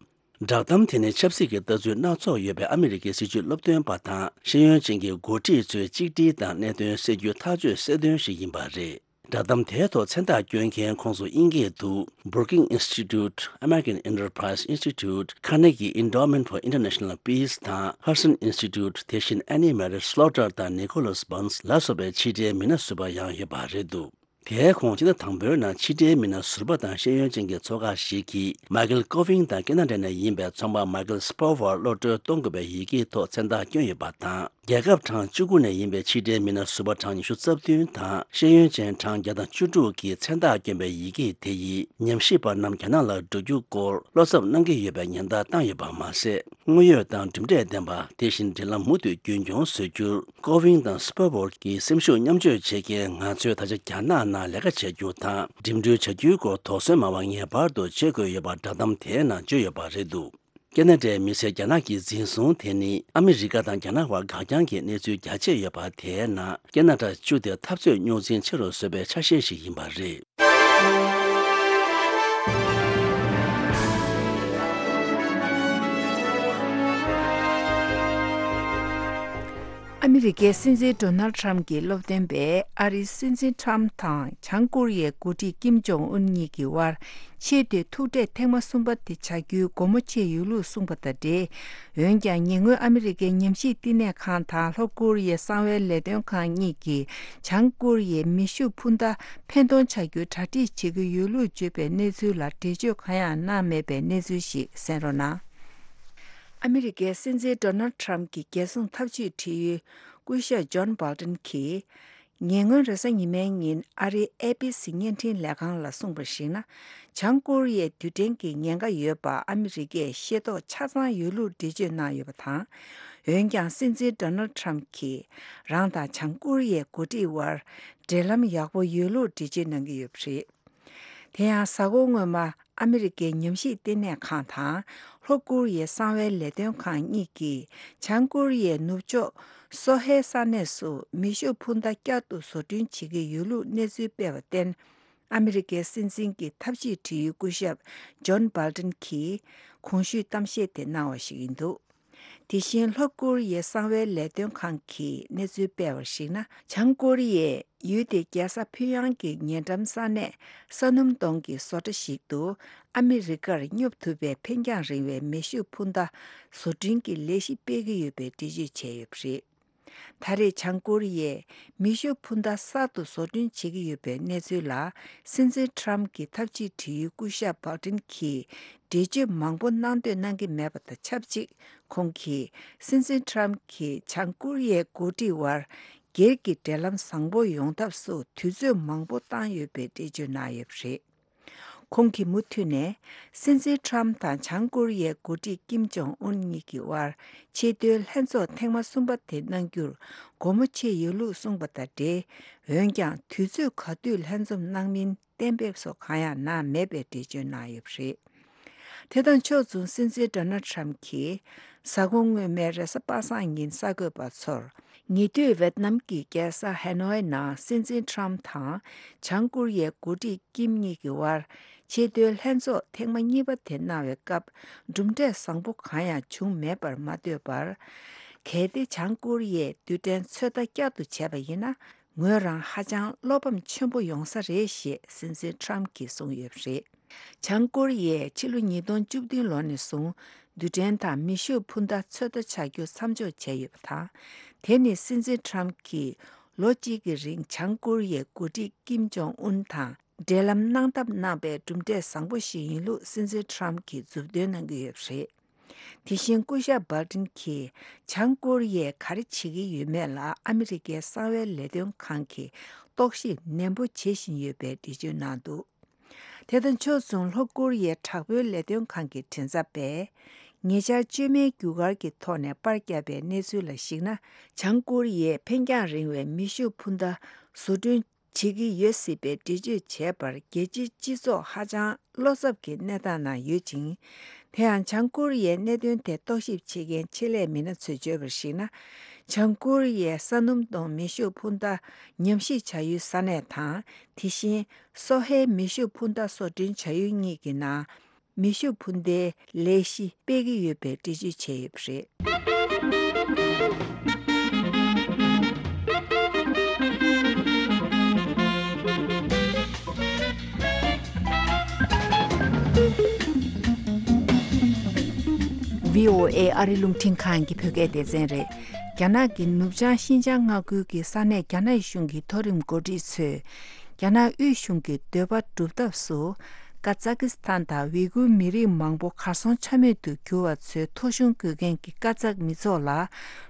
བསྒྲགས་གཏམ་དེ་ནི་ཆབ་སྲིད་ཀྱི་ལྟ་ཚུལ་སྣ་ཚོགས་ཡོད་པའི་ཨ་མི་རི་ཀའི་སྲིད་བྱུས་སློབ་སྟོན་པ་དང་ཤེས་ཡོན་ཅན་གྱི་འགོ་ཁྲིད་ཚོའི་གཅིག་སྒྲིལ་དང་གནད་དོན་སེལ་རྒྱུའི་ཐག་གཅོད་གསལ་སྟོན་ཞིག་ཡིན་པ་རེད། བསྒྲགས་གཏམ་དེའི་ཐོག་མཚན་རྟགས་བསྐྱོན་མཁན་ཁོངས་སུ་དབྱིན་སྐད་དུ་Brookings Institute, American Enterprise Institute, Carnegie Endowment for International Peace དང་Hudson Institute དེ་བཞིན་Annie Mary Slaughter དང་Nicholas Burns ལ་སོགས་པའི་ཕྱི་དྲིལ་མི་སྣ་ཟུར་པ་ཡང་ཡོད་པ་རེད་འདུག་དེའི་ཁོངས་སྤྱི་ཟླ་དང་པོའི་ནང་ཕྱི་དྲིལ་མི་སྣ་ཟུར་པ་དང་ཤེས་ཡོན་ཅན་གྱི་ཚོགས་ཁག་ཞིག་གིས་མའི་ཁལ་ཀོ་ཝིང་དང་ཁེ་ན་ཌ་ནས་ཡིན་པའི་ཚོང་པ་མའི་ཁལ་སྤོ་ཝར་གློད་གྲོལ་གཏོང་དགོས་པའི་ཡི་གེའི་ཐོག་མཚན་རྟགས་བསྐྱོན་ཡོད་པ་དང་། རྒྱལ་ཁབ་གྲངས་བཅུ་དགུ་ནས་ཡིན་པའི་ཕྱི་དྲིལ་མི་སྣ་ཟུར་པ་གྲངས་ཉི་ཤུ་རྩ་བདུན་དང་ཤེས་ཡོན་ཅན་གྲངས་བརྒྱ་དང་བཅུ་དྲུག་གིས་མཚན་རྟགས་བསྐྱོན་པའི་ཡི་གེ་དེ་ཡིས་ཉམས་ཞིབ་པ་རྣམས་རྒྱ་ནག་ལ་འགྲོ་རྒྱུ་སྐོར་བློ་འཚབ་གནང་གི་ཡོད་པའི་ཉེན་བརྡ་བཏང་ཡོད་པ་མ་ཟད། དངོས་ཡོད་དང་གྲུབ་འབྲས་ལྡན་པ་དེ་བཞིན་འབྲེལ་ལམ་མུ་མཐུད་རྒྱུན་འཁྱོངས་བཟོ་རྒྱུར་ཀོ་ཝིང་དང་སྤོ་ཝར་གྱི་སེམས་ཤུགས་མཉམ་སྤྱོད་བྱེད་མཁན་ང་ཚོས་ད་ཆ་རྒྱ་ནག་ནང་ལས་ཀ་བྱ་རྒྱུ་དང་འགྲིམ་འགྲུལ་བྱ་རྒྱུའི་སྐོར་དོགས་ཟོན་མ་བ་ངེས་པར་དུ་བྱེད་དགོས་ཡོད་པ་བསྒྲགས་གཏམ་དེའི་ནང་བརྗོད་ཡོད་པ་རེད་འདུག་ཁེ་ན་ཌའི་མི་སེར་རྒྱ་ནག་གིས་འཛིན་བཟུང་དེ་ནི་ཨ་མི་རི་ཀ་དང་རྒྱ་ནག་བར་འགག་རྐྱང་གི་གནས་ཚུལ་རྒྱ་ཆེ་ཡོད་པ་དེའི་ནང་ཁེ་ན་ཌ་བཅུ་དེ་འཐབ་རྩོད་རྙོག་འཛིང་ཆེ་རུ་བཟོས་པའི་ཆ་ཤས་ཤིག་ཡིན་པ་རེད། ཨ་མི་རི་ཀའི་སྲིད་འཛིན་ཌོ་ནལ་ཁྲམ་གྱི་སློབ་སྟོན་པས་ཨ་རིའི་སྲིད་འཛིན་ཁྲམ་དང་བྱང་ཀོ་རི་ཡའི་འགོ་ཁྲིད་ཀིམ་ཇོང་ཨུན་གཉིས་ཀྱི་དབར་ཆེས་མཐོའི་ཐུག་འཕྲད་ཐེངས་མ་གསུམ་པ་དེ་བྱ་རྒྱུའི་སྒོ་མོ་ཕྱེ་ཡོད་ལུགས་གསུངས་པ་དང་འབྲེལ། འོན་ཀྱང་ཉེ་སྔོན་ཨ་མི་རི་ཀའི་ཉམས་ཞིབ་བསྟི་གནས་ཁང་དང་ལྷོ་ཀོ་རི་ཡའི་གསང་བའི་ལས་དོན་ཁང་གཉིས་ཀྱིས་བྱང་ཀོ་རི་ཡའི་མེ་ཤུགས་འཕུར་མདའ་ཕན་ཐོགས་ཆགས་རྒྱུའི་གྲ་སྒྲིག་བྱེད་ཀྱི་ཡོད་ལུགས་བརྗོད་པའི་གནས་ཚུལ་ལ་འགྲེལ་བརྗོད་གང་ཡང་གནང་མེད་པའི་གནས་ཚུལ་ཞིག་གསན་རོགས་གནང་། ཨ་མི་རི་ཀའི་སྲིད་འཛིན་ཌོ་ནལ་ཁྲམ་གྱི་རྒྱལ་སྲུང་ཐབས་ཇུས་འབྲེལ་ཡོད་སྐུ་ཞབས་ཇོན་བྷོལ་ཏན་གྱིས། ཉེ་སྔོན་རེས་གཟའ་ཉི་མའི་ཉིན་ཨ་རིའི་ཨེ་བྷི་སི་བརྙན་འཕྲིན་ལས་ཁང་ལ་གསུངས་པར་གཞིགས་ན། བྱང་ཀོ་རི་ཡའི་རྡུལ་ཕྲན་གྱི་ཉེན་ཁ་ཡོད་པ་ཨ་མི་རི་ཀས་ཤེས་རྟོགས་ཆ་ཚང་ཡོད་ལུགས་འགྲེལ་བརྗོད་གནང་ཡོད་པ་དང་། འོན་ཀྱང་སྲིད་འཛིན་ཌོ་ནལ་ཁྲམ་གྱིས་རང་དང་བྱང་ཀོ་རི་ཡའི་འགོ་ཁྲིད་དབར་འབྲེལ་ལམ་ཡག་པོ་ཡོད་ལུགས་འགྲེལ་བརྗོད་གནང་གི་ཡོད་པ་རེད། དེ་ཡང་གཟའ་འཁོར་སྔོན་མ་ཨ་མི་རི་ཀའི་ཉམས་ཞིབ་ལྟེ་གནས་ཁང་དང་ལྷོ་ཀོ་རི་ཡའི་གསང་བའི་ལས་དོན་ཁང་གཉིས་ཀྱིས་བྱང་ཀོ་རི་ཡའི་ནུབ་ཕྱོགས་སོ་ཧེ་ས་གནས་སུ་མེ་ཤུགས་འཕུར་མདའ་བསྐྱར་དུ་བཟོ་སྐྲུན་བྱེད་ཀྱི་ཡོད་ལུགས་གནས་ཚུལ་སྤེལ་བར་བརྟེན། ཨ་མི་རི་ཀའི་སྲིད་འཛིན་གྱི་ཐབས་ཇུས་འབྲེལ་ཡོད་སྐུ་ཞབས་ཇོན་བྷལ་ཏན་གྱིས་གོང་ཞུས་གཏམ་བཤད་དེ་གནང་བ་ཞིག་ཡིན་འདུག་དེ་བཞིན་ལྷོ་ཀོ་རི་ཡའི་གསང་བའི་ལས་དོན་ཁང་གིས་གནས་ཚུལ་སྤེལ་བར་གཞིགས་ན། བྱང་ཀོ་རི་ཡས་ཡུལ་དེའི་རྒྱལ་ས་ཕིང་ཡང་གི་ཉེ་འགྲམ་ས་གནས་ས་སྣུམ་དོང་གི་བཟོ་གྲྭ་ཞིག་ཏུ་ཨ་མི་རི་ཀར་སྙོབ་ཐུབ་པའི་འཕེན་རྒྱང་རིང་བའི་མེ་ཤུགས་འཕུར་མདའ་བཟོ་སྐྲུན་གྱི་ལས་གཞི་སྤེལ་གྱི་ཡོད་པའི་འགྲེལ་བརྗོད་བྱས་ཡོད་པ་རེད། ད་རེས་བྱང་ཀོ་རི་ཡས་མེ་ཤུགས་འཕུར་མདའ་གསར་དུ་བཟོ་སྐྲུན་བྱེད་ཀྱི་ཡོད་པའི་གནས་ཚུལ་ལ། སྲིད་འཛིན་ཁྲམ་གྱི་ཐབས་ཇུས་འབྲེལ་ཡོད་སྐུ་ཞབས་བྷལ་ཏིན་གྱིས་འགྲེལ་བརྗོད་མང་པོ་གནང་འདོད་གནང་གི་མེད་པ་དང་ཆབས་ཅིག་ཁོང་གིས་སྲིད་འཛིན་ཁྲམ་གྱིས་བྱང་ཀོ་རི་ཡའི་འགོ་ཁྲིད་དབར་སྒེར་གྱི་འབྲེལ་ལམ་བཟང་པོ་ཡོང་ཐབས་སུ་དུས་ཚོད་མང་པོ་བཏང་ཡོད་པའི་འགྲེལ་བརྗོད་གནང་ཡོད་པ་རེད། ཁོང་གིས་མུ་མཐུད་ནས། སྲིད་འཛིན་ཁྲམ་དང་བྱང་ཀོ་རི་ཡའི་འགོ་ཁྲིད་ཀིམ་ཇོང་ཨུན་གཉིས་ཀྱི་དབར་ཆེས་མཐོའི་ལྷན་ཚོགས་ཐེངས་མ་གསུམ་པ་དེ་གནང་རྒྱུར་སྒོ་མོ་ཕྱེ་ཡོད་ལུགས་གསུངས་པ་དང་འབྲེལ། འོན་ཀྱང་དུས་ཚོད་ག་དུས་ལྷན་འཛོམས་གནང་མིན་གཏན་འབེབས་སོགས་གང་ཡང་གནང་མེད་པའི་འགྲེལ་བརྗོད་གནང་ཡོད་པ་རེད། དེ་དང་ཕྱོགས་མཚུངས་སྲིད་འཛིན་ཌོ་ནལ་ཁྲམ་གྱིས་གཟའ་འཁོར་སྔོན་མའི་རེས་གཟའ་པ་སངས་ཉིན་གསར་འགོད་པ་ཚོར། ཉེ་དུས་ཝེད་ནམ་གྱི་རྒྱལ་ས་ཧེ་ནོའི་ནང་སྲིད་འཛིན་ཁྲམ་དང་བྱང་ཀོ་རི་ཡའི་འགོ་ཁྲིད་ཀིམ་གཉིས་ཀྱི་དབར་ཆེས་མཐོའི་ལྷན་ཚོགས་ཐེངས་མ་གཉིས་པ་དེ་གནང་བའི་སྐབས་གྲུབ་འབྲས་བཟང་པོ་གང་ཡང་བྱུང་མེད་པར་མ་ལྟོས་པར། གལ་ཏེ་བྱང་ཀོ་རི་ཡས་རྡུལ་ཕྲན་ཚོད་ལྟ་བསྐྱར་དུ་བྱས་པ་ཡིན་ན། ངོས་རང་ཧ་ཅང་བློ་ཕམ་ཆེན་པོ་ཡོང་ས་རེད་ཞེས་སྲིད་འཛིན་ཁྲམ་གྱིས་གསུངས་ཡོད་པ་རེད། བྱང་ཀོ་རི་ཡས་ཕྱི་ལོ་ཉིས་སྟོང་བཅུ་བདུན་ལོ་ནས་བཟུང་རྡུལ་ཕྲན་དང་མེ་ཤུགས་འཕུར་མདའ་ཚོད་ལྟ་བྱ་རྒྱུ་མཚམས་འཇོག་བྱས་ཡོད་པ་དང་། དེ་ནི་སྲིད་འཛིན་ཁྲམ་གྱིས་ལོ་གཅིག་གི་རིང་བྱང་ཀོ་རི་ཡའི་འགོ་ཁྲིད་ཀིམ་ཇོང་ཨུན་དང་འབྲེལ་ལམ་གནང་ཐབས་གནང་པའི་གྲུབ་འབྲས་བཟང་པོ་ཞིག་ཡིན་ལུགས་སྲིད་འཛིན་ཁྲམ་གྱིས་མཛུབ་སྟོན་གནང་གི་ཡོད་པ་རེད། དེ་བཞིན་སྐུ་ཞབས་སྦལ་ཏིན་གྱིས་བྱང་ཀོ་རི་ཡས་ག་རེ་བྱེད་ཀྱི་ཡོད་མེད་ལ་ཨ་མི་རི་ཀའི་གསང་བའི་ལས་དོན་ཁང་གིས་རྟོག་ཞིབ་ནན་པོ་བྱེད་བཞིན་ཡོད་པའི་འགྲེལ་བརྗོད་གནང་འདུག་དེ་དང་ཕྱོགས་མཚུངས་ལྷོ་ཀོ་རི་ཡའི་དྲག་པོའི་ལས་དོན་ཁང་གི་མགྲིན་ཚབ་པས། ཉེ་ཆར་བཅོས་མའི་རྒྱུ་སྐར་གྱི་ཐོག་ནས་པར་བརྒྱབ་པའི་གནས་ཚུལ་ལ་གཞིགས་ན། བྱང་ཀོ་རི་ཡས་འཕེན་རྒྱང་རིང་བའི་མེ་ཤུགས་འཕུར་མདའ་བཟོ་སྐྲུན་བྱེད་ཀྱི་ཡོད་སྲིད་པའི་འགྲེལ་བརྗོད་བྱས་པར་རྒྱལ་སྤྱིའི་སྤྱི་ཚོགས་ཧ་ཅང་བློ་འཚབ་ཀྱི་གནས་སྟངས་ནང་ཡོད་ཅིང་། དེ་ཡང་བྱང་ཀོ་རི་ཡའི་གནད་དོན་དེ་རྟོག་ཞིབ་བྱེད་མཁན་ཆེད་ལས་མི་སྣ་ཚོས་བརྗོད་པར་གཞིགས་ན། བྱང་ཀོ་རི་ཡའི་ས་སྣུམ་གཏོང་མེ་ཤུགས་འཕུར་མདའ་ཉམས་ཞིབ་བྱ་ཡུལ་ས་གནས་དང་། དེ་བཞིན་སོ་ཧའི་མེ་ཤུགས་འཕུར་མདའ་བཟོ་སྐྲུན་བྱ་ཡུལ་གཉིས་ཀྱི་ནང་མེ་ཤུགས་འཕུར་མདའི་ལས་གཞི་སྤེལ་གྱི་ཡོད་པའི་འགྲེལ་བརྗོད་བྱས་ཡོད་པ་རེད། ཝི་ཨོ་ཨེ་ཨ་རི་རླུང་འཕྲིན་ཁང་གི་བོད་སྐད་སྡེ་ཚན་རེད། རྒྱ་ནག་གི་ནུབ་བྱང་ཤིན་ཅང་མངའ་ཁུལ་གྱི་ས་གནས་རྒྱ་ནག་གཞུང་གི་མཐོ་རིམ་འགོ་ཁྲིད་ཚོས། རྒྱ་ནག་དབུས་གཞུང་གི་འདོད་པ་སྒྲུབ་ཐབས་སུ། ཀ་ཛ་ཀི་སི་ཐན་དང་ཝི་གུར་མི་རིགས་མང་པོ་གར་སོང་ཆ་མེད་དུ་གྱུར་བ་ཚོའི་ཐོ་གཞུང་དགོས་མཁན་གྱི་ཀ་ཛག་མི་ཚོགས་ལ་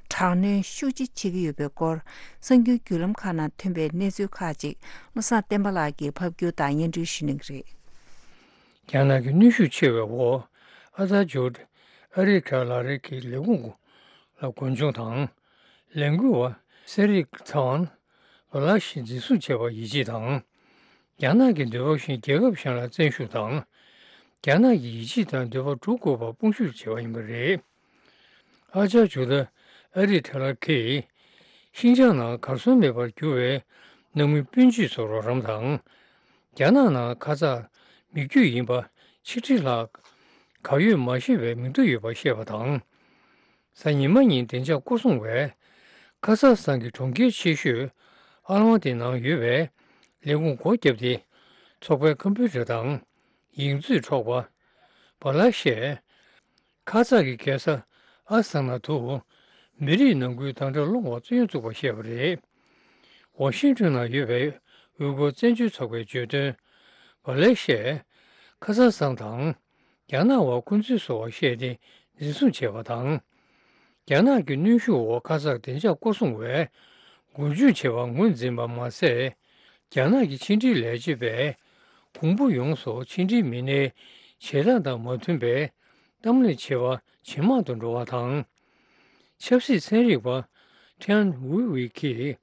དྲག་གནོན་ཤུགས་ཆེ་བྱེད་ཀྱི་ཡོད་པའི་སྐོར། གསར་འགྱུར་བརྒྱུད་ལམ་ཁག་ནང་ཐོན་པའི་གནས་ཚུལ་ཁག་ཅིག་བློ་བཟང་བསྟན་པ་ལགས་ཀྱིས་ཕབ་སྒྱུར་དང་སྙན་སྒྲོན་ཞུ་གནང་གི་རེད། རྒྱ་ནག་གི་གནོན་ཤུགས་ཆེ་བའི་འོག་ཨ་ཐར་ཇོར་ཨ་རི་ཁ་ལ་རི་གི་ལས་ཁུངས་ལ་རྒུན་འབྱུང་དང་། ལས་འགུལ་བ་སེ་རིག་ཚང་བ་ལ་ཤི་འཛིན་བཟུང་བྱས་པར་ཡིད་ཆེས་དང་། རྒྱ་ནག་གི་འདོད་པ་བཞིན་རྒྱལ་ཁབ་གཞན་ལ་བཙན་ཤུགས་དང་། རྒྱ་ནག་གི་ཡིད་ཆེས་དང་འདོད་པ་སྒྲུབ་དགོས་པར་དཔུང་ཤུགས་བྱས་པ་ཡིན་པ་རེད། ཨ་ཅག་ཇོ་ད་ཨ་རི་ཐ་ལ་གིས་ཤིན་ཅང་ནང་གར་སོང་མེད་པར་གྱུར་བའི་ནང་མི་སྤུན་མཆེད་ཚོར་རོགས་རམ་དང་། རྒྱ་ནག་ནང་ཁ་ཙ་མི་རྒྱུད་ཡིན་པ་ཆིག་ཁྲི་ལྷག་གར་ཡོད་མ་ཤེས་པའི་མིང་ཐོ་ཡོད་པ་བཤད་པ་དང་། གཟའ་ཉི་མ་ཉིན་བདེ་འཇགས་སྐོར་སྲུང་བས་ཁ་ས་སང་གི་གྲོང་ཁྱེར་ཆེ་ཤོས་ཨ་ལ་མ་ཏི་ནང་ཡོད་པའི་ལས་ཁུངས་སྒོ་བརྒྱབ་སྟེ་ཚོགས་པའི་ཀམ་པུ་ཊར་དང་ཡིག་མཛོད་འཕྲོག་པ། བ་ལ་ཤས། ཁ་ཙ་གི་རྒྱལ་ས་ཨ་སི་ཐ་ན་དུ་མི་རིགས་ནང་ཁུལ་དམ་དྲག་སློང་བར་བཙན་གཡེམ་བཙུགས་པ་བཤད་པ་རེད། ཝ་ཤིང་ཊོན་ནང་ཡོད་པའི་ཝུ་གུར་བཙན་བྱོལ་ཚོགས་པས་བརྗོད་དོན། བ་ལེ་ཤས་ཁ་ས་སང་དང་རྒྱ་ནག་བར་འཁོན་འཛིན་བཟོ་བར་བཤད་དེ་འཛིན་བཟུང་བྱས་པ་དང་། རྒྱ་ནག་གི་གནོན་ཤུགས་འོག་ཁ་ས་བདེ་འཇགས་སྐོར་སྲུང་བས་འགུལ་སྐྱོད་བྱས་པར་ངོས་འཛིན་པ་མ་ཟད། རྒྱ་ནག་གི་ཕྱི་འབྲེལ་ལས་བྱེད་པས་གོང་བུ་ཡོངས་སུ་ཕྱི་འབྲེལ་མི་སྣའི་བྱེད་སྟངས་དང་མ་མཐུན་པའི་གཏམ་གླེང་བྱེད་པ་ཇེ་མང་དུ་འགྲོ་བ་དང་། ཆབ་སྲིད་ཚན་རིག་པ་ཁྲེན་ཝུའུ་ཝེ་གིས་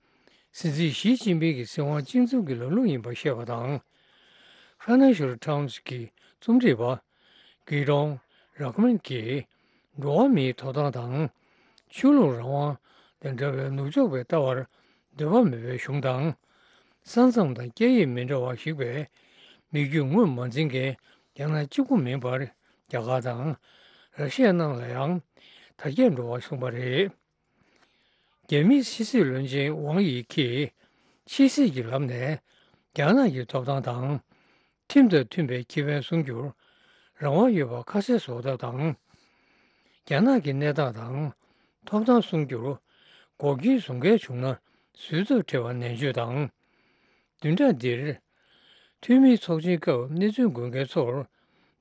སྲིད་འཛིན་ཞི་ཅིན་ཕིང་གི་སྲིད་དབང་གཅིག་མཚུངས་ཀྱི་ལམ་ལུགས་ཡིན་པར་བཤད་པ་དང་། Financial Times་གི་རྩོམ་སྒྲིག་པ་གི་རོང་རག་མན་གྱིས་འགྲོ་བ་མིའི་ཐོབ་ཐང་དང་། ཆོས་ལུགས་རང་དབང་དང་འདྲ་བའི་ནུབ་ཕྱོགས་པའི་ལྟ་བར་འདོད་པ་མེད་པའི་གཞུང་དང་། ས་མཚམས་དང་སྐད་ཡིག་མི་འདྲ་བ་ཞིག་པའི་མི་རྒྱུད་ངོས་མ་འཛིན་མཁན་རྒྱ་ནག་གཅིག་པུ་མིན་པར་རྒྱ་གར་དང་ར་ཤི་ཡ་ནང་ལ་ཡང་དར་རྒྱས་འགྲོ་བ་གསུངས་པ་རེད། རྒྱ་མིའི་ཕྱི་སྲིད་བློན་ཆེན་ཝང་དབྱི་གིས་ཕྱི་སྲིད་ཀྱི་ལམ་ནས་རྒྱ་ནག་གི་ཐོབ་ཐང་དང་། ཁྲིམས་དང་མཐུན་པའི་ཁེ་ཕན་སྲུང་རྒྱུར་རང་དབང་ཡོད་པ་ཁ་གསལ་བཟོ་ཐབས་དང་། རྒྱ་ནག་གི་གནས་སྟངས་དང་ཐོབ་ཐང་སྲུང་རྒྱུར་འགོག་རྐྱེན་བཟོ་མཁན་བྱུང་ན་བཟོད་ཐབས་བྲལ་བ་ནན་བརྗོད་དང་། བདུན་ཕྲག་འདིར་འཐུས་མིའི་ཚོགས་ཆེན་སྐབས་གནས་ཚུལ་འགོད་མཁན་ཚོར་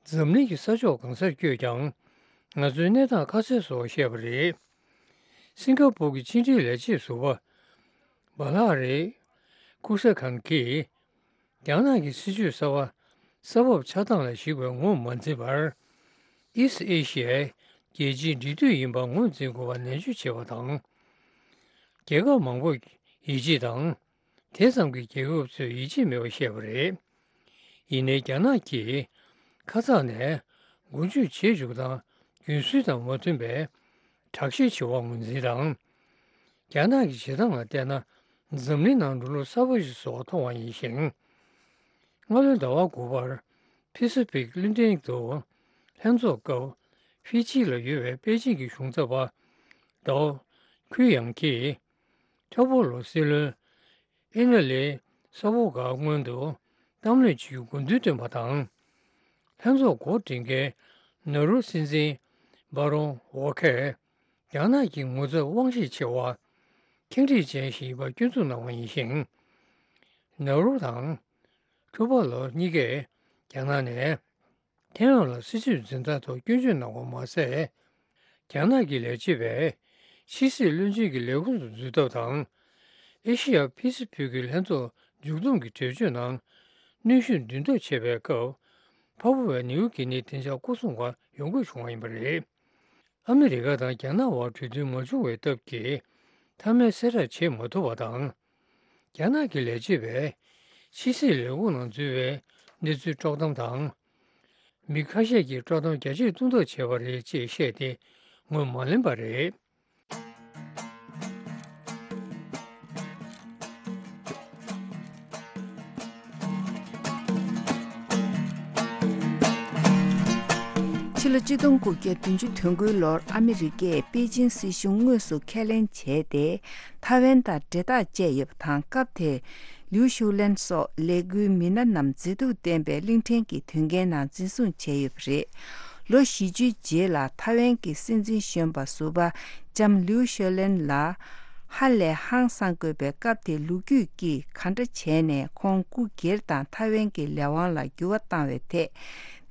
འཛམ་གླིང་གི་ས་ཕྱོགས་གང་སར་བསྐྱོད་ཀྱང་ང་ཚོའི་གནས་སྟངས་ཁ་གསལ་བཟོ་བར་བཤད་པ་རེད། སིང་ག་པུར་གྱི་ཕྱི་འབྲེལ་ལས་བྱེད་ཟུར་པ་བྷ་ལ་རི་ཀུ་ས་ཁན་གྱིས། རྒྱ་ནག་གི་སྲིད་ཇུས་གསར་བ་ས་བབ་ཆགས་སྟངས་ལ་གཞིགས་པའི་ངོས་མ་འཛིན་པར། East Asia་རྒྱལ་སྤྱིའི་འབྲེལ་མཐུད་ཡིན་པ་ངོས་འཛིན་དགོས་པ་ནན་བརྗོད་བྱས་པ་དང་། རྒྱལ་ཁབ་མང་པོས་ཡིད་ཆེས་དང་། དེ་ཙམ་གྱིས་རྒྱལ་ཁབ་ཚོས་ཡིད་ཆེས་མེད་པ་བཤད་པ་རེད། ཡིན་ནའི་རྒྱ་ནག་གིས་ཁ་ཚ་ནས་འགུལ་སྐྱོད་བྱེད་འཇུག་དང་རྒྱུན་སྲོལ་དང་མ་མཐུན་པའི་དྲག་ཤེད་བྱེད་པ་ངོས་འཛིན་དང་། རྒྱ་ནག་གི་བྱེད་སྟངས་ལ་བལྟས་ན་འཛམ་གླིང་ནང་འགྲོ་ལུགས་གསར་པ་ཞིག་བཟོ་བར་མཐོང་བ་ཡིན་ཞིང་། སྔ་ལོའི་ཟླ་བ་དགུ་པར་ཕི་སི་ཕིག་གླིང་ཕྲན་དུ་ལྷན་ཚོགས་སྐབས་ཧྥི་ཇི་ལ་ཡོད་པའི་པེ་ཅིང་གི་གཞུང་ཚབ་པ་ཌའོ་ཁུའི་ཡང་གིས་ཐོ་པོ་ལོ་སྲིད་བློན་ཨེ་ན་ལི་ས་བོ་ག་སྔོན་དུ་གཏམ་གླེང་བྱེད་རྒྱུའི་དགོས་འདུན་བཏོན་པ་དང་། ལྷན་ཚོགས་འགོ་འདྲེན་མཁན་ནོ་རུ་སྲིད་འཛིན་བྷ་རོན་ཝོ་ཁས་རྒྱ་ནག་གི་ངོ་ཚབ་དབང་ཤེད་ཆེ་བ་ཁེངས་དྲེགས་ཅན་ཞིག་ཡིན་པར་སྐྱོན་འཛུགས་གནང་བ་ཡིན་ཞིང་། ནོ་རུ་དང་ཁྲུ་པ་ལོ་གཉིས་ཀས་རྒྱ་ནག་ནས་ཐའེ་ཝན་ལ་སྲིད་ཇུས་འཛིན་སྟངས་ཐོག་སྐྱོན་བརྗོད་གནང་བ་མ་ཟད། རྒྱ་ནག་གི་ལས་བྱེད་པས་ཕྱི་སྲིད་བློན་ཆེན་གྱི་ལས་ཁུངས་སུ་འཛུལ་ཐབས་དང་། ཨེ་ཤེ་ཡ་ཕི་སི་ཕིག་གི་ལྷན་ཚོགས་མཇུག་བསྡོམས་ཀྱི་གྲོས་ཆོད་ནང་གནོན་ཤུགས་འདུས་མདོ་བྱས་པའི་སྐབས། འཕགས་པ་བས་ནེའུ་ཀི་ནི་བདེ་འཇགས་སྐོར་སྲུང་བར་ཡོང་དགོས་བྱུང་བ་ཡིན་པ་རེད། ཨ་མི་རི་ཀ་དང་རྒྱ་ནག་དབར་གྲོས་མཐུན་མ་བྱུང་བའི་སྟབས་ཀྱིས། མཐའ་མའི་གསལ་བསྒྲགས་བྱེད་མ་ཐུབ་པ་དང་། རྒྱ་ནག་གི་ལས་བྱེད་པས་ཕྱི་སྲིད་ལས་ཁུངས་ནང་འཛུལ་བའི་གནས་ཚུལ་དཀྲོག་གཏམ་དང་། མི་ཁ་ཤས་ཀྱིས་དཀྲོག་གཏམ་རྒྱ་ཆེར་བཏང་ཐབས་བྱས་པ་རེད་ཅེས་བཤད་དེ་ངོས་མ་ལེན་པ་རེད། ཕྱི་ལོ་ཆིག་སྟོང་དགུ་བརྒྱ་བདུན་ཅུ་དོན་དགུའི་ལོར་ཨ་མི་རི་ཀས་པེ་ཅིན་སྲིད་གཞུང་དངོས་སུ་ཁས་ལེན་བྱས་ཏེ། ཐའེ་ཝན་དང་འབྲེལ་ཐག་བཅད་ཡོད་པ་དང་། སྐབས་དེར་ལིའུ་ཞུའུ་ལན་སོགས་ལས་འགུལ་མི་སྣ་རྣམས་མཛེས་སྡུག་ལྡན་པའི་གླིང་ཕྲན་གྱི་དོན་རྐྱེན་ནང་འཛིན་བཟུང་བྱས་ཡོད་པ་རེད། ལོ་བཞི་བཅུའི་རྗེས་ལ་ཐའེ་ཝན་གྱི་སྲིད་འཛིན་གཞོན་པ་ཟུར་པ་ལྕམ་ལིའུ་ཤོ་ལན་ལ་ཧ་ལས་ཧང་སང་དགོས་པའི། སྐབས་དེར་ལོ་རྒྱུས་ཀྱིས་ག་འདྲ་བྱས་ནས་ཁོང་སྐུ་སྒེར་དང་ཐའེ་ཝན་གྱི་ལས་དབང་ལ་འགྱུར་བ་བཏང་བའི་ཐད་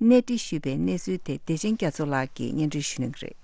གནས་འདྲི་ཞུས་པའི་གནས་ཚུལ་དེ་བདེ་ཆེན་རྒྱ་མཚོ་ལགས་ཀྱིས་སྙན་སྒྲོན་ཞུ་གནང་གི་རེད།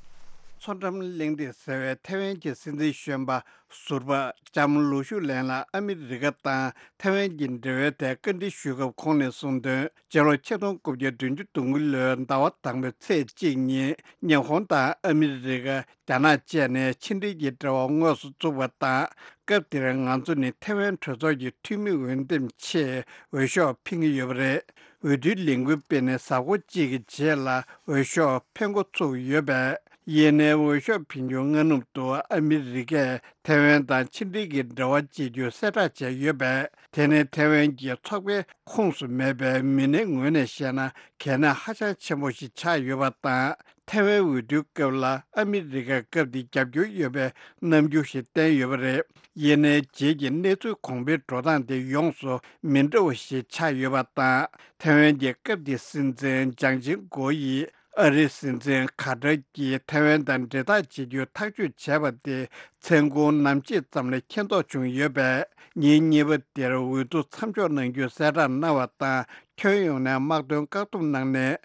མཚོ་འགྲམ་གླེང་སྟེགས་ཟེར་བའི་ཐའེ་ཝན་གྱི་སྲིད་འཛིན་གཞོན་པ་ཟུར་པ་ལྕམ་ལུའུ་ཞུའུ་ལན་ལ་ཨ་མི་རི་ཀ་དང་ཐའེ་ཝན་གྱི་འབྲེལ་བའི་ཐད་བཀའ་འདྲི་ཞུས་སྐབས་ཁོང་ནས་གསུངས་དོན། སྤྱི་ལོ་ཆིག་སྟོང་དགུ་བརྒྱ་བདུན་ཅུ་དོན་དགུ་ལོའི་ཟླ་བ་དང་པོའི་ཚེས་གཅིག་ཉིན་ཉི་ཧོང་དང་ཨ་མི་རི་ཀ། རྒྱ་ནག་བཅས་ནས་ཕྱི་འབྲེལ་གྱི་འབྲེལ་བ་དངོས་སུ་བཙུགས་པ་དང་། སྐབས་དེར་ང་ཚོ་ནི་ཐའེ་ཝན་གྲོས་ཚོགས་ཀྱི་འཐུས་མི་འོས་འདེམས་ཆེད་འོས་ཤོག་འཕེན་གྱི་ཡོད་པ་རེད། འོས་བསྡུའི་ལས་འགུལ་སྤེལ་ནས་གཟའ་འཁོར་གཅིག་གི་རྗེས་ལ་འོས་ཤོག་འཕེན་འགོ་ཚུགས་ཡོད་པས། ཡིན་ནའི་འོས་ཤོག་འཕེན་རྒྱུ་སྔ་ནུབ་ཏུ་ཨ་མི་རི་ཀས་ཐའེ་ཝན་དང་ཕྱི་འབྲེལ་གྱི་འབྲེལ་བ་བཅད་རྒྱུ་གསལ་བསྒྲགས་བྱས་ཡོད་པས། དེ་ནི་ཐའེ་ཝན་གྱི་ཚོགས་པའི་ཁོངས་སུ་མེད་པའི་མི་སྣའི་ངོས་ནས་བཤད་ན་གལ་གནད་ཧ་ཅང་ཆེན་པོ་ཞིག་ཆགས་ཡོད་པ་དང་། ཐའེ་ཝན་འོས་བསྡུའི་སྐབས་ལ་ཨ་མི་རི་ཀས་སྐབས་དེ་རྒྱབ་སྐྱོར་ཡོད་པའི་རྣམ་འགྱུར་ཞིག་བསྟན་ཡོད་པ་རེད། ཡིན་ནའི་རྗེས་ཀྱི་གནས་ཚུལ་གོང་འཕེལ་འགྲོ་སྟངས་དེ་ཡོངས་སུ་མི་འདྲ་བ་ཞིག་ཆགས་ཡོད་པ་དང་། ཐའེ་ཝན་གྱི་སྐབས་དེའི་སྲིད་འཛིན་ལྗང་ཆིང་གོ་ཡིས་ཨ་རིའི་སྲིད་འཛིན་ཁ་ཏར་གྱིས་ཐའེ་ཝན་དང་འབྲེལ་ཐག་བཅད་རྒྱུའི་ཐག་གཅོད་བྱས་པ་དེ་མཚན་གུང་ནམ་ཕྱེད་ཙམ་ལ་མཁྱེན་རྟོགས་བྱུང་ཡོད་པས། ཉིན་གཉིས་པ་དེར་འོས་བསྡུ་མཚམས་འཇོག་གནང་རྒྱུའི་གསལ་བསྒྲགས་གནང་བ་དང་། ཁྱོན་ཡོངས་ནས་དམག་དོན་བཀག་སྡོམ་གནང་ནས།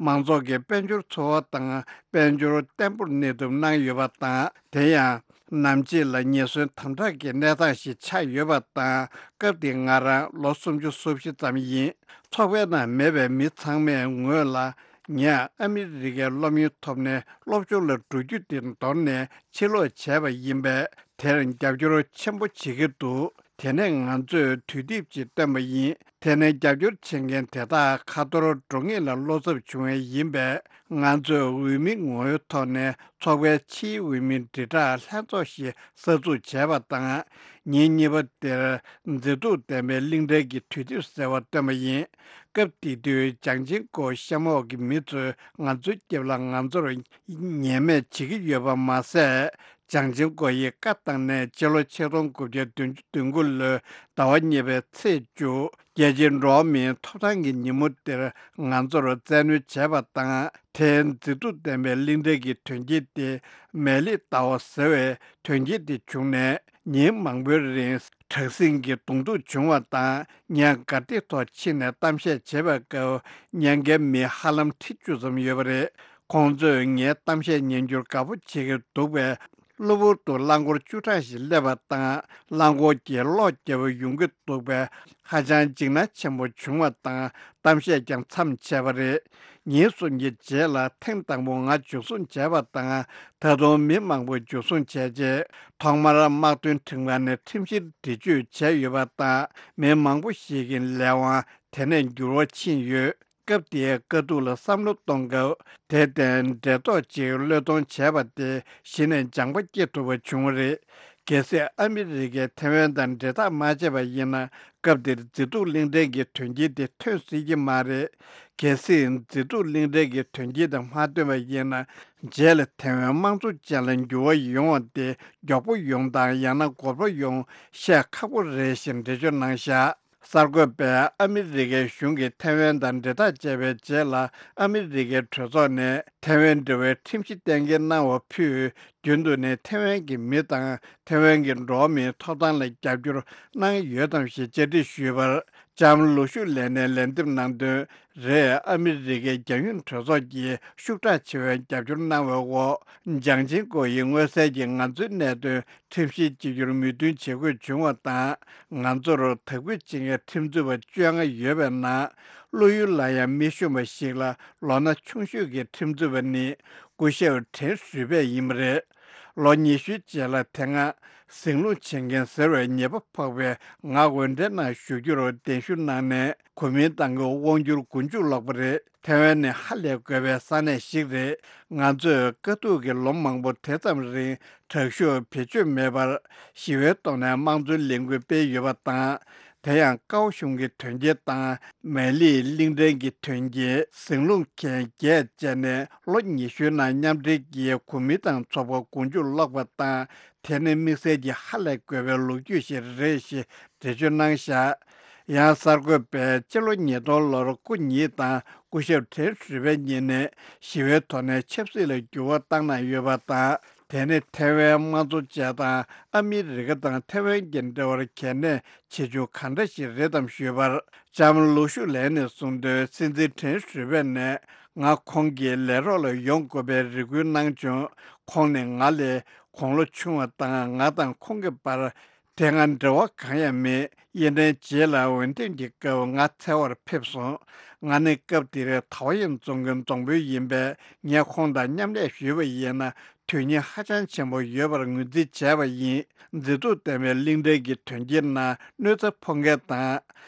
མང་ཚོགས་ཀྱི་དཔལ་འབྱོར་འཚོ་བ་དང་དཔལ་འབྱོར་བརྟན་པོར་གནས་ཐུབ་གནང་ཡོད་པ་དང་། དེ་ཡང་ནམ་ཕྱེད་ལ་ཉེན་ཟོན་དམ་དྲག་གི་གནས་སྟངས་ཤིག་ཆགས་ཡོད་པ་དང་། སྐབས་དེ་ང་རང་ལོ་སུམ་ཅུ་སོ་བཞི་ཙམ་ཡིན། ཚོགས་པའི་ནང་མེད་པའི་མི་ཚང་མས་ངོས་ལ། ངས་ཨ་མི་རི་ཀའི་སློབ་ཡོན་ཐོབ་ནས་སློབ་སྦྱོང་ལ་འགྲོ་རྒྱུ་དེ་འདོར་ནས་ཕྱིར་ལོག་བྱས་པ་ཡིན་པས། དེར་རྒྱབ་སྐྱོར་ཆེན་པོ་བྱེད་ཀྱི་འདུག་དེ་ནས་ང་ཚོས་དུས་དེབ་ཅིག་བཏོན་པ་ཡིན། དེ་ནས་རྒྱབ་སྐྱོར་བྱེད་མཁན་དེ་དག་ཁ་ཐོར་འགྲོ་ངེས་ལ་བློ་འཚབ་བྱུང་བ་ཡིན་པས། ང་ཚོས་འོས་མི་ངོ་བོའི་ཐོག་ནས་ཚོགས་པའི་ཕྱིའི་འོས་མི་དྲིལ་བསྒྲགས་ལྷན་ཚོགས་ཤིག་གསར་འཛུགས་བྱས་པ་དང་། ཉིན་གཉིས་པ་དེར་མཛེས་སྡུག་ལྡན་པའི་གླིང་ཕྲན་གྱི་དུས་དེབ་ཟེར་བ་བཏོན་པ་ཡིན། སྐབས་དེ་དུས་ལྗང་ཆིང་གོ་གཤམ་འོག་གི་མི་ཚོས་ང་ཚོའི་རྒྱབ་ལ་ང་ཚོར་ཉེས་མེད་བྱེད་ཀྱི་ཡོད་པ་མ་ཟད། ལྗང་ཆིང་གོ་ཡིས་བཀའ་བཏང་ནས་སྤྱི་ལོ་ཆིག་སྟོང་དགུ་བརྒྱ་བདུན་ཅུ་དོན་དགུ་ལོའི་ཟླ་བ་གཉིས་པའི་ཚེས་བཅུ། རྒྱལ་སྤྱིའི་འགྲོ་བ་མིའི་ཐོབ་ཐང་གི་ཉིན་མོ་དེར་ང་ཚོར་བཙན་གནོན་བྱས་པ་དང་། དེའི་མཛེས་སྡུག་ལྡན་པའི་གླིང་ཕྲན་གྱི་དོན་རྐྱེན་དེ་མེ་ལི་ཏའོ་ཟེར་བའི་དོན་རྐྱེན་དེ་བྱུང་ནས། ཉིན་མང་པོའི་རིང་དྲག་ཟིང་གི་གདོང་ཐུག་བྱུང་བ་དང་། ངས་གར་སྟེགས་ཐོག་ཕྱིན་ནས་གཏམ་བཤད་བྱེད་པའི་སྐབས་ཉེན་ཁའི་མི་ཧ་ལམ་ཁྲི་བཅུ་ཙམ་ཡོད་པ་རེད། ཁོང་ཚོས་ངའི་གཏམ་བཤད་ཉན་རྒྱུར་དགའ་པོ་བྱེད་ཀྱི་འདུག་པས། གློ་བུར་དུ་རླངས་འཁོར་བཅུ་གྲངས་ཤིག་སླེབས་པ་དང་། རླངས་འཁོར་གྱི་གློག་རྒྱག་པ་ཡོང་གི་འདུག་པས། ཧ་ཅང་འཇིགས་སྣང་ཆེན་པོ་བྱུང་བ་དང་། གཏམ་བཤད་ཀྱང་མཚམས་ཆད་པ་རེད། ཉིན་གསུམ་གྱི་རྗེས་ལ་ཐེངས་དང་པོ་ང་འཇུ་བཟུང་བྱས་པ་དང་། ད་དུང་མི་མང་པོ་འཇུ་བཟུང་བྱས་རྗེས། ཐོག་མར་དམག་དོན་ཁྲིམས་ཁང་ནས་ཁྲིམས་བཤེར་འདྲི་གཅོད་བྱས་ཡོད་པ་དང་། མི་མང་པོ་ཞིག་གི་ལས་དབང་དེ་ནས་འགྱུར་བ་ཕྱིན་ཡོད། སྐབས་དེའི་དཀའ་སྡུག་ལ་བསམ་བློ་གཏོང་སྐབས། དེར་བརྟེན་འབྲེལ་ཐོགས་ཅིག་བློས་གཏོང་བྱས་པ་དེ་གཞི་ནས་སྦྱངས་པ་སྐྱེ་ཐུབ་པ་བྱུང་བ་རེད། གལ་སྲིད་ཨ་མི་རི་ཀས་ཐའེ་ཝན་དང་འབྲེལ་ཐག་མ་བཅད་པ་ཡིན་ན། སྐབས་དེར་མཛེས་སྡུག་གླིང་ཕྲན་གྱི་དོན་རྐྱེན་དེ་ཐོན་སྲིད་ཀྱི་མ་རེད། གལ་སྲིད་མཛེས་སྡུག་གླིང་ཕྲན་གྱི་དོན་རྐྱེན་དེ་མ་ཐོན་པ་ཡིན་ན། རྗེས་ལ་ཐའེ་ཝན་དམངས་གཙོ་ཅན་ལ་འགྱུར་བ་ཡོང་བ་དེ་མགྱོགས་པོ་ཡོང་དང་ཡང་ན་འགོར་པོ་ཡོང་བཤད་ཁག་པོ་རེད་ཞེས་འགྲེལ་བརྗོད་གནང་བཞག་གསར་འགོད་པས་ཨ་མི་རི་ཀའི་གཞུང་གིས་ཐའེ་ཝན་དང་འབྲེལ་ཐག་བཅད་པའི་རྗེས་ལ། ཨ་མི་རི་ཀའི་གྲོས་ཚོགས་ནས་ཐའེ་ཝན་འབྲེལ་བའི་ཁྲིམས་གཞི་གཏན་འཁེལ་གནང་བ་ཕུད། རྒྱུན་དུ་ནས་ཐའེ་ཝན་གྱི་མི་དང་ཐའེ་ཝན་གྱི་འགྲོ་བ་མིའི་ཐོབ་ཐང་ལ་རྒྱབ་སྐྱོར་གནང་ཡོད་དམ་ཞེས་བཅར་འདྲི་ཞུས་པར། ལྕམ་ལུ་ཤུ་ལེན་ནས་ལན་འདེབས་གནང་དོན། རེས་ཨ་མི་རི་ཀའི་རྒྱང་ཡོལ་གྲོས་ཚོགས་ཀྱིས་ཤུགས་དྲག་ཆེ་བའི་རྒྱབ་སྐྱོར་གནང་བའི་འོག །ལྗང་ཆེན་ཀོ་ཡི་མངོན་གསལ་གྱིས་ང་ཚོའི་གནད་དོན་ཁྲིམས་བཤེར་བྱེད་རྒྱུར་མོས་མཐུན་བྱེད་དགོས་བྱུང་བ་དང་། ང་ཚོར་དག་འབུད་བྱེད་མཁན་ཁྲིམས་རྩོད་པ་བཅོ་ལྔ་ཡོད་པའི་ནང་། བློ་ཡུལ་ལ་ཡང་མི་ཤོང་བ་ཞིག་ལ་ལོ་ན་ཆུང་ཤོས་ཀྱི་ཁྲིམས་རྩོད་པ་ནི་སྐུ་ཞབས་ཁྲེན་ཧྲུས་པེ་ཡིན་པ་རེད། ལོ་ཉི་ཤུའི་རྗེས་ལ་དེ་སྔ་ཟིང་རླུང་བྱེད་མཁན་ཟེར་བའི་ཉེས་པ་ཕོག་པའི་ང་འོས་འབྲེལ་ནང་ཞུགས་རྒྱུར་གདན་ཞུ་གནང་ནས། གོ་མིན་ཏང་གི་དབང་སྒྱུར་མགོ་མཇུག་ལོག་པ་རེད། ཐེ་ཝན་ནི་ཧ་ལས་དགོས་པའི་ས་གནས་ཤིག་རེད། ང་ཚོས་དཀའ་སྡུག་གི་ལོ་མང་པོ་དེ་ཙམ་རིང་དྲག་ཤུགས་བེད་སྤྱོད་མེད་པར་ཞི་བའི་ཐོག་ནས་དམངས་གཙོའི་ལས་འགུལ་སྤེལ་ཡོད་པ་དང་། དེ་ཡང་ཀའོ་གཞུང་གི་དོན་རྐྱེན་དང་། མེ་ལིའི་གླིང་ཕྲན་གྱི་དོན་རྐྱེན། ཟིང་རླུང་མཁན་བརྒྱད་བཅས་ནས་ལོ་ཉི་ཤུའི་ནང་མཉམ་འབྲེལ་གྱིས་གོ་མིན་ཏང་ཚོགས་པ་མགོ་མཇུག་ལོག་པ་དང་། དེ་ནི་དམིགས་བསལ་གྱི་ཧ་ལས་དགོས་པའི་ལོ་རྒྱུས་ཤིག་རེད་ཞེས་འགྲེལ་བརྗོད་གནང་བཞག །ཡང་གསར་འགོད་པས་ཕྱི་ལོ་ཉིས་སྟོང་ལོར་སྐུ་ཉིད་དང་སྐུ་ཞབས་ཁྲེན་ཧྲུས་པེ་གཉིས་ནས་ཞི་བའི་ཐོག་ནས་ཆབ་སྲིད་ལ་འགྱུར་བ་བཏང་གནང་ཡོད་པ་དང་། དེ་ནི་ཐེ་ཝན་དམངས་གཙོ་བཅས་དང་ཨ་མི་རི་ཀ་དང་ཐེ་ཝན་གྱི་འབྲེལ་བར་གལ་གནད་ཆེ་ཆུང་གང་འདྲ་ཞིག་རེད་དམ་ཞུས་པར། ལྕམ་ལུ་ཤུ་ལན་ནས་གསུངས་དོན། སྲིད་འཛིན་ཁྲེན་ཧྲུས་པེ་ནས་ང་ཁོང་གི་ལས་རོགས་ལ་ཡོང་དགོས་པའི་རེ་སྐུལ་གནང་བྱུང་། ཁོང་ནི་ང་ལས་དགུང་ལོ་ཆུང་བ་དང་། ང་དང་ཁོང་གི་བར་དེ་སྔ་འབྲེལ་བ་གང་ཡང་མེད། ཡིན་ནའི་རྗེས་ལ་འོས་འདེམས་ཀྱི་སྐབས་ང་འཚོལ་བར་ཕེབས་སོང་། ང་ནི་སྐབས་དེར་ཐའོ་ཡན་རྫོང་གི་རྫོང་དཔོན་ཡིན་པས། ངས་ཁོང་དང་མཉམ་ལས་ཞུས་པ་ཡིན་ན། དོན་སྙིང་ཧ་ཅང་ཆེན་པོ་ཡོད་པར་ངོས་འཛིན་བྱས་པ་ཡིན། མཛེས་སྡུག་ལྡན་པའི་གླིང་ཕྲན་གྱི་དོན་རྐྱེན་ནང་གནོད་འཚེ་ཕོག་མཁན་དང་།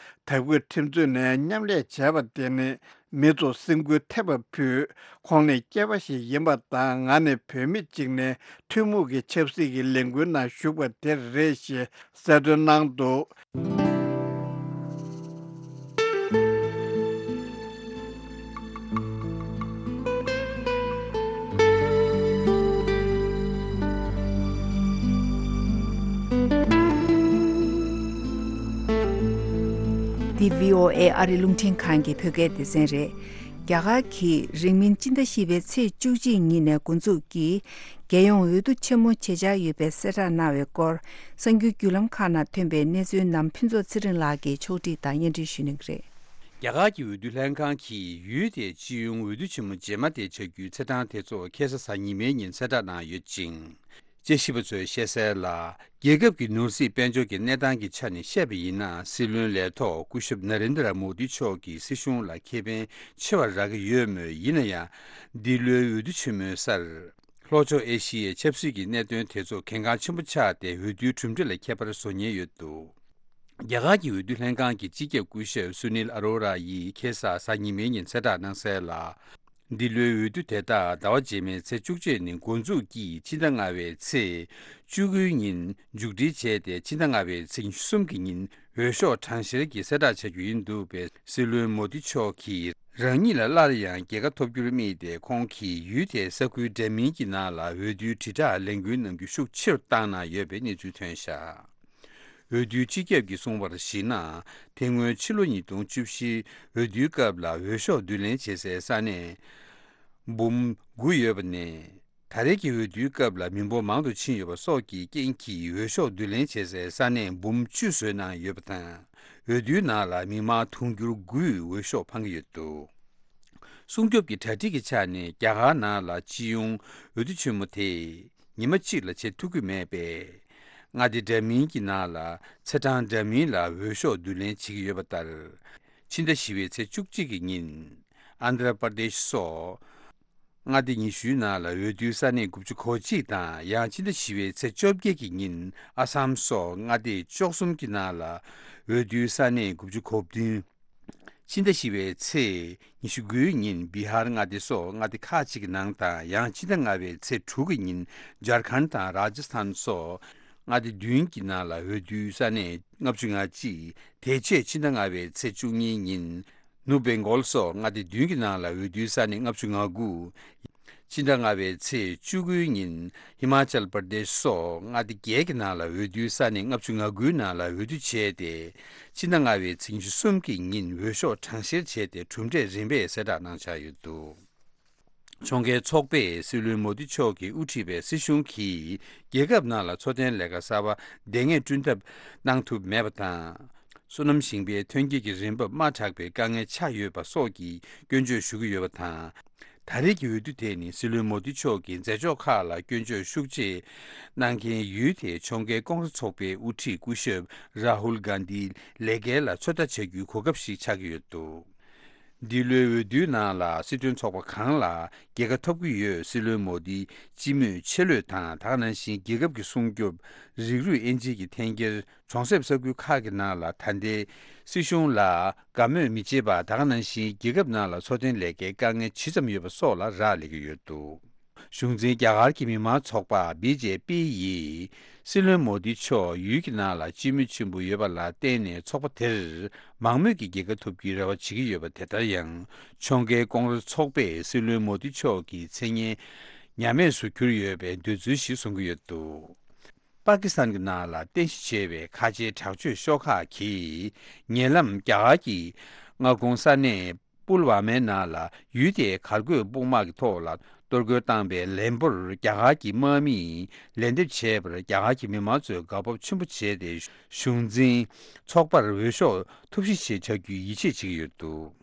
དག་འབུད་ཁྲིམས་རྩོད་ནས་མཉམ་ལས་བྱས་པ་དེ་ནི་མི་ཚོ་སེམས་འགུལ་ཐེབས་པ་ཕུད། ཁོང་ནི་སྐྱེས་པ་ཞིག་ཡིན་པ་དང་། ང་ནི་བུད་མེད་ཅིག་ནས་ཐུན་མོང་གི་ཆབ་སྲིད་ཀྱི་ལས་འགུལ་ནང་ཞུགས་པ་དེ་རེད་ཞེས་གསལ་སྟོན་གནང་འདུག་འདི་བྷི་ཨོ་ཨེ་ཨ་རི་རླུང་འཕྲིན་ཁང་གི་བོད་སྐད་སྡེ་ཚན་རེད། རྒྱ་གར་གྱིས་རིང་མིན་སྤྱི་ཟླ་བཞི་པའི་ཚེས་བཅུ་གཅིག་ཉིན་ནས་འགོ་འཛུགས་ཀྱིས། རྒྱལ་ཡོངས་འོས་བསྡུ་ཆེན་མོ་བྱེད་འཆར་ཡོད་པའི་གསལ་བསྒྲགས་གནང་བའི་སྐོར། གསར་འགྱུར་བརྒྱུད་ལམ་ཁག་ནང་ཐོན་པའི་གནས་ཚུལ་རྣམས་ཕུན་ཚོགས་ཚེ་རིང་ལགས་ཀྱིས་ཕྱོགས་སྒྲིག་དང་སྙན་སྒྲོན་ཞུ་གནང་གི་རེད། རྒྱ་གར་གྱི་འོས་བསྡུ་ལྷན་ཁང་གིས་ཡུལ་དེའི་སྤྱི་ཡོངས་འོས་བསྡུ་ཆེན་མོ་རྗེས་མ་དེ་བྱ་རྒྱུའི་ཚེས་གྲངས་དེ་ཚོ་ཁ་སང་གཟའ་ཉི་མའི་ཉིན་གསལ་བསྒྲགས་གནང་ཡོད་ཅིང་། དཔྱད་ཞིབ་པ་ཚོས་བཤད་གསལ་ལ། རྒྱལ་ཁབ་ཀྱི་ནོར་སྲིད་དཔལ་འབྱོར་གྱི་གནས་སྟངས་ཀྱི་ཆ་ནས་བཤད་པ་ཡིན་ན། སྲིད་བློན་ལས་ཐོག་སྐུ་ཞབས་ན་རེན་དྲ་མོ་དི་མཆོག་གིས་སྲིད་གཞུང་ལ་ཁེ་ཕན་ཆེ་བ་རག་གི་ཡོད་མོད། ཡིན་ན་ཡང་། འདི་ལོའི་འོས་བསྡུ་ཆེན་མོའི་སར། ལྷོ་ཕྱོགས་ཨེ་ཤི་ཡའི་ཆབ་སྲིད་ཀྱི་གནད་དོན་དེ་ཚོ་གལ་འགངས་ཆེན་པོ་ཆགས་ཏེ། འོས་བསྡུའི་གྲུབ་འབྲས་ལ་ཁྱད་པར་བཟོ་ཉེན་ཡོད་འདུག་རྒྱ་གར་གྱི་འོས་བསྡུ་ལྷན་ཁང་གི་སྤྱི་ཁྱབ་སྐུ་ཞབས་སུ་ནིལ་ཨ་རོ་ར་ཡིས་ཁ་སང་གཟའ་ཉི་མའི་ཉིན་གསལ་བསྒྲགས་གནང་གསལ་ལ། འདི་ལོའི་འོས་བསྡུ་དེ་དག་ཟླ་བ་རྗེས་མའི་ཚེས་བཅུ་གཅིག་ནས་འགོ་འཛུགས་ཀྱིས་ཕྱི་ཟླ་ལྔ་པའི་ཚེས་བཅུ་དགུའི་ཉིན་མཇུག་སྒྲིལ་བྱས་ཏེ། ཕྱི་ཟླ་ལྔ་པའི་ཚེས་ཉི་ཤུ་གསུམ་གྱི་ཉིན་འོས་ཤོག་གྲངས་བཤེར་གྱི་གསལ་བསྒྲགས་བྱ་རྒྱུ་ཡིན་འདུག་པས། སྲིད་བློན་མོ་དི་མཆོག་གིས་རང་ཉིད་ལ་སླར་ཡང་རྒྱལ་ཁ་ཐོབ་རྒྱུར་དམིགས་ཏེ། ཁོང་གིས་ཡུལ་དེའི་ས་ཁུལ་འདྲ་མིན་གྱི་ནང་ལ་འོས་བསྡུའི་དྲིལ་བསྒྲགས་ལས་འགུལ་གནང་རྒྱུ་ཤུགས་ཆེ་རུ་བཏང་གནང་ཡོད་པའི་གནས་ཚུལ་ཐོན་བཞག་འོས་བསྡུའི་སྤྱི་ཁྱབ་ཀྱིས་གསུངས་པར་གཞིགས་ན། དེ་སྔོན་ཕྱི་ལོ་ཉིས་སྟོང་བཅུ་བཞི་འོས་བསྡུའི་སྐབས་ལ་འོས་ཤོག་བསྡུ་ལེན་བྱེད་སའི་ས་གནས་འབུམ་དགུ་ཡོད་པ་ནས། ད་རེས་ཀྱི་འོས་བསྡུའི་སྐབས་ལ་མི་འབོར་མང་དུ་ཕྱིན་ཡོད་པ་སོགས་ཀྱི་རྐྱེན་གྱིས། འོས་ཤོག་བསྡུ་ལེན་བྱེད་སའི་ས་གནས་འབུམ་བཅུ་བཟོས་གནང་ཡོད་པ་དང་། འོས་བསྡུའི་ནང་ལ་མི་མང་དུང་ཕྱུར་དགུས་འོས་ཤོག་འཕང་གི་ཡོད་འདུག་སྲུང་སྐྱོབ་ཀྱི་གྲ་སྒྲིག་གི་ཆ་ནས་རྒྱ་གར་ནང་ལ་སྤྱི་ཡོངས་འོས་བསྡུ་ཆེན་མོ་དེ་ཉི་མ་གཅིག་ལ་བྱེད་ཐུབ་ཀྱི་མེད་པས། མངའ་སྡེ་འདྲ་མིན་གྱི་ནང་ལ་ཚེས་གྲངས་འདྲ་མིན་ལ་འོས་ཤོག་བསྡུ་ལེན་བྱེད་ཀྱི་ཡོད་པ་ལྟར། ཕྱི་ཟླ་བཞི་པའི་ཚེས་བཅུ་གཅིག་གི་ཉིན་ཨན་དྷྲ་པར་དེཤ་སོགས་མངའ་སྡེ་ཉི་ཤུའི་ནང་ལ་འོས་བསྡུའི་ས་གནས་དགུ་བཅུ་གོ་གཅིག་དང་། ཡང་ཕྱི་ཟླ་བཞི་པའི་ཚེས་བཅོ་བརྒྱད་ཀྱི་ཉིན་ཨ་སམ་སོགས་མངའ་སྡེ་བཅུ་གསུམ་གྱི་ནང་ལ་འོས་བསྡུའི་ས་གནས་དགུ་བཅུ་གོ་བདུན། ཕྱི་ཟླ་བཞི་པའི་ཚེས་ཉི་ཤུ་དགུའི་ཉིན་བི་ཧར་མངའ་སྡེ་སོགས་མངའ་སྡེ་ཁག་ཅིག་གི་ནང་དང་། ཡང་ཕྱི་ཟླ་ལྔ་པའི་ཚེས་དྲུག་གི་ཉིན་ཇར་ཁན་དང་ར་ཇ་སི་ཐན་སོགས་མངའ་སྡེ་བདུན་གྱི་ནང་ལ་འོས་བསྡུའི་ས་གནས་ལྔ་བཅུ་ང་གཅིག་དེ་རྗེས་ཕྱི་ཟླ་ལྔ་པའི་ཚེས་བཅུ་གཉིས་ཉིན་ནུབ་བེང་གོལ་སོགས་མངའ་སྡེ་བདུན་གྱི་ནང་ལ་འོས་བསྡུའི་ས་གནས་ལྔ་བཅུ་ང་དགུ། ཕྱི་ཟླ་ལྔ་པའི་ཚེས་བཅུ་དགུའི་ཉིན་ཧི་མ་ཅལ་པར་དེཤ་སོགས་མངའ་སྡེ་བརྒྱད་ཀྱི་ནང་ལ་འོས་བསྡུའི་ས་གནས་ལྔ་བཅུ་ང་དགུའི་ནང་ལ་འོས་བསྡུ་བྱས་ཏེ། ཕྱི་ཟླ་ལྔ་པའི་ཚེས་ཉི་ཤུ་གསུམ་གྱི་ཉིན་འོས་ཤོག་གྲངས་བཤེར་བྱས་ཏེ་གྲུབ་འབྲས་རིམ་པས་གསལ་བསྒྲགས་གནང་འཆར་ཡོད་འདུག་ཕྱོགས་འགལ་ཚོགས་པས་སྲིད་བློན་མོ་དི་མཆོག་གིས་དབུ་ཁྲིད་པའི་སྲིད་གཞུང་གིས་རྒྱལ་ཁབ་ནང་ལ་འཚོ་རྟེན་ལས་ཀ་གསར་པ་བདེ་ངེས་བསྐྲུན་ཐབས་གནང་ཐུབ་མེད་པ་དང་། སོ་ནམ་ཞིང་པའི་ཐོན་སྐྱེད་ཀྱི་རིན་འབབ་དམའ་དྲགས་པའི་དཀའ་ངལ་ཆགས་ཡོད་པ་སོགས་ཀྱི་སྐྱོན་བརྗོད་ཞུ་གི་ཡོད་པ་དང་། ད་རེས་ཀྱི་འོས་བསྡུ་དེ་ནི་སྲིད་བློན་མོ་དི་མཆོག་གི་མཛད་ཕྱོགས་ཁག་ལ་སྐྱོན་བརྗོད་ཤུགས་ཆེ་གནང་མཁན་ཡུལ་དེའི་ཕྱོགས་འགལ་ཀོང་རེ་ཚོགས་པའི་དབུ་ཁྲིད་སྐུ་ཞབས་རཱ་ཧུལ་གྷན་དྷིའི་ལས་འགན་ལ་ཚོད་ལྟ་བྱ་རྒྱུའི་གོ་སྐབས་ཤིག་ཆགས་ཀྱི་ཡོད་འདུག་འདི་ལོའི་འོས་བསྡུའི་ནང་ལ་སྲིད་དོན་ཚོགས་པ་གང་ལ་རྒྱལ་ཁ་ཐོབ་ཀྱི་ཡོད། སྲིད་བློན་མོ་དི་སྤྱི་མོས་ཆེ་བློས་དང་། ད་ག་ནང་བཞིན་རྒྱལ་ཁབ་ཀྱི་སྲུང་སྐྱོབ། རིགས་རུས་དབྱེ་འབྱེད་ཀྱི་འཐེན་འཁྱེར། གྲོང་གསེབ་ས་ཁུལ་ཁག་གི་ནང་ལ་ད་ལྟའི་སྲིད་གཞུང་ལ་དགའ་མོས་མི་བྱེད་པ། ད་ག་ནང་བཞིན་རྒྱལ་ཁབ་ནང་ལ་འཚོ་རྟེན་ལས་ཀའི་དཀའ་ངལ་ཇི་ཙམ་ཡོད་པ་སོགས་ལ་རག་ལས་ཀྱི་ཡོད་འདུག་གཞུང་འཛིན་རྒྱ་གར་གྱི་མི་དམངས་ཚོགས་པ་བི་ཇེ་པི་ཡིས་སྲིད་བློན་མོ་དི་མཆོག་ཡུལ་གྱི་ནང་ལ་སྤྱི་མོས་ཆེན་པོ་ཡོད་པ་ལ་བརྟེན་ནས་ཚོགས་པ་དེར་མང་མོས་ཀྱི་རྒྱལ་ཁ་ཐོབ་རྒྱུའི་རེ་བ་བྱེད་ཀྱི་ཡོད་པ། དེ་ལྟར་ཡང་ཕྱོགས་འགལ་ཀོང་རེ་ཚོགས་པས་སྲིད་བློན་མོ་དི་མཆོག་གི་མཚན་སྙན་ཉམས་དམས་སུ་གྱུར་ཡོད་པའི་འདོད་ཚུལ་ཞིག་གསུང་གི་ཡོད་འདུག་པ་ཀི་སི་ཐན་གྱི་ནང་ལ་རྟེན་གཞི་བྱས་པའི་ཁ་ཆེའི་དྲག་སྤྱོད་ཤོག་ཁག་གིས་ཉེ་ལམ་རྒྱ་གར་གྱི་མངའ་ཁོངས་ས་གནས་པུལ་ཝ་མའི་ནང་ལ་ཡུལ་དེའི་གར་འགོད་དཔུང་དམག་གི་ཐོག་ལ་གཏོར་རྒོལ་བཏང་པའི་ལན་པོར་རྒྱ་གར་གྱི་དམག་མིས་ལན་འདེབས་བྱས་པར་རྒྱ་གར་གྱི་མི་མང་ཚོས་དགའ་སྤོབས་ཆེན་པོ་བྱས་ཏེ་གཞུང་འཛིན་ཚོགས་པར་འོས་ཤོག་ཐོབ་གཞི་ཆེད་བྱ་རྒྱུའི་ཡིད་ཆེས་བྱེད་ཀྱི་ཡོད་འདུག་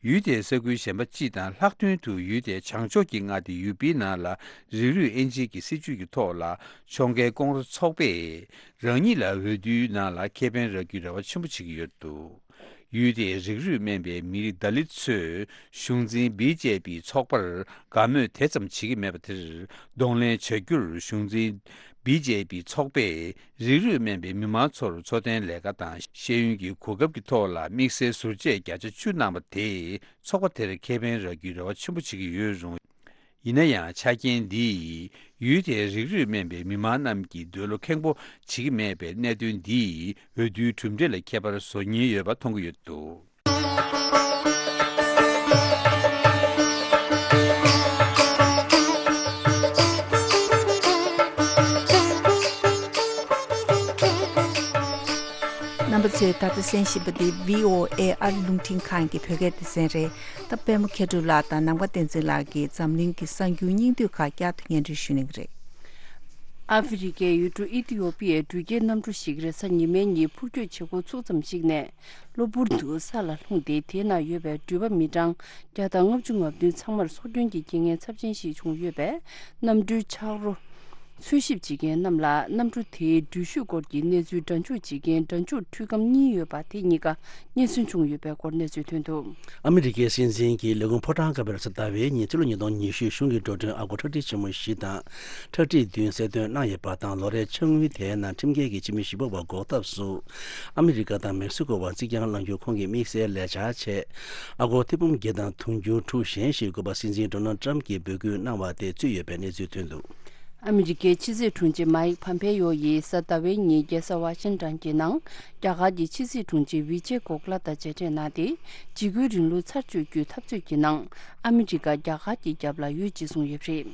ཡུལ་དེའི་ས་ཁུལ་གཞན་པ་སྤྱི་དང་ལྷག་དོན་དུ་ཡུལ་དེའི་བྱང་ཕྱོགས་ཀྱི་མངའ་སྡེ་ཡུ་པིའི་ནང་ལ་རིགས་རུས་དབྱེ་འབྱེད་ཀྱི་སྲིད་བྱུས་ཀྱི་ཐོག་ལ་ཕྱོགས་འགལ་ཀོང་རེ་ཚོགས་པས་རང་ཉིད་ལ་འོས་བསྡུའི་ནང་ལ་ཁེ་ཕན་རག་རྒྱུའི་རེ་བ་ཆེན་པོ་བྱེད་ཀྱི་ཡོད་འདུག་ཡུལ་དེའི་རིགས་རུས་དམན་པའི་མི་རིགས་དཱ་ལིད་ཚོས་གཞུང་འཛིན་བི་ཇེ་པི་ཚོགས་པར་དགའ་མོས་དེ་ཙམ་བྱེད་ཀྱི་མེད་པ་དེར་གདོང་ལེན་བྱ་རྒྱུར་གཞུང་འཛིན་བི་ཇེ་པི་ཚོགས་པས་རིགས་རུས་དམན་པའི་མི་མང་ཚོར་འཚོ་རྟེན་ལས་ཀ་དང་ཤེས་ཡོན་གྱི་གོ་སྐབས་ཀྱི་ཐོག་ལ་དམིགས་བསལ་ཟུར་བཅད་བརྒྱ་ཆ་བཅུ་གནང་བ་དེས་ཚོགས་པ་དེར་ཁེ་ཕན་རག་རྒྱུའི་རེ་བ་ཆེན་པོ་བྱེད་ཀྱི་ཡོད་རུང་། ཡིན་ན་ཡང་ཆ་རྐྱེན་འདིས་ཡུལ་དེའི་རིགས་རུས་དམན་པའི་མི་མང་རྣམས་ཀྱི་འདོད་བློ་ཁེངས་པོ་བྱེད་ཀྱི་མེད་པའི་གནད་དོན་འདིས་འོས་བསྡུའི་གྲུབ་འབྲས་ལ་ཁྱད་པར་བཟོ་ཉེན་ཡོད་པ་མཐོང་གི་ཡོད་འདུག་རྣམ་པ་ཚོས་ད་ལྟ་གསན་བཞིན་པ་འདི་བྷི་ཨོ་ཨེ་ཨ་རི་རླུང་འཕྲིན་ཁང་གི་བོད་སྐད་སྡེ་ཚན་རེད། ད་པདྨ་མཁས་གྲུབ་ལགས་དང་ནམ་མཁའ་བསྟན་འཛིན་ལགས་ཀྱིས་འཛམ་གླིང་གི་གསར་འགྱུར་སྙིང་བསྡུས་ཁག་བསྐྱར་དུ་སྙན་སྒྲོན་ཞུ་གནང་གི་རེད། ཨ་ཧྥེ་རི་ཁའི་ཡུལ་གྲུ་ཨི་ཐི་ཡོ་པི་ཡའི་འགྲུལ་སྐྱེལ་གནམ་གྲུ་ཞིག་རེས་གཟའ་ཉི་མའི་ཉིན་འཕུར་སྐྱོད་བྱེད་འགོ་ཚུགས་ཙམ་ཞིག་ནས་གློ་བུར་དུ་ས་ལ་ལྷུང་སྟེ། དེའི་ནང་ཡོད་པའི་འགྲུལ་པ་མི་གྲངས་བརྒྱ་དང་ལྔ་བཅུ་ང་བདུན་ཚང་མར་སྲོག་སྐྱོན་གྱི་རྐྱེན་ངན་ཚབས་ཆེན་ཞིག་བྱུང་ཡོད་པས། གནམ་གྲུའི་ཆག་རོ་འཚོལ་ཞིབ་བྱེད་མཁན་རྣམས་ལ་གནམ་གྲུ་དེའི་འགྲུལ་བཞུད་སྐོར་གྱི་གནས་ཚུལ་འདྲ་འཇུག་བྱེད་མཁན་འདྲ་འཇུག་འཕྲུལ་ཁམས་གཉིས་ཡོད་པ་དེ་གཉིས་ཀ་རྙེད་སོན་བྱུང་ཡོད་པའི་སྐོར་གནས་ཚུལ་ཐོན་འདུག་ཨ་མི་རི་ཀའི་སྲིད་འཛིན་གྱི་ལས་ཁུངས་ཕོ་བྲང་ཁ་པར་གཟའ་ཟླ་བའི་ཉིན་ཕྱི་ལོ་ཉིས་སྟོང་ཉི་ཤུ་གཞུང་གི་འགྲོ་གྲོན་ཨ་སྒོར་ཁྲག་ཁྲིག་ཆེན་མོ་བཞི་དང་ཁྲག་ཁྲིག་བདུན་གསལ་སྟོན་གནང་ཡོད་པ་དང་། ལོ་རེའི་ཕྱག་དངུལ་དེའི་ནང་ཁྲིམས་འགལ་གྱི་ཕྱི་མི་བཞི་པ་བ་འགོག་ཐབས་སུ་ཨ་མི་རི་ཀ་དང་མེག་སི་ཀོ་བར་རྩིག་གྱང་བསླང་རྒྱུ་ཁོང་གི་དམིགས་བསལ་ལས་འཆར་ཆེད་ཨ་སྒོར་ཐེར་འབུམ་བརྒྱད་དང་དུང་ཕྱུར་དྲུག་གཞན་ཞིག་དགོས་པ་སྲིད་འཛིན་ཌོ་ནལ་ཊམ་གྱིས་འབོད་སྐུལ་གནང་བ་དེ་གཙོས་ཡོད་པའི་གནས་ཚུལ་ཐོན་འདུག་ཨ་མི་རི་ཀའི་ཕྱི་སྲིད་དྲུང་ཆེ་མཱིག་ཕམ་ཕེ་ཡོ་ཡིས་གཟའ་ཟླ་བའི་ཉིན་རྒྱལ་ས་ཝ་ཤིང་ཊོན་གྱི་ནང་རྒྱ་གར་གྱི་ཕྱི་སྲིད་དྲུང་ཆེ་ཝི་ཇེ་གོ་ཁ་ལ་དང་མཇལ་འཕྲད་གནང་སྟེ། འཇིགས་སྐུལ་རིང་ལུགས་ཚར་གཅོད་རྒྱུའི་འཐབ་རྩོད་ཀྱི་ནང་ཨ་མི་རི་ཀ་རྒྱ་གར་གྱི་རྒྱབ་ལ་ཡོད་ཅེས་གསུངས་ཡོད་པ་རེད།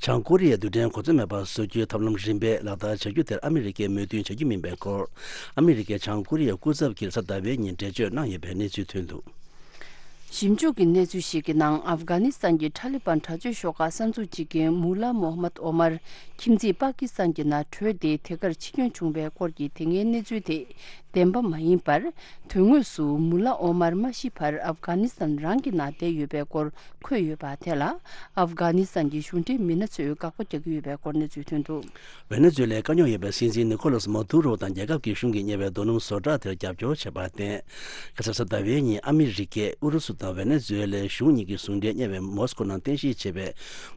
བྱང་ཀོ་རི་ཡས་རྡུལ་ཕྲན་གོ་མཚོན་མེད་པར་བཟོ་རྒྱུའི་ཐབས་ལམ་རིམ་པས་ལག་བསྟར་བྱ་རྒྱུ་དེར་ཨ་མི་རི་ཀས་མོས་མཐུན་བྱ་རྒྱུ་མིན་པའི་སྐོར། ཨ་མི་རི་ཀས་བྱང་ཀོ་རི་ཡའི་སྐུ་ཚབ་ཀྱིས་གཟའ་ཟླ་བའི་ཉིན་འགྲེལ་བརྗོད་གནང་ཡོད་པའི་གནས་ཚུལ་ཐོན་འདུག་ཞིབ་འཇུག་གི་གནས་ཚུལ་ཞིག་གི་ནང་། ཨབ་གྷ་ནི་སི་ཐན་གྱི་ཐ་ལི་བན་དྲག་སྤྱོད་ཤོག་ཁག་གསར་འཛུགས་བྱེད་མཁན་མུ་ལ་མོ་ཧ་མད་ཨོ་མར་ཁྱིམ་མཚེས་པ་ཀི་སི་ཐན་གྱི་ནང་བྲོས་ཏེ་དེ་གར་འཆི་སྐྱོན་བྱུང་བའི་སྐོར་གྱི་དེ་སྔའི་གནས་ཚུལ་དེ་བདེན་པ་མ་ཡིན་པར། དོན་དངོས་སུ་མུ་ལ་ཨོ་མར་མ་ཤི་བར་ཨབ་གྷ་ནི་སི་ཐན་རང་གི་ནང་བསྡད་ཡོད་པའི་སྐོར་འཁོད་ཡོད་པ་དེ་ལ། ཨབ་གྷ་ནི་སི་ཐན་གྱི་གཞུང་འབྲེལ་མི་སྣ་ཚོས་དགག་པ་རྒྱག་གི་ཡོད་པའི་སྐོར་གནས་ཚུལ་ཐོན་འདུག་ཝེ་ནེ་ཛུ་ཝེ་ལའི་དཀའ་རྙོག་ཡོད་པའི་སྲིད་འཛིན་ནི་ཁོ་ལཱས་མ་དུ་རོ་དང་རྒྱལ་ཁབ་ཀྱི་གཞུང་གིས་གཉེར་བའི་རྡོ་སྣུམ་བཟོ་གྲྭ་དེར་རྒྱབ་སྐྱོར་བྱས་པར་བརྟེན། ཁ་སང་གཟའ་ཟླ་བའི་ཉིན་ཨ་མི་རི་ཀས་ཨུ་རུ་སུ་དང་ཝེ་ནེ་ཛུ་ཝེ་ལའི་གཞུང་གཉིས་ཀྱི་ཟུང་འབྲེལ་གཉེར་བའི་མོ་སི་ཀོ་ནང་རྟེན་གཞི་བྱས་པའི་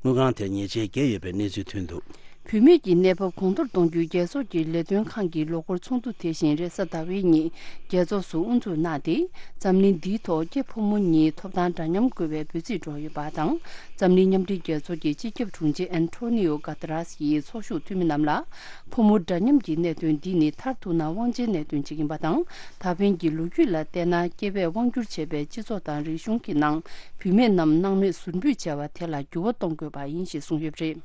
དངུལ་ཁང་དེར་ཉེས་ཆད་བཀལ་ཡོད་པའི་གནས་ཚུལ་ཐོན་འདུག་བུད་མེད་ཀྱི་གནས་བབ་གོང་མཐོར་གཏོང་རྒྱུའི་རྒྱལ་ཚོགས་ཀྱི་ལས་དོན་ཁང་གི་ལོ་འཁོར་ཚོགས་འདུ་དེ་བཞིན་རེས་གཟའ་ཟླ་བའི་ཉིན་རྒྱལ་ཚོགས་སུ་དབུ་འཛུགས་གནང་སྟེ། འཛམ་གླིང་འདིའི་ཐོག་སྐྱེས་ཕོ་མོ་གཉིས་ཐོབ་ཐང་འདྲ་མཉམ་དགོས་པའི་འབོད་ཚིག་སྒྲོག་ཡོད་པ་དང་། འཛམ་གླིང་མཉམ་འབྲེལ་རྒྱལ་ཚོགས་ཀྱི་སྤྱི་ཁྱབ་དྲུང་ཆེ་ཨན་ཐོ་ནི་ཡོ་གྷ་ཏ་རཱས་ཡིས་ཚོགས་ཞུགས་འཐུས་མི་རྣམས་ལ། ཕོ་མོ་འདྲ་མཉམ་གྱི་གནད་དོན་འདི་ནི་མཐར་ཐུག་ན་དབང་ཆའི་གནད་དོན་ཅིག་ཡིན་པ་དང་། ད་ཕན་གྱི་ལོ་རྒྱུས་ལ་བལྟས་ན། སྐྱེ་བས་དབང་སྒྱུར་བྱས་པའི་སྤྱི་ཚོགས་དང་རིག་གཞུང་གི་ནང་བུད་མེད་རྣམས་སྣང་མེད་ཟུར་འབུད་བྱས་པ་དེ་ལ་འགྱུར་བ་གཏོང་དགོས་པ་ཡིན་ཞེས་གསུངས་ཡོད་པ་རེད།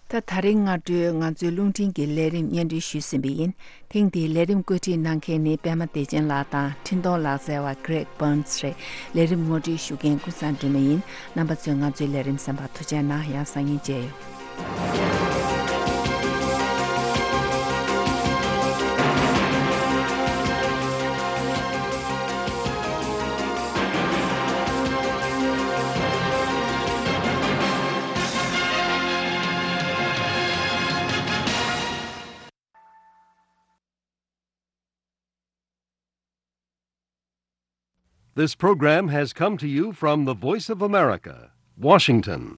ད་ད་རིང་སྔ་དྲོའི་ང་ཚོའི་རླུང་འཕྲིན་གྱི་ལས་རིམ་སྙན་སྒྲོན་ཞུས་ཟིན་པ་ཡིན། ཐེངས་འདིའི་ལས་རིམ་བཀོད་སྒྲིག་གནང་མཁན་ནི་པད་མ་བདེ་ཆེན་ལགས་དང་འཕྲིན་གཏོང་ལག་རྩལ་བ་Greg Burns་རེད། ལས་རིམ་ངོ་སྤྲོད་ཞུ་མཁན་ཀུན་བཟང་སྒྲོལ་མ་ཡིན། རྣམ་པ་ཚོས་ང་ཚོའི་ལས་རིམ་གསན་པར་ཐུགས་རྗེ་གནང་། ཡང་སང་ཉིན་མཇལ་ཡོང་། This program has come to you from the Voice of America, Washington.